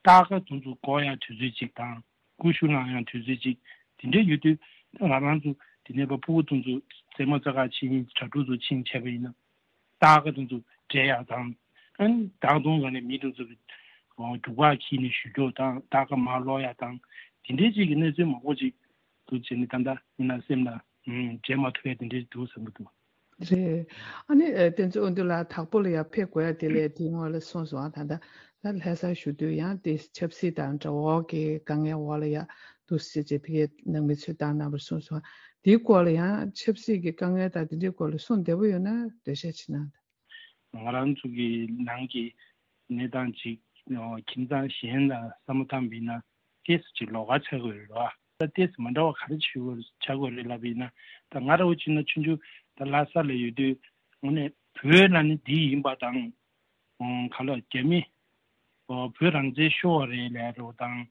སྟར་ཁ་དེ་ཚོ་འགོ་ཡག་དུས་ཚོད་ཅིག་དང་། ཀུ་ཤུ་ལངས་ཡག་དུས་ཚོད་ཅིག་དེ་འདྲ་ཡོད་དུས། ད་ང་རང་ཚོ་དེ་ནས་ཕ་ཕྲུ་གུ་དེ་ཚོ་རྩེད་མོ་རྩེ་ག་ཕྱིན། གྲྭ་ཕྲུག་ཚོ་ཕྱིན་བྱས་པ་ཡིན་ན། སྟར་ཁ་དེ་ཚོ་འབྲད་ཡག་དང་ ཨན་བདག་དོན་ག་ནས་མི་དེ་ཚོ་གི་རྒྱུག་པ་ཁྱི་ནས་ཞུ་རྒྱུ་དང་ད་ག་མ་ལོག་ཡ་དང་དེ་འདྲའི་ཅིག་གི་གནས་ཚུལ་མང་པོ་ཅིག་འདུག་བྱས་ནས་ད་ལྟ་ཡིན་ན་སེམས་ལ་བརྗེད་མ་ཐུབ་ཡ་དེ་འདྲའི་འདུག་བསམ་གི་འདུག་རེད། ཨ་ནི་བསྟན་འཛིན་དབང་འདུས་ལགས་དྭགས་པོ་ལ་ཡ་ཕེབས་དགོས་ཡ་དེ་ལས་དེའི་སྔོན་ལ་གསུངས་སོང་ཨ། ད་ལྟ་ད་ལྷ་སར་བཞུགས་དུས་ཡང་དེ་ཆབ་སྲིད་དང་འགྲོ་འོང་གི་དཀའ་ངལ་འོག་ལ་ཡ་འདུག་ཟེར་བྱས་ཕ་གིའི་ནང་མི་ཚོས་བཏང་གནང་བར་གསུངས་སོང་ཨ། དེའི་སྐོར་ལ་ཡང་ཆབ་སྲིད་ཀྱི་དཀའ་ངལ་དང་དེ་འདྲའི་སྐོར་ལ་གསུང་བདེ་པོ་ཡོད་ན་འགྲེལ་བཤད་བྱེད་གནང་དང་། ང་རང་ཚོ་གི་ནང་གི་གནས་སྟངས་ཅིག་ཁྱིམ་ཚང་གཞན་ལ་བསམ་བློ་བཏང་བ་ཡིན་ན་ཏོག་ཙམ་ཅིག་ལོགས་ཀ་ཆགས་ཀྱི་ཡོད་རེད་བ། ད་ཏོག་ཙམ་མ་འདྲ་བ་ག་རེ་བྱེད་དགོས་ཆགས་ཀྱི་ཡོད་རེད་ལབ་པ་ཡིན་ན། ད་ང་རང་ཚོ་བྱས་ན་ཆུང་ཆུང་ད་ལྷ་ས་ལ་ཡོད་དུས་དངོས་གནས་བོད་ལ་ནི་འདི་ཡིན་པ་དང་། ག་ལ་རྒྱ་མི་བོད་རང་བཙན་ཤོར་བ་རེད་ལབ་རོགས་དང་།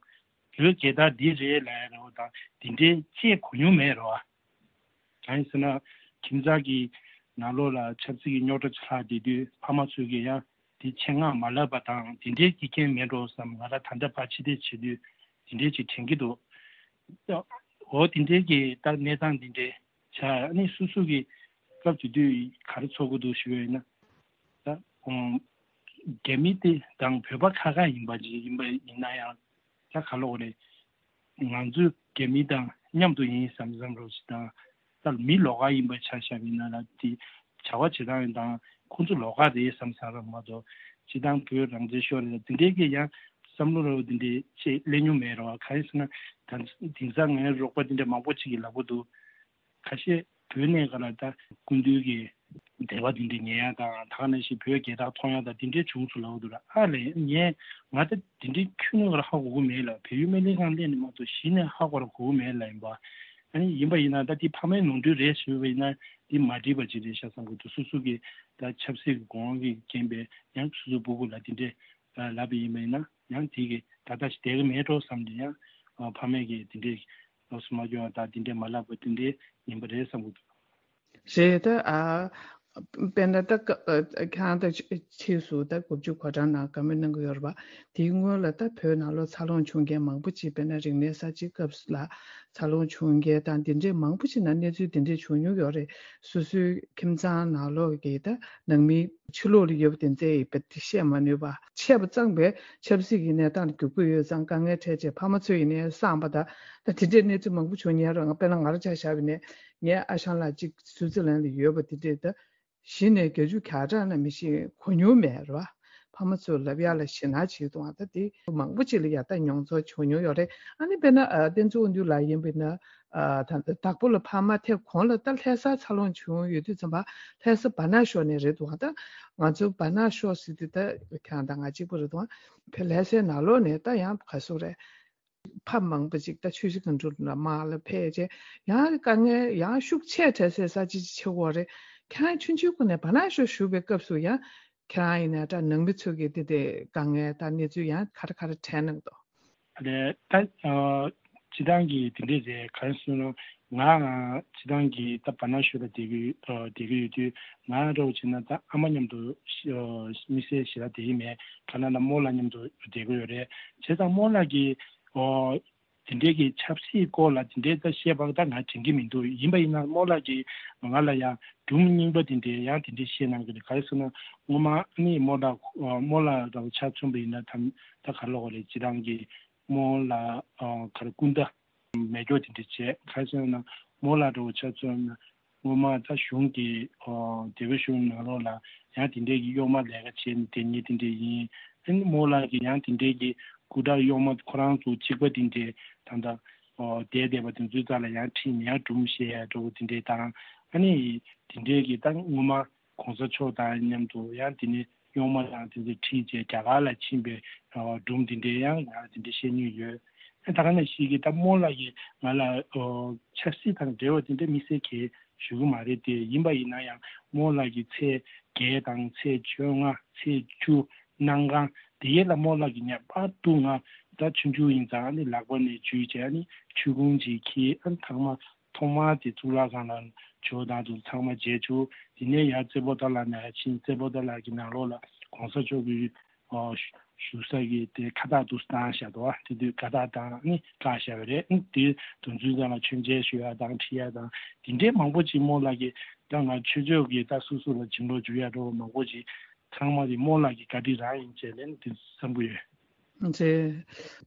བོད་རྒྱལ་དར་འདི་རེད་ལབ་རོགས་དང་འདི་འདྲའི་ཅེས་གོ་མྱོང་མེད་རོགས། གང་ཡིན་ཟེར་ན། ཁྱིམ་ཚང་གི་ནང་ལོགས་ལ་ཆབ་སྲིད་ཀྱི་རྙོག་དྲ་ཆགས་བསྡད་དུས་ཕ་མ་ཚོས་ཀྱི་ཡང་དེ་ཆེད་མངགས་མ་ལབ་པ་དང་དེ་འདྲའི་སྐྱེ་རྐྱེན་མེད་འགྲོ་བསམ། ང་རང་ད་ལྟ་ཕར་ཕྱི་བལྟས་བྱེད་དུས་དེ་འདྲའི་ཅིག་དྲན་གྱི་འདུག་འོ་དེ་འདྲའི་གི་ད་གནས་སྟངས་འདི་འདྲའི་ཆ་ཨ་ནི་སོ་སོ་གི་སྐབས་དེ་དུས་ག་རེ་ཚོར་གི་འདུག་ཞུ་བ་ཡིན་ན། ད་རྒྱ་མི་དེ་དང་བོད་པ་ཁ་ཁ་ཡིན་པ་ཅིག་ཡིན་པ་ཡིན་ན་ཡང་། ད་ག་ལོག་རེད། ང་ཚོ་རྒྱ་མི་དང་མཉམ་དུ་ཡིན་བསམ་བསམ་རོགས་ཞིག་དང་། ད་མི་ལོགས་ཀ་ཡིན་པ་ཆ་བཞག་པ་ཡིན་ན་ལ་དེ་བྱ་བ་བྱེད་སྟངས་ཡིན་དང་ཁོང་ཚོ་ལོགས་ཀ་རེད་བསམ་བསམ་རོགས་མ་གཏོགས་སྤྱི་བཏང་བོད་རང་བཙན་ཤོར་རེད་འདི་འདྲའི་གི་ཡང་བསམ་བློ་རོགས་འདི་འདྲའི་ཅིག་སླེབས་མྱོང་མེད་རོགས། གང་ཡིན་ཟེར་ན་ད་དེང་སང་ངའི་རོགས་པ་འདི་འདྲ་མང་པོ་ཅིག་གིས་ལབ་གི་འདུག་ཁ་ཤས་བོད་ནས་ག་ལ་ད་སྐུ་མདུན་གྱི་འདས་པ་དེ་འདྲ་ཉན་ཡ་དང་ད་ག་ནང་བཞིན་བོད་རྒྱལ་དར་མཐོང་ཡ་དང་དེ་འདྲའི་བྱུང་སོང་ལབ་འདུག་ར། ཨ་ལས་ངས་ང་ད་དེ་འདྲའི་ཁྱོན་ནས་ག་ལ་ཧ་གོ་གི་མེད་ལ། བལ་ཡུལ་སྨན་ལྷན་ཁང་སླེབས་ནས་མ་གཏོགས་གཞི་ནས་ཧ་གོ་ར་གོ་གི་མེད་ལ། ཡིན་པ་ཨ་ནི་ཡིན་པ་ཡིན་ན་ད་དེ་ཕ་མའི་ནོར་འཁྲུལ་རེད་ཞུས་པ་ཡིན་ན་དེ་མ་འགྲིག་པ་ཅིག་རེད་ཤག་བསམ་གི་འདུག་སོ་སོ་གི་ད་ཆབ་སྲིད་ཀྱི་གོ་དབང་གི་རྐྱེན་པས་ཡང་སོ་སོའི་སྤུ་གུ་ལ་དེ་འདྲའི་ལབ་པ་ཡིན་པ་ཡིན་ན་ཡང་དེ་གི་ད་ལྟ་ཞིག་བསྡད་གི་མེད་འགྲོ་བསམ་ནས་ཡང་ཕ་མས་གི་དེ་འདྲའི། ལོགས་སུ་མ་སྐྱོར་བ་དང་དེ་འདྲའི་མ་ལབ་པ་དེ་འདྲའི་ཡིན་པ་རེད་བསམ་གྱི་འདུག་རེད་ད། ཨ་དཔེར་ན་ད་ཁྱེད་རང་ད་ཕྱིས་སུ་ད་དགུ་བཅུ་གོ་གྲངས་ནང་བཀའ་མོལ་གནང་གི་ཡོད་རེད་པ། དེའི་སྔོན་ལ་ད་བོད་ནང་ལོགས་འཚར་ལོངས་བྱུང་མཁན་མང་པོ་ཅིག་དཔེར་ན་རིག་གནས་གསར་བརྗེའི་སྐབས་ལ་འཚར་ལོངས་བྱུང་མཁན་དང་དེ་འདྲའི་མང་པོ་ཅིག་ནང་གནས་ཚུལ་དེ་འདྲའི་བྱུང་མྱོང་ཡོད་རེད། སོ་སོའི་ཁྱིམ་ཚང་ནང་ལོགས་ཀྱི་ད་ནང་མི་ཕྱི་ལོགས་ལ་ཡོད་པ་དེ་ཚོས་ཡིན་པ་དེ་བཤད་མ་ནུས་པ། ཆད་པ་གཙང་པའི་ཆབ་སྲིད་ཀྱི་གནས་སྟངས་ལ་འགྱུར་གྱི་ཡོད་ཙང་དཀའ་ངལ་འཕྲད་རྗེས་ཕ་མ་ཚོ་ཡིན་ནའི་སངས་པ་དང་ད་དེ་འདྲའི་གནས་ཚུལ་མང་པོ་བྱུང་མྱོང་རེད། ང་དཔེར་ན་ང་རང་ཆ་བཞག་པ་ཡིན་ནའི་ངའི་ཨ་ཞང་ལགས་གཅིག་སུའུ་ཙི་ལན་ལ་ཡོད་པ་དེ་འདྲས་ད་གཞི་ནས་བརྒྱད་ཅུ་གྱ་གྲངས་ན་མི་ཤེས་གོ་མྱོང་མེད་རེད་བ། ཕ་མ་ཚོས་ལབ་ཡག་ལ་ཞེད་སྣང་བྱེད་འདུག་ད་དེ་མང་པོ་ཅིག་ལ་ཡ་ད་མྱོང་ཚོར་བྱུང་མྱོང་ཡོད་རེད། ཨ་ནི་དཔེར་ན་ཨ་བསྟན་འཛིན་དབང་འདུས་ལགས་ཡིན་པ་ཡིན་ན་ཨ་ད་དྭགས་པོ་ལ་ཕ་མ་ཐེབས་གོང་ལ་ད་ལྷ་སར་འཚར་ལོངས་བྱུང་ཡོད་དུས་ཙམ་པ་ལྷ་ས་བ་ནག་ཤོག་ནས་རེད་འདུག་ད་ང་ཚོ་བ་ནག་ཤོག་ཟེར་དུས་ད་ཁྱེད་རང་དང་ང་གཅིག་པ་རེད་འདུག་བོད་ལྷ་སའི་ནང་ལོགས་ནས་ད་ཡང་ག་ཚོད་རེད། ཕ་མང་པོ་ཅིག་ད་ཆུ་བཞི་སྒང་དྲུག་ལ་དམག་ལ་ཕེབས་རྗེས་ཡང་དཀའ་ངལ་ཡང་ཤུགས་ཆེ་འཕྲད་སའི་ས་ཆ་ཅིག་ཆགས་ཀྱི་ཡོད་རེད། ཁྱེད་རང་ཆུང་ཆུང་སྒང་ནས་བ་ནག་ཤོག་བཞུགས་པའི་སྐབས་སུ་ཡང་ཁྱེད་རང་ཡིན་ན་ད་ནང་མི་ཚོ་གི་དེ་དེ་དཀའ་ངལ་ད་གནས་ཚུལ་ཡང་ག་རེ་ག་རེ་དྲན་གནང་འདུག་ཨ་ནི་ད་སྤྱི་བཏང་གི་དེ་འདྲས་རེད། ག་རེ་ཟེར་ན་ང་སྤྱི་བཏང་གི་ད་བ་ནག་ཤོག་ལ་བསྡད་ཀྱི་ཡོད་བསྡད་ཀྱི་ཡོད་དུས་ང་འདྲ་བོ་བྱས་ན་ད་ཨ་མ་མཉམ་དུ་དམིགས་བསལ་ཞེ་དྲག་བསྡད་ཀྱི་མེད། ག་ན་ན་རྨོ་ལགས་མཉམ་དུ་བསྡད་ཀྱི་ཡོད་རེད། བྱས་ཙང་རྨོ་ལགས་ཀྱིས་ཨོ། དེ་འདྲའི་གི་ཆབ་སྲིད་སྐོར་ལ་དེ་འདྲའི་ད་བཤད་པ་ད་ང་དྲན་གྱི་མི་འདུག་ཡིན་པ་ཡིན་ན་རྨོ་ལགས་ཀྱིས་ང་ལ་ཡང་སྒྲུང་རྙིང་པ་དེ་འདྲའི་ཡང་དེ་འདྲའི་བཤད་གནང་གི་རེད། ག་རེ་ཟེར་ན་སྔོན་མ་ཨ་ནི་རྨོ་ལགས་རྨོ་ལགས་རང་ཆ་མཚོན་པ་ཡིན་ན་ད་ད་ག་ལོག་རེད། སྤྱི་བཏང་གི་རྨོ་ལགས་ག་རེ་སྐུ་ཟླ་མེ་སྒྱོགས་དེ་འདྲ་བྱས། ག་རེ་ཟེར་ན་རྨོ་ལགས་རང་ཆ་མཚོན་ན་སྔོན་མ་ད་གཞུང་གི་ཨོ་སྡེ་པ་གཞུང་ནང་ལོགས་ལ་ཡང་དེ་འདྲའི་གི་གཡོག་མ་ལས་ཀ་བྱས་ནས་དེ་ཉིད་དེ་འདྲའི་ཡིན། ཨ་ནི་རྨོ་ལགས་ཀྱི་ཡང་དེ་འདྲའི་གི་སྐུ་དྲག་གཡོག་མ་ཁོ་རང་ཚོ་གཅིག་པ་དེ་འདྲའི་ད་ལྟ་ཨོ་བསྡད་བསྡད་པ་དེ་ཚོའི་རྩ་ལ་ཡང་ཁྲིད་ནས་ཡང་སྒྲུང་བཤད་ཡ་འདྲ་བོ་དེ་འདྲའི་དང་། ཨ་ནི་དེ་འདྲའི་གི་ད་སྔོན་མ་གོང་ས་མཆོག་དང་མཉམ་དུ་ཡང་དེ་ནས་གཡོག་མ་དང་དེ་ཚོ་ཁྲིད་བྱས་རྒྱ་གར་ལ་ཕྱིན་པའི་སྒྲུང་དེ་འདྲའི་ཡང་ང་དེ་འདྲའི་བཤད་མྱོང་ཡོད། ད་ག་ནང་བཞིན་གྱི་ད་རྨོ་ལགས་ཀྱིས་ང་ལ་ཆབ་སྲིད་དང་འབྲེལ་བ་དེ་འདྲ་དམིགས་བསལ་གྱི་ཞུ་གི་མ་རེད་དེ། ཡིན་པ་ཡིན་ན་ཡང་རྨོ་ལགས་ཀྱིས་ཚེས་བརྒྱད་དང་ཚེས་བཅོ་ལྔ་ཚེས་བཅུ་གནམ་གང་དེ་ཡས་ལ་རྨོ་ལགས་ཀྱིས་ངས་པར་འདུག་ང་ད་ཆུང་ཆུང་ཡིན་ཙང་ཨ་ནི་ལག་པ་ནས་འཇུས་བྱས་ཨ་ནི་ཆུ་ཁུང་ཅིག་འཁྱེར། ཨ་ནི་ཐང་མ་ཐོག་མ་དེ་གཙུག་ལག་ཁང་ལ་ཇོ་བདག་ཏུ་ཚང་མ་མཇལ་བཅུག་དེ་ནས་ཡར་རྩེ་པོ་ཏ་ལ་ནས་ཕྱིན། རྩེ་པོ་ཏ་ལ་གི་ནང་ལོགས་ལ་གོང་ས་མཆོག་གི་ཨོ་བཞུགས་ས་གི་དེ་ཁ་བཏགས་འདུག་བཏང་བཞག་འདུག་དེ་དུས་ཁ་བཏགས་དང་ནི་བཀག་བཞག་པ་རེད། དེ་དུས་ཚོད་ཙམ་ལ་མཆོད་མཇལ་ཞུ་ཡ་དང་ཁྲིད་ཡ་དང་དེ་འདྲའི་མང་པོ་ཅིག་རྨོ་ལགས་ཀྱིས་ད་ང་ཆོས་ཕྱོགས་ཀྱི་ད་སོ་སོ་ལ་བྱིན་རླབས་འཇུག་ཡ་འདྲ་བོ་མང་པོ་ཅིག་ ཚང་མ་དེ་རྨོ་ལགས་ཀྱི་བཀའ་དྲིན་རང་ཡིན་བྱས་ནས་དེ་བསམ་གྱི་ཡོད། རེད།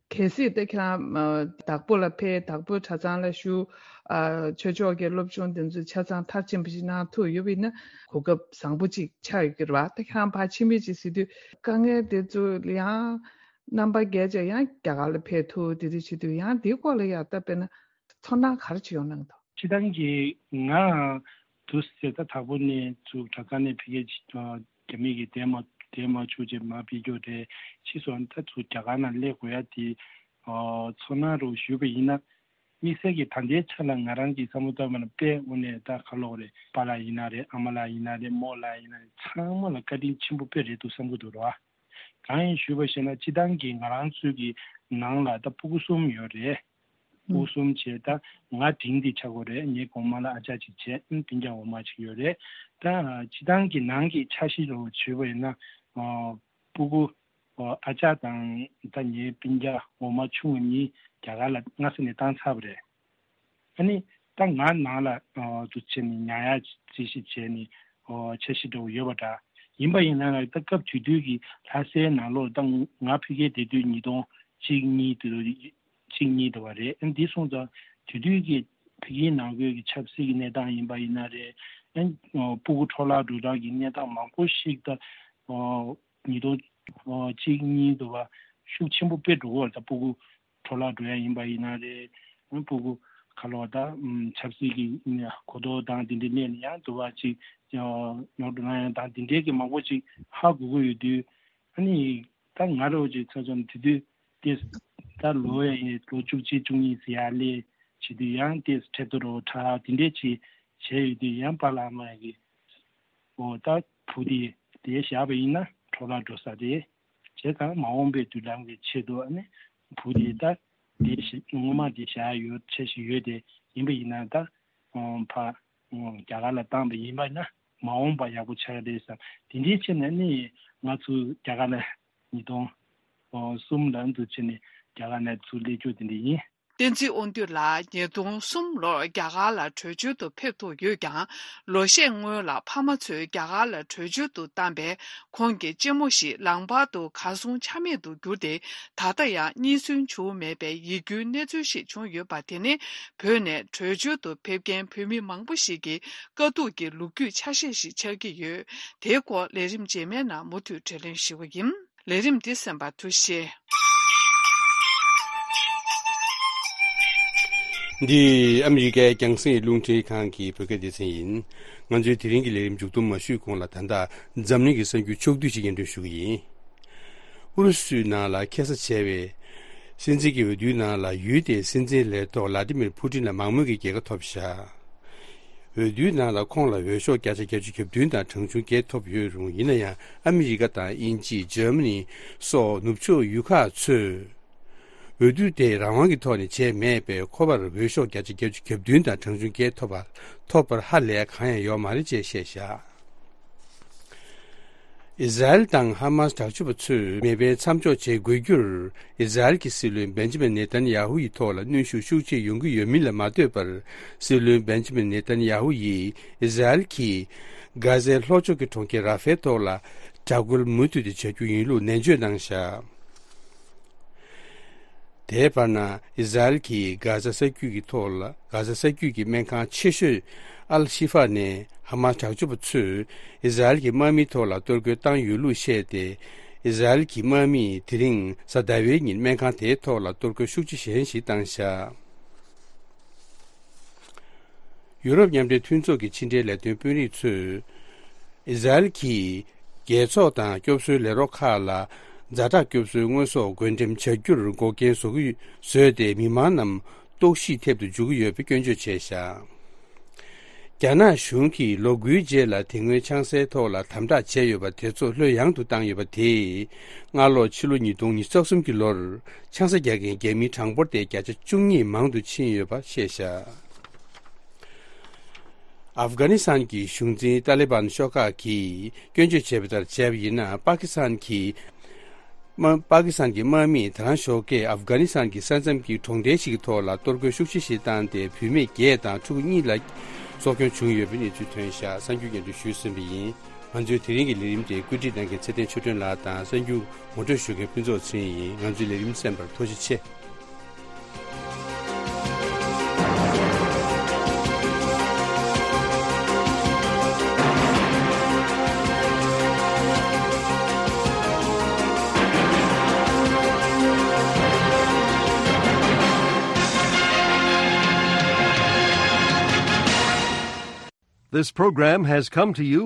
གལ་སྲིད་དེ་ཁྱེད་རང་ཨ་དྭགས་པོ་ལ་ཕེབས། དྭགས་པོའི་གྲྭ་ཚང་ལ་བཞུགས། ཨ་ཆོས་ཕྱོགས་ཀྱི་སློབ་སྦྱོང་དེ་ཚོ་ཆ་ཚང་མཐར་ཕྱིན་པ་ཞིག་གནང་ཐུབ་ཡོད་པ་ཡིན་ན་གོ་སྐབས་བཟང་པོ་ཅིག་ཆགས་ཡོད་ཀྱི་རེད་བ། ད་ཁྱེད་རང་ཕར་ཕྱིན་པའི་ཅིག་ཟེར་དུས་དཀའ་ངལ་དེ་ཚོ་ཡང་རྣམ་པ་བརྒྱད་ཅིག་ཡང་རྒྱ་གར་ལ་ཕེབས་ཐུབ། དེ་འདྲ་བྱེད་དུས་ཡང་དེའི་སྐོར་ལ་ཡང་ད་དཔེར་ན་ཚོར་སྣང་ག་རེ་ཅིག་ཡོང་གནང་འདུག་སྤྱིར་བཏང་གི་ང་དུ་ཟེར་ད་དྭགས་པོ་ནས་ཚུར་གྲྭ་ཚང་ནས་ཕ་གིར་རྒྱ་མི་གིས་དེ་མ་དེ་མ་བཅུག་ཅེས་མ་ཕེབས་རྒྱུ་རེད། ཕྱིས་སུ་ད་ཚུར་རྒྱ་གར་ནང་སླེབས་དགོས་ཡ་དེ་ཚོར་སྣང་རུ་ཞུས་པ་ཡིན་ན། དམིགས་བསལ་གྱི་ད་ལྟའི་ཆ་ལ་ང་རང་གི་བསམ་བློ་བཏང་བ་ན་དཔེ་དངོས་གནས་ད་ཁ་ལོག་རེད། པཱ་ལགས་ཡིན་ན་རེད། ཨ་མ་ལགས་ཡིན་ན་རེད། རྨོ་ལགས་ཡིན་ན་རེད། ཚང་མ་ལ་བཀའ་དྲིན་ཆེན་པོ་དཔེ་རེད་འདུག་བསམ་གྱི་འདུག་ར། གང་ཡིན་ཞུས་པ་ཞེ་ན་སྤྱིར་བཏང་གི་ང་རང་ཚོའི་གི་ནང་ལ་ད་སྤུ་གུ་གསུམ་ཡོད་རེད། སྤུ་གུ་གསུམ་བྱས་ད་ང་འབྲིང་དེ་ཆགས་ཀྱི་ཡོད་རེད། ངའི་གོང་མ་ལ་ཨ་ཅག་ཅིག་བྱས། ཨ་སྤུན་ཀྱག་འོག་མ་ཅིག་ཡོད་རེད། ད་སྤྱིར་བཏང་གི་ནང་གི་འཆར་གཞི་རུ་བྱས་པ་ཡིན་ན། སྤུ་གུ་ཨ་ཅག་དང་ད་ངའི་སྤུན་ཀྱག་འོག་མ་ཆུང་བ་གཉིས་རྒྱ་གར་ལ་སྔ་ས་ནས་བཏང་ཚར་བ་རེད། ཨ་ནི་ད་ང་ནང་ལ་ཨ་དུ་བྱས་ནས་ཉར་ཡག་རྩིས་གཞི་བྱས་ནས་ཨོ་འཆར་གཞི་འདྲ་བོ་ཡོད་པ་འདྲ། ཡིན་པ་ཡིན་ན་ད་སྐབས་དེ་དུས་ཀྱི་ལྷ་སའི་ནང་ལོགས་ད་ང་ཕ་གིར་བསྡད་དུས་ཉིས་སྟོང་གཅིག་གཉིས་དུ་གཅིག་གཉིས་དུ་བ་རེད། ཨ་འདི་སོང་ཙང་དེ་དུས་ཀྱི་ཕ་གིའི་ནང་ཁུལ་གྱི་ཆབ་སྲིད་ཀྱི་གནས་སྟངས་ཡིན་པ་ཡིན་ན་རེད། ཨ་སྤུ་གུ་འཕྲོ་བརླག་འགྲོ་སྟངས་ཀྱི་གནས་སྟངས་མང་པོ་ཞིག་ད་ཨོ་ཉིས་སྟོང་གཅིག་གཉིས་དུ་བ་ཤུགས་ཆེན་པོ་དཔེ་འགྲོ་གི་ཡོད་རེད། ད་སྤུ་གུ་འཕྲོ་བརླག་འགྲོ་ཡ་ཡིན་པ་ཡིན་ན་རེད། སྤུ་གུ་ཁ་ལོ་ད་ཆབ་སྲིད་ཀྱི་གོ་རྟོགས་དང་དེ་འདྲའི་གནས་ནས་ཡང་དུ་བ་ཅིག་ཉོ་འགྲོ་ན་ཡང་དང་དེ་འདྲའི་གི་མང་པོ་ཅིག་ཧ་གོ་གི་ཡོད་དུས། ཨ་ནི་ད་ང་རང་ཅིག་ཚ་ཚོམ་དེ་དུས་དེ་ད་ལོ་ཡ་ཡིན་ལོ་བཅུ་གཅིག་བཅུ་གཉིས་ཟེར་ཡ་ལས་བྱེད་དུས་ཡང་དེ་ཁྲལ་དོ་རོ་ཁྲ་དེ་འདྲའི་ཅིག་བྱས་ཡོད་དུས་ཡང་པཱ་ལགས་མ་གི་ཨོ་ད་བུ་དེ་དེ་བཞག་པ་ཡིན་ན་འཕྲོ་བརླག་འགྲོ་ས་རེད། བྱས་ཙང་མ་འོངས་པའི་མདུན་ལམ་གྱི་ཆེད་དུ་ཨ་ནི་བུ་དེ་ད་དེ་ཞིག་སྔོན་མ་དེ་བཞག་ཡོད་ཆེ་ཞིག་ཡོད་དེ་ཡིན་པ་ཡིན་ན་ད་ཕ་རྒྱ་གར་ལ་བཏང་པ་ཡིན་པ་ན་མ་འོངས་པ་ཡག་པོ་ཆགས་རེད་བསམ། དེ་འདྲའི་ཆེད་ནས་ནི་ང་ཚོ་རྒྱ་གར་ལ་ཉིས་སྟོང་གསུམ་ལ་འདུ་ཆེ་ནས་རྒྱ་གར་ནས་ཚུར་སླེབས་རྒྱུ་དེ་འདྲ་ཡིན། བསྟན་འཛིན་དབང་འདུས་ལགས་ཉིས་སྟོང་གསུམ་ལོར་རྒྱ་གར་ལ་བྲོས་བྱོལ་དུ་ཕེབས་ཐུབ་ཡོད་ཀྱང་། ལོ་ཤས་སྔོན་ལ་ཕ་མ་ཚོས་རྒྱ་གར་ལ་བྲོས་བྱོལ་དུ་བཏང་པས་ཁོང་གི་གཅེན་མོ་ཞིག་ལམ་བར་དུ་གར་སོང་ཆ་མེད་དུ་གྱུར་ཏེ། ད་ལྟ་ཡང་རྙེད་སོན་བྱུང་མེད་པའི་ཡིད་སྐྱོའི་གནས་ཚུལ་ཞིག་བྱུང་ཡོད་པ་དེ་ནི་བོད་ནས་བྲོས་བྱོལ་དུ་ཕེབས་མཁན་བོད་མི་མང་པོ་ཞིག་གི་དཀའ་སྡུག་གི་ལོ་རྒྱུས་ཆ་ཤས་ཤིག་ཆགས་ཀྱི་ཡོད། དེའི་སྐོར་ལས་རིམ་རྗེས་མའི་ནང་མུ་མཐུད་དྲིས་ལན་ཞུ་བ་ཡིན། ལས་རིམ་འདི་གསན་པར་ཐུགས་རྗེ་ཆེ། འདི་ཨ་མི་རི་ཀའི་རྒྱང་སྲིང་རླུང་འཕྲིན་ཁང་གི་བོད་སྐད་སྡེ་ཚན་ཡིན། ང་ཚོའི་དེ་རིང་གི་ལས་རིམ་མཇུག་བསྡོམས་མ་ཞུས་གོང་ལ། ད་ལྟ་འཛམ་གླིང་གི་གསར་འགྱུར་ཕྱོགས་བསྡུས་ཤིག་སྙན་སྒྲོན་ཞུ་གི་ཡིན། ཨུ་རུ་སུའི་ནང་ལ་ཁེ་ས་བྱས་པའི་སྲིད་འཛིན་གྱི་འོས་བསྡུའི་ནང་ལ་ཡུལ་དེའི་སྲིད་འཛིན་ལས་ཐོག་ལ་ཏི་མིར་ཕུ་ཏིན་ལ་མང་མོས་ཀྱི་རྒྱལ་ཁ་ཐོབ་བཞག་འོས་བསྡུའི་ནང་ལ་ཁོང་ལ་འོས་ཤོག་བརྒྱ་ཆ་བརྒྱད་ཅུ་གྱ་བདུན་དང་གྲངས་ཆུང་བརྒྱད་ཐོབ་ཡོད་རུང་། ཡིན་ན་ཡང་ཨ་མི་རི་ཀ་དང་དབྱིན་ཇི། འཇར་མ་ནི་སོགས་ནུབ་ཕྱོགས་ཡུལ་ཁག་ཚོས་འོས་བསྡུ་དེ་རང་དབང་གི་ཐོག་ནས་བྱས་མེད་པས། ཁོ་པར་འོས་ཤོག་བརྒྱ་ཆ་བརྒྱད་ཅུ་གྱ་བདུན་དང་གྲངས་ཆུང་བརྒྱད་ཐོབ་པ་ཐོབ་པར་ཧ་ལས་གང་ཡང་ཡོད་མ་རེད་ཅེས་བཤད་བཞག་ཨི་ཟ་རེལ་དང་ཧ་མཱས་དྲག་སྤྱོད་པ་ཚོས་མེ་འཕེན་མཚམས་འཇོག་བྱེད་དགོས་རྒྱུར། ཨི་ཟ་རེལ་གྱི་སྲིད་བློན་བེན་ཇི་མིན་ནེ་ཐན་ཡ་ཧུ་ཡི་ཐོག་ལ་གནོན་ཤུགས་ཤུགས་ཆེ་ཡོང་གི་ཡོད་མིན་ལ་མ་ལྟོས་པར། སྲིད་བློན་བེན་ཇི་མིན་ནེ་ཐན་ཡ་ཧུ་ཡིས་ཨི་ཟ་རེལ་གྱིས་གྷ་ཟའི་ལྷོ་ཕྱོགས་ཀྱི་གྲོང་ཁྱེར་ར་ཧྥའི་ཐོག་ལ་དྲག་རྒོལ་མུ་མཐུད་དེ་བྱ་རྒྱུ་ཡིན་ལུགས་ནན་བརྗོད་གནང་བཞག་དེའི་བར་ན། ཨི་ཟ་རེལ་གྱིས་གྷ་ཟ་ས་རྒྱུད་ཀྱི་ཐོག་ལ། གྷ་ཟ་ས་རྒྱུད་ཀྱི་སྨན་ཁང་ཆེ་ཤོས་ཨལ་ཤི་ཧྥ་ནས་ཧ་མཱས་དྲག་སྤྱོད་པ་ཚོས་ཨི་ཟ་རེལ་གྱི་དམག་མིའི་ཐོག་ལ་གཏོར་རྒོལ་བཏང་ཡོད་ལུགས་བཤད་དེ། ཨི་ཟ་རེལ་གྱི་དམག་མིས་དེ་རིང་གཟའ་ཟླ་བའི་ཉིན་སྨན་ཁང་དེའི་ཐོག་ལ་གཏོར་རྒོལ་ཤུགས་ཆེ་གཞན་ཞིག་བཏང་བཞག་ཡུ་རོབ་མཉམ་འབྲེལ་མཐུན་ཚོགས་ཀྱི་ཕྱི་འབྲེལ་ལས་དོན་དཔོན་རིགས་ཚོས། ཨི་ཟ་རེལ་གྱིས་རྒྱལ་ཚོགས་དང་སྐྱོབ་གསོའི་ལས་རོགས་ཁག་ལ་ཛ་དྲག་སྐྱོབ་གསོའི་དངོས་ཟོག་བགོ་འགྲེམས་བྱ་རྒྱུར་འགོག་རྐྱེན་བཟོ་གི་བཟོས་ཏེ། མི་མང་རྣམས་ལྟོགས་ཤི་ཐེབས་དུ་འཇུག་གི་ཡོད་པའི་སྐྱོན་བརྗོད་བྱས་བཞག་རྒྱ་ནག་གཞུང་གིས་ལོ་དགུའི་རྗེས་ལ་དེ་སྔོན་ཆང་སའི་ཐོག་ལ་དམ་དྲག་བྱས་ཡོད་པ་དེ་ཚོ་ལྷོད་ཡངས་དུ་བཏང་ཡོད་པ་དེས། སྔ་ལོ་ཕྱི་ལོ་ཉིས་སྟོང་ཉི་ཤུ་རྩ་གསུམ་གྱི་ལོར་ཆང་ས་རྒྱག་མཁན་རྒྱ་མིའི་གྲངས་འབོར་དེ་བརྒྱ་ཆ་བཅུ་གཉིས་མང་དུ་ཕྱིན་ཡོད་པ་བཤད་བཞག་ཨབ་གྷ་ནི་སི་ཐན་གྱི་གཞུང་འཛིན་ཏཱ་ལི་བན་ཤོག་ཁག་གིས་སྐྱོན་བརྗོད་བྱས་པ་ལྟར་བྱས་པ་ཡིན་ན། པ་ཀི་སི་ཐན་གྱི་དམག་པ་ཀི་སི་ཐན་གྱི་དམག་མིས་དེ་རང་ཞོགས་ཀས་ཨབ་གྷ་ནི་སི་ཐན་གྱི་ས་མཚམས་ཀྱི་གྲོང་རྡལ་ཞིག་གི་ཐོག་ལ་གཏོར་རྒོལ་ཤུགས་ཆེ་ཞིག་བཏང་སྟེ། བུད་མེད་བརྒྱད་དང་ཕྲུ་གུ་གཉིས་ལ་སྲོག་སྐྱོན་བྱུང་ཡོད་པའི་གནས་ཚུལ་ཐོན་བཞག་གསར་འགྱུར་སྙན་སྒྲོན་ཞུས་ཟིན་པ་ཡིན། ང་ཚོའི་དེ་རིང་གི་ལས་རིམ་དེ་བཀོད་སྒྲིག་གནང་མཁན་ཚེ་བརྟན་ཆོས་སྒྲོན་ལགས་དང་གསར་འགྱུར་ངོ་སྤྲོད་ཞུ་མཁན་ཕུན་ཚོགས་ཚེ་རིང་ཡིན། ང་ཚོའི་ལས་རིམ་གསན་པར་ཐུགས་རྗེ་ཆེ། This program has come to you